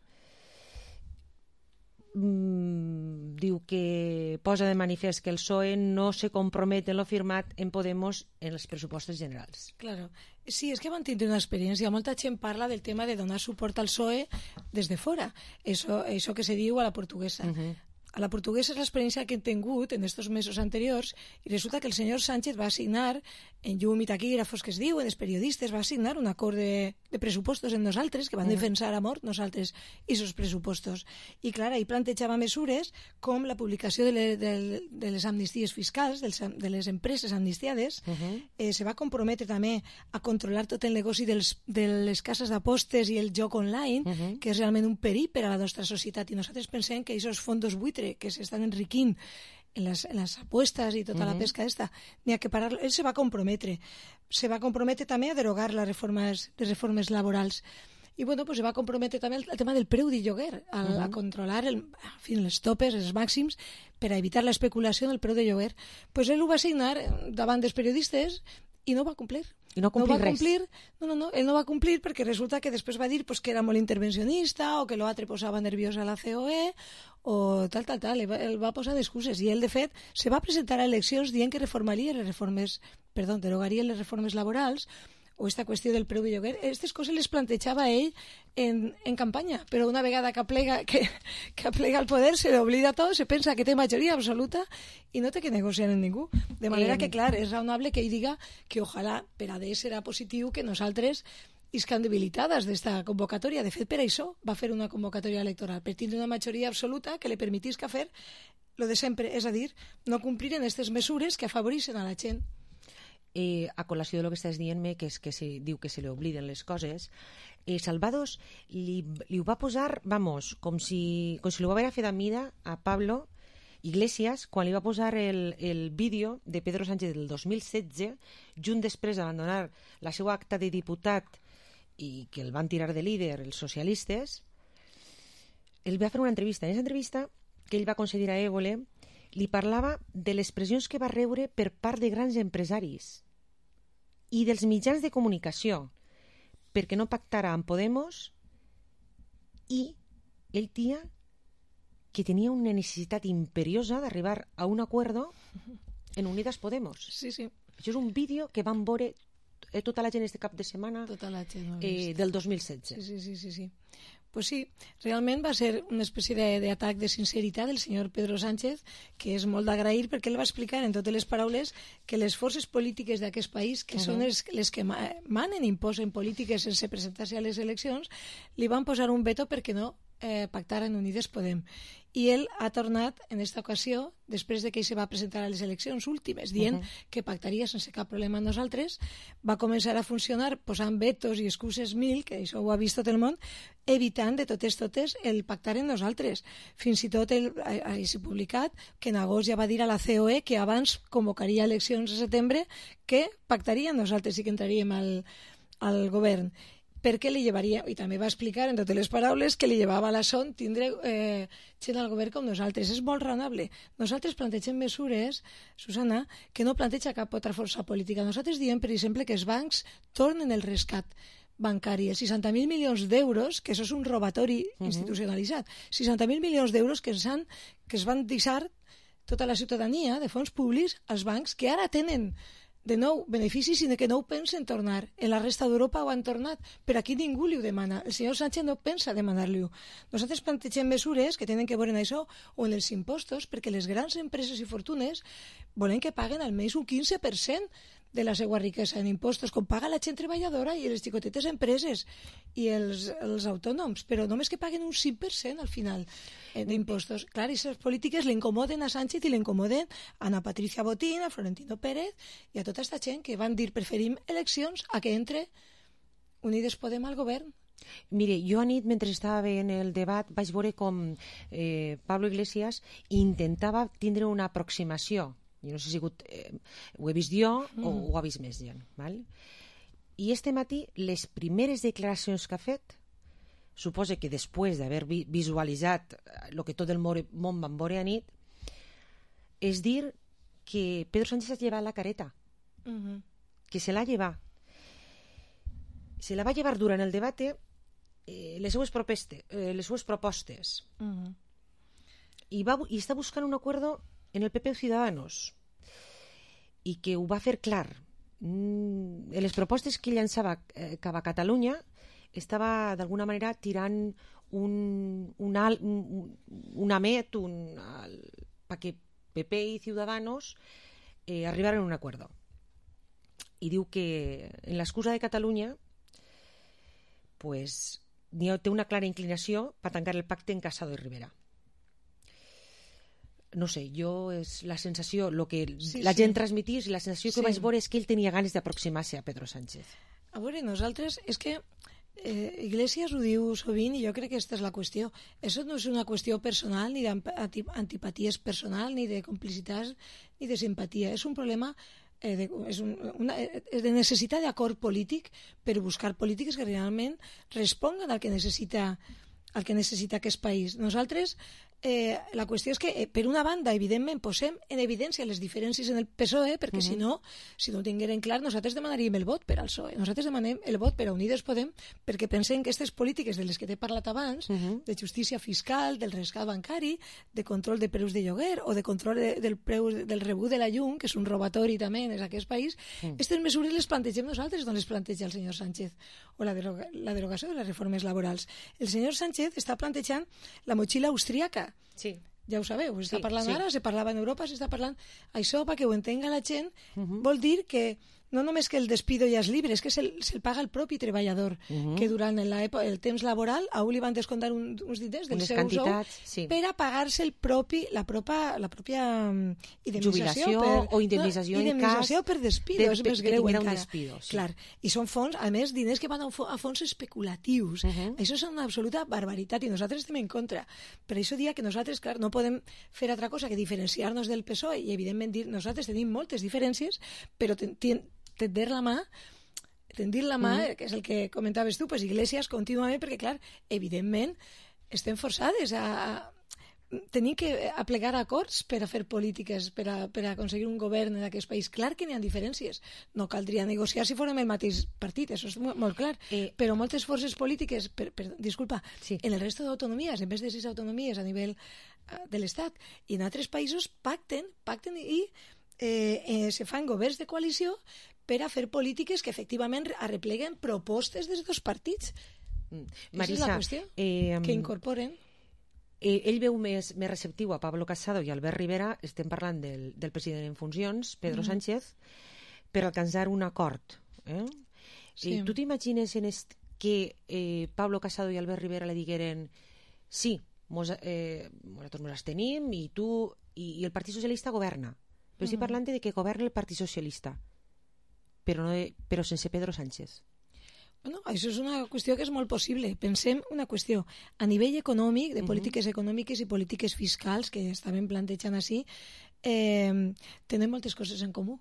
Mm, diu que posa de manifest que el P S O E no se compromet en lo firmat en Podemos en els pressupostos generals. Claro. Sí, és que van tindre una experiència. Molta gent parla del tema de donar suport al P S O E des de fora. Eso, eso que se diu a la portuguesa. Uh-huh. A la portuguesa és l'experiència que hem tingut en estos mesos anteriors i resulta que el senyor Sánchez va assignar, en llum i taquígrafos que es diuen, els periodistes, va assignar un acord de, de pressupostos en nosaltres, que van uh-huh. defensar a mort nosaltres i esos pressupostos. I clar, ahí plantejava mesures com la publicació de, le, de, de les amnisties fiscals, dels, de les empreses amnistiades, uh-huh. eh, se va comprometre també a controlar tot el negoci dels, de les cases d'apostes i el joc online, uh-huh. que és realment un perill per a la nostra societat i nosaltres pensem que aquests fondos buitres que se están enriquint en las, en las apuestas y toda uh-huh. la pesca esta, ni a que pararlo. Él se va a comprometre. Se va a comprometre també a derogar las reformes, les reformes laborals. I bueno, pues se va a comprometre també el tema del preu de lloguer, a, uh-huh. a controlar el, en fin, els topes, els màxims, per a evitar l'especulació del preu de lloguer. Pues ell ho va signar davant dels periodistes i no va complir. I no, no va res. complir, no, no, no, ell no va complir perquè resulta que després va dir pues, que era molt intervencionista o que l'altre posava nerviosa a la C O E o tal, tal, tal, ell va, ell va posar d'excuses i ell de fet se va presentar a eleccions dient que reformaria les reformes, perdó, derogaria les reformes laborals o esta qüestió del preu de lloguer. Aquestes coses les plantejava ell en, en campanya, però una vegada que aplega, que, que aplega el poder se l'oblida tot, se pensa que té majoria absoluta i no té que negociar amb ningú. De manera eh... que, clar, és raonable que ell diga que ojalà per a d'ells serà positiu que nosaltres iscan debilitades d'esta convocatòria. De fet, per això va fer una convocatòria electoral, per tindre una majoria absoluta que li permetisca fer lo de sempre, és a dir, no complir en aquestes mesures que afavoreixen a la gent. Eh, a col·lació de lo que estàs dient-me, que és que se diu que se li obliden les coses, eh, Salvados li, li ho va posar, vamos, com si, com si li ho va haver fet a mida a Pablo Iglesias quan li va posar el, el vídeo de Pedro Sánchez del dos mil setze, junt després d'abandonar la seva acta de diputat i que el van tirar de líder els socialistes. Ell va fer una entrevista. En aquesta entrevista que ell va concedir a Évole, li parlava de les pressions que va rebre per part de grans empresaris i dels mitjans de comunicació perquè no pactara amb Podemos i ell tia que tenia una necessitat imperiosa d'arribar a un acuerdo en Unidas Podemos. Sí, sí. Això és un vídeo que van veure tota la gent este cap de setmana tota la gent eh, del dos mil setze. Sí, sí, sí, sí, sí. Pues sí, realment va ser una espècie d'atac de, de sinceritat del senyor Pedro Sánchez, que és molt d'agrair perquè ell va explicar en totes les paraules que les forces polítiques d'aquest país, que uh-huh. són les, les que manen, imposen polítiques sense presentar-se a les eleccions, li van posar un veto perquè no eh, pactaren Unides Podem. i ell ha tornat en aquesta ocasió, després de que ell se va presentar a les eleccions últimes, dient uh -huh. que pactaria sense cap problema amb nosaltres, va començar a funcionar posant vetos i excuses mil, que això ho ha vist tot el món, evitant de totes totes el pactar amb nosaltres. Fins i tot ell ha, ha publicat que en agost ja va dir a la C O E que abans convocaria eleccions a setembre, que pactaria amb nosaltres i que entraríem al, al govern, perquè li llevaria, i també va explicar en totes les paraules, que li llevava la son tindre eh, gent al govern com nosaltres. És molt raonable. Nosaltres plantegem mesures, Susana, que no planteja cap altra força política. Nosaltres diem, per exemple, que els bancs tornen el rescat bancari, els seixanta mil milions d'euros, que això és un robatori uh-huh. institucionalitzat, seixanta mil milions d'euros que, han, que es van deixar tota la ciutadania de fons públics als bancs, que ara tenen de nou beneficis, sinó que no ho pensen tornar. En la resta d'Europa ho han tornat, però aquí ningú li ho demana. El senyor Sánchez no pensa demanar-li-ho. Nosaltres plantegem mesures que tenen que veure en això o en els impostos, perquè les grans empreses i fortunes volen que paguen almenys un quinze per cent de la seva riquesa en impostos, com paga la gent treballadora i les xicotetes empreses i els, els autònoms, però només que paguen un cinc per cent al final eh, d'impostos. Clar, aquestes polítiques l'incomoden a Sánchez i l'incomoden a Ana Patricia Botín, a Florentino Pérez i a tota aquesta gent que van dir preferim eleccions a que entre Unides Podem al govern. Mire, jo anit, mentre estava veient el debat, vaig veure com eh, Pablo Iglesias intentava tindre una aproximació. Jo no sé si sigut, eh, ho he vist jo mm. o ho ha vist més gent. Val? I este matí, les primeres declaracions que ha fet, suposa que després d'haver vi visualitzat el que tot el món van veure a nit, és dir que Pedro Sánchez ha llevat la careta. Mm -hmm. Que se l'ha llevat. Se la va llevar durant el debat eh, les seues, propeste, eh, les seues propostes. Mm -hmm. I, va, I està buscant un acuerdo en el P P o Ciudadanos, i que ho va fer clar. Mm, en les propostes que llançava eh, cap a Catalunya estava d'alguna manera tirant un, un, al, un, un amet un, perquè P P i Ciudadanos eh, arribaren a un acuerdo. I diu que en l'excusa de Catalunya pues, té una clara inclinació per tancar el pacte en Casado i Rivera. No sé, jo és la sensació, lo que sí, la gent sí. transmitís, la sensació que sí. vaig veure és que ell tenia ganes d'aproximar-se a Pedro Sánchez. A veure, nosaltres, és que eh, Iglesias ho diu sovint i jo crec que aquesta és la qüestió. Això no és una qüestió personal, ni d'antipaties personal, ni de complicitats, ni de simpatia. És un problema eh, de, és un, una, de necessitat d'acord polític per buscar polítiques que realment responguen al que necessita el que necessita aquest país. Nosaltres, eh, la qüestió és que, eh, per una banda, evidentment, posem en evidència les diferències en el P S O E, perquè uh -huh. si no, si no ho tingueren clar, nosaltres demanaríem el vot per al P S O E. Nosaltres demanem el vot per a Unides Podem, perquè pensem que aquestes polítiques de les que t'he parlat abans, uh -huh. de justícia fiscal, del rescat bancari, de control de preus de lloguer, o de control de, del preu del rebut de la llum, que és un robatori també en aquest país, aquestes uh -huh. mesures les plantegem nosaltres, no les planteja el senyor Sánchez, o la, deroga, la derogació de les reformes laborals. El senyor Sánchez està plantejant la motxilla austríaca. Sí. Ja ho sabeu, s'està sí, parlant sí. ara, se parlava en Europa, s'està parlant... Això, perquè ho entenga la gent, uh -huh. vol dir que no només que el despido ja és libre, és que se'l se paga el propi treballador, uh -huh. que durant el temps laboral a un li van descomptar un, uns diners del seu sou sí. per a pagar-se el propi, la, propa, la pròpia um, indemnització jubilació per, o indemnització, no, en indemnització cas per despido, de, és més greu de, de encara. Despido, sí. Clar, i són fons, a més, diners que van a, a fons especulatius. Uh -huh. Això és una absoluta barbaritat i nosaltres estem en contra. Per això dia que nosaltres, clar, no podem fer altra cosa que diferenciar-nos del P S O E i, evidentment, dir nosaltres tenim moltes diferències, però ten, ten, tender la mà tendir la mà, mm. que és el que comentaves tu, pues Iglesias contínuament, perquè clar, evidentment estem forçades a, a tenim que aplegar acords per a fer polítiques, per a, per a aconseguir un govern en aquest país. Clar que n'hi ha diferències, no caldria negociar si fórem el mateix partit, això és molt, molt clar, eh, però moltes forces polítiques, per, per, disculpa, sí. en el resto d'autonomies, en vez de sis autonomies a nivell uh, de l'Estat, i en altres països pacten, pacten i eh, eh, se fan governs de coalició per a fer polítiques que efectivament arrepleguen propostes dels dos partits. Mm. Marisa, és la qüestió, eh, que incorporen. Eh, ell veu més, més receptiu a Pablo Casado i Albert Rivera, estem parlant del, del president en funcions, Pedro mm. Sánchez, per alcançar un acord. Eh? Sí. Eh, tu t'imagines en est que eh, Pablo Casado i Albert Rivera li digueren sí, mos, eh, nosaltres ens tenim i tu i, i el Partit Socialista governa, però estic Mhm. parlant de que governa el Partit Socialista, però, no de, però sense Pedro Sánchez. Bueno, això és una qüestió que és molt possible. Pensem una qüestió a nivell econòmic, de polítiques econòmiques i polítiques fiscals que estaven plantejant així, eh, tenen moltes coses en comú.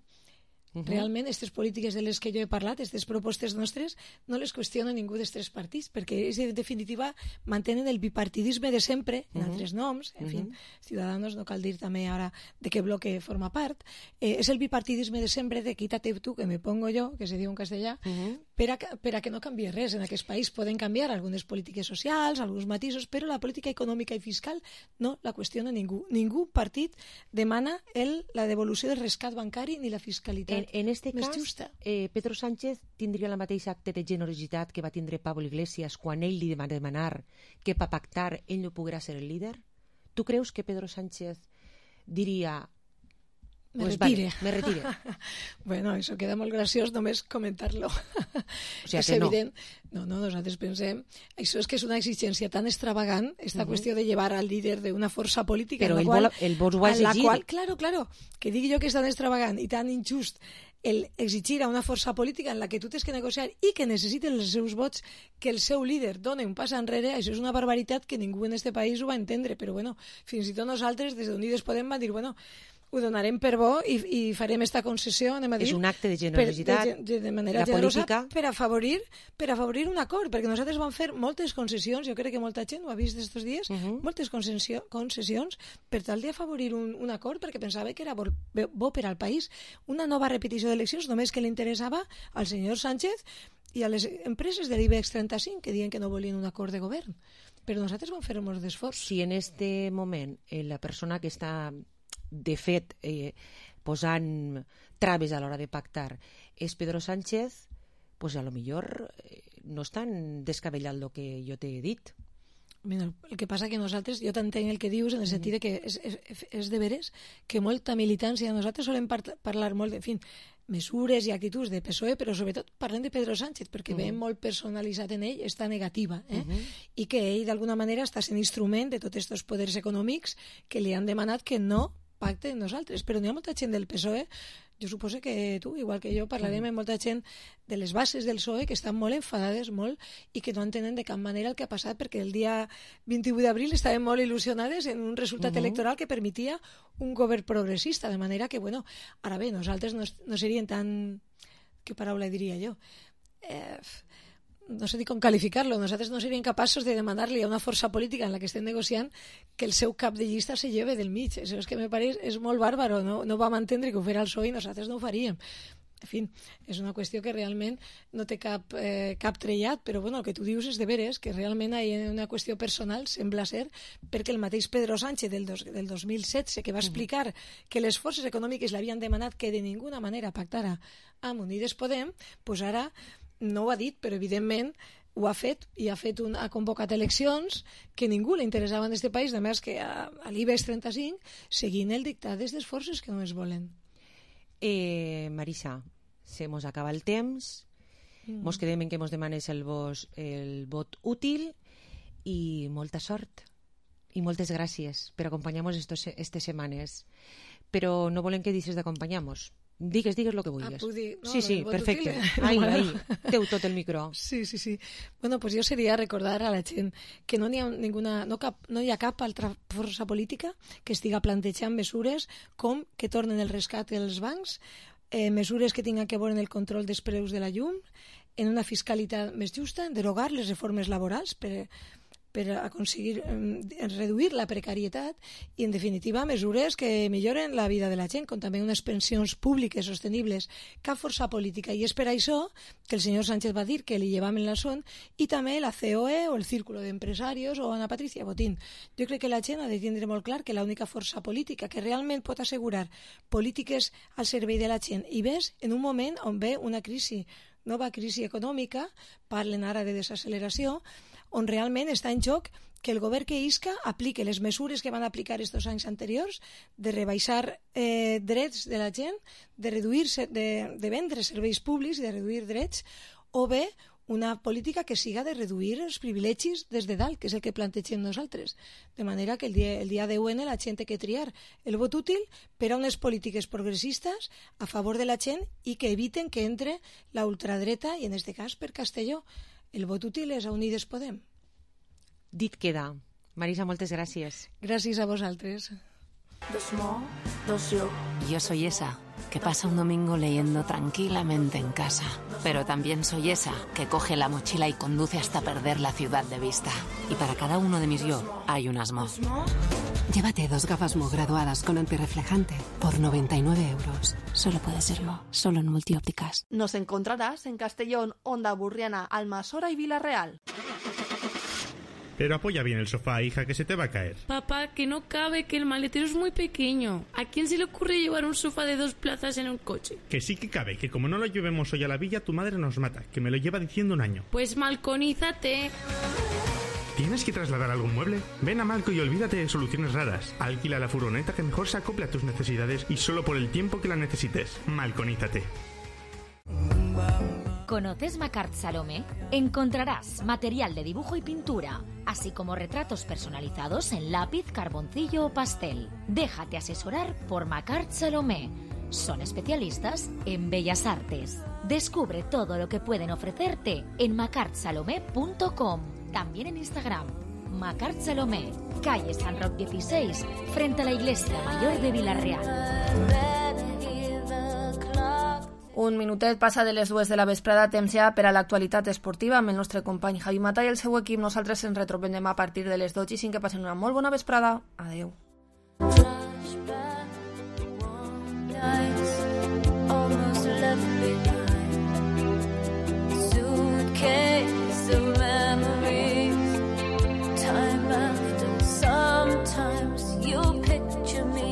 Uh-huh. Realment, aquestes polítiques de les que jo he parlat, aquestes propostes nostres, no les qüestiona ningú dels tres partits, perquè és, en definitiva mantenen el bipartidisme de sempre, en Uh-huh. altres noms, en Uh-huh. fin, Ciudadanos, no cal dir també ara de què bloque forma part, eh, és el bipartidisme de sempre de quítate tú que me pongo yo, que se diu en castellà, Uh-huh. per a, per a que no canvie res en aquest país. Poden canviar algunes polítiques socials, alguns matisos, però la política econòmica i fiscal no la qüestiona ningú. Ningú partit demana el, la devolució del rescat bancari ni la fiscalitat En, en este més cas, justa. eh, Pedro Sánchez tindria la mateixa acte de generositat que va tindre Pablo Iglesias quan ell li va demanar que per pactar ell no poguera ser el líder? Tu creus que Pedro Sánchez diria Me pues retire. vale, me retire? Bueno, això queda molt graciós només comentar-lo. O sigui és que no. evident. No, no, nosaltres pensem... Això és que és una exigència tan extravagant, esta Mhm. qüestió de llevar al líder d'una força política... Però en la ell qual, vol- ell vos ho ha en la exigit. qual, claro, claro, que digui jo que és tan extravagant i tan injust el exigir a una força política en la que tu tens que negociar i que necessiten els seus vots que el seu líder doni un pas enrere, això és una barbaritat que ningú en este país ho va entendre, però bueno, fins i tot nosaltres des d'Unides Podem va dir, bueno, ho donarem per bo i, i farem esta concessió, anem a dir... És un acte de generositat. Per, de, de manera La generosa política. per afavorir, per afavorir un acord, perquè nosaltres vam fer moltes concessions, jo crec que molta gent ho ha vist estos dies, uh -huh. moltes concessió, concessions per tal d'afavorir un, un acord, perquè pensava que era bo, bo per al país. Una nova repetició d'eleccions només que li interessava al senyor Sánchez i a les empreses de l'IBEX trenta-cinc que diuen que no volien un acord de govern. Però nosaltres vam fer molts d'esforç. Si en este moment eh, la persona que està de fet eh, posant traves a l'hora de pactar és Pedro Sánchez, pues a lo millor eh, no és tan descabellat el que jo t'he dit. Mira, el que passa que nosaltres, jo t'entenc el que dius en el sentit de que és, és, és de veres que molta militància, nosaltres solem par parlar molt de, en fin, mesures i actituds de P S O E, però sobretot parlem de Pedro Sánchez, perquè uh -huh. veiem molt personalitzat en ell esta negativa, eh? uh -huh. i que ell d'alguna manera està sent instrument de tots aquests poders econòmics que li han demanat que no pacte amb nosaltres, però n'hi ha molta gent del P S O E, jo suposo que tu, igual que jo, parlarem amb molta gent de les bases del P S O E que estan molt enfadades, molt, i que no entenen de cap manera el que ha passat, perquè el dia vint-i-vuit d'abril estaven molt il·lusionades en un resultat Uh-huh. electoral que permetia un govern progressista, de manera que, bueno, ara bé, nosaltres no, no serien tan... Què paraula diria jo? Eh... no sé ni com qualificar-lo, nosaltres no seríem capaços de demanar-li a una força política en la que estem negociant que el seu cap de llista se lleve del mig. Això és que me pareix és molt bàrbaro, no, no vam entendre que ho fera el P S O E i nosaltres no ho faríem. En fi, és una qüestió que realment no té cap, eh, cap trellat, però bueno, el que tu dius és de veres, que realment hi ha una qüestió personal, sembla ser, perquè el mateix Pedro Sánchez del, dos, del dos mil setze, que va explicar que les forces econòmiques l'havien demanat que de ninguna manera pactara amb Unides Podem, doncs ara no ho ha dit, però evidentment ho ha fet i ha, fet un, ha convocat eleccions que ningú li interessava en aquest país, només que a, a l'IBEX trenta-cinc, seguint el dictat d'aquestes forces que no es volen. Eh, Marisa, se mos acaba el temps, mm. mos quedem en que mos demanes el, vos, el vot útil i molta sort i moltes gràcies per acompanyar-nos aquestes setmanes. Però no volem que deixes d'acompanyar-nos. Digues, digues el que vulguis. Ah, dir, no, sí, sí, perfecte. Útil. Ahí, ahí, teu tot el micro. Sí, sí, sí. Bueno, pues jo seria recordar a la gent que no n'hi ha ninguna, no, cap, no hi ha cap altra força política que estiga plantejant mesures com que tornen el rescat dels bancs, eh, mesures que tinguin que veure en el control dels preus de la llum, en una fiscalitat més justa, en derogar les reformes laborals per per aconseguir eh, reduir la precarietat i, en definitiva, mesures que milloren la vida de la gent, com també unes pensions públiques sostenibles. Cap força política. I és per això que el senyor Sánchez va dir que li llevaven la son, i també la C O E o el Círculo de Empresarios o Ana Patricia Botín. Jo crec que la gent ha de tindre molt clar que l'única força política que realment pot assegurar polítiques al servei de la gent, i ves en un moment on ve una crisi, nova crisi econòmica, parlen ara de desacceleració, on realment està en joc que el govern que isca aplique les mesures que van aplicar estos anys anteriors de rebaixar eh, drets de la gent, de reduir de, de vendre serveis públics i de reduir drets, o bé una política que siga de reduir els privilegis des de dalt, que és el que plantegem nosaltres. De manera que el dia, el dia deu ene la gent té que triar el vot útil per a unes polítiques progressistes a favor de la gent i que eviten que entre la ultradreta, i en aquest cas per Castelló el vot útil és a Unides Podem. Dit queda. Marisa, moltes gràcies. Gràcies a vosaltres. Dos mo, dos yo. Yo soy esa que pasa un domingo leyendo tranquilamente en casa. Pero también soy esa que coge la mochila y conduce hasta perder la ciudad de vista. Y para cada uno de mis yo hay unas mo. Llévate dos gafas Mo graduadas con antirreflejante por noventa y nueve euros. Solo puede ser Mo, solo en Multiópticas. Nos encontrarás en Castellón, Onda Burriana, Almasora y Villarreal. Pero apoya bien el sofá, hija, que se te va a caer. Papá, que no cabe, que el maletero es muy pequeño. ¿A quién se le ocurre llevar un sofá de dos plazas en un coche? Que sí que cabe, que como no lo llevemos hoy a la villa, tu madre nos mata, que me lo lleva diciendo un año. Pues malconízate. ¿Tienes que trasladar algún mueble? Ven a Malco y olvídate de soluciones raras. Alquila la furgoneta que mejor se acople a tus necesidades y solo por el tiempo que la necesites. Malconízate. ¿Conoces Macart Salomé? Encontrarás material de dibujo y pintura, así como retratos personalizados en lápiz, carboncillo o pastel. Déjate asesorar por Macart Salomé. Son especialistas en bellas artes. Descubre todo lo que pueden ofrecerte en macart salomé punto com. También en Instagram. Macart Salomé, calle San Roc dieciséis, frente a la Iglesia Mayor de Villarreal. Un minutet passa de les dues de la vesprada, temps ja per a l'actualitat esportiva amb el nostre company Javi Mata i el seu equip. Nosaltres ens retrobem demà a partir de les dotze i cinc. Que passen una molt bona vesprada. Adeu.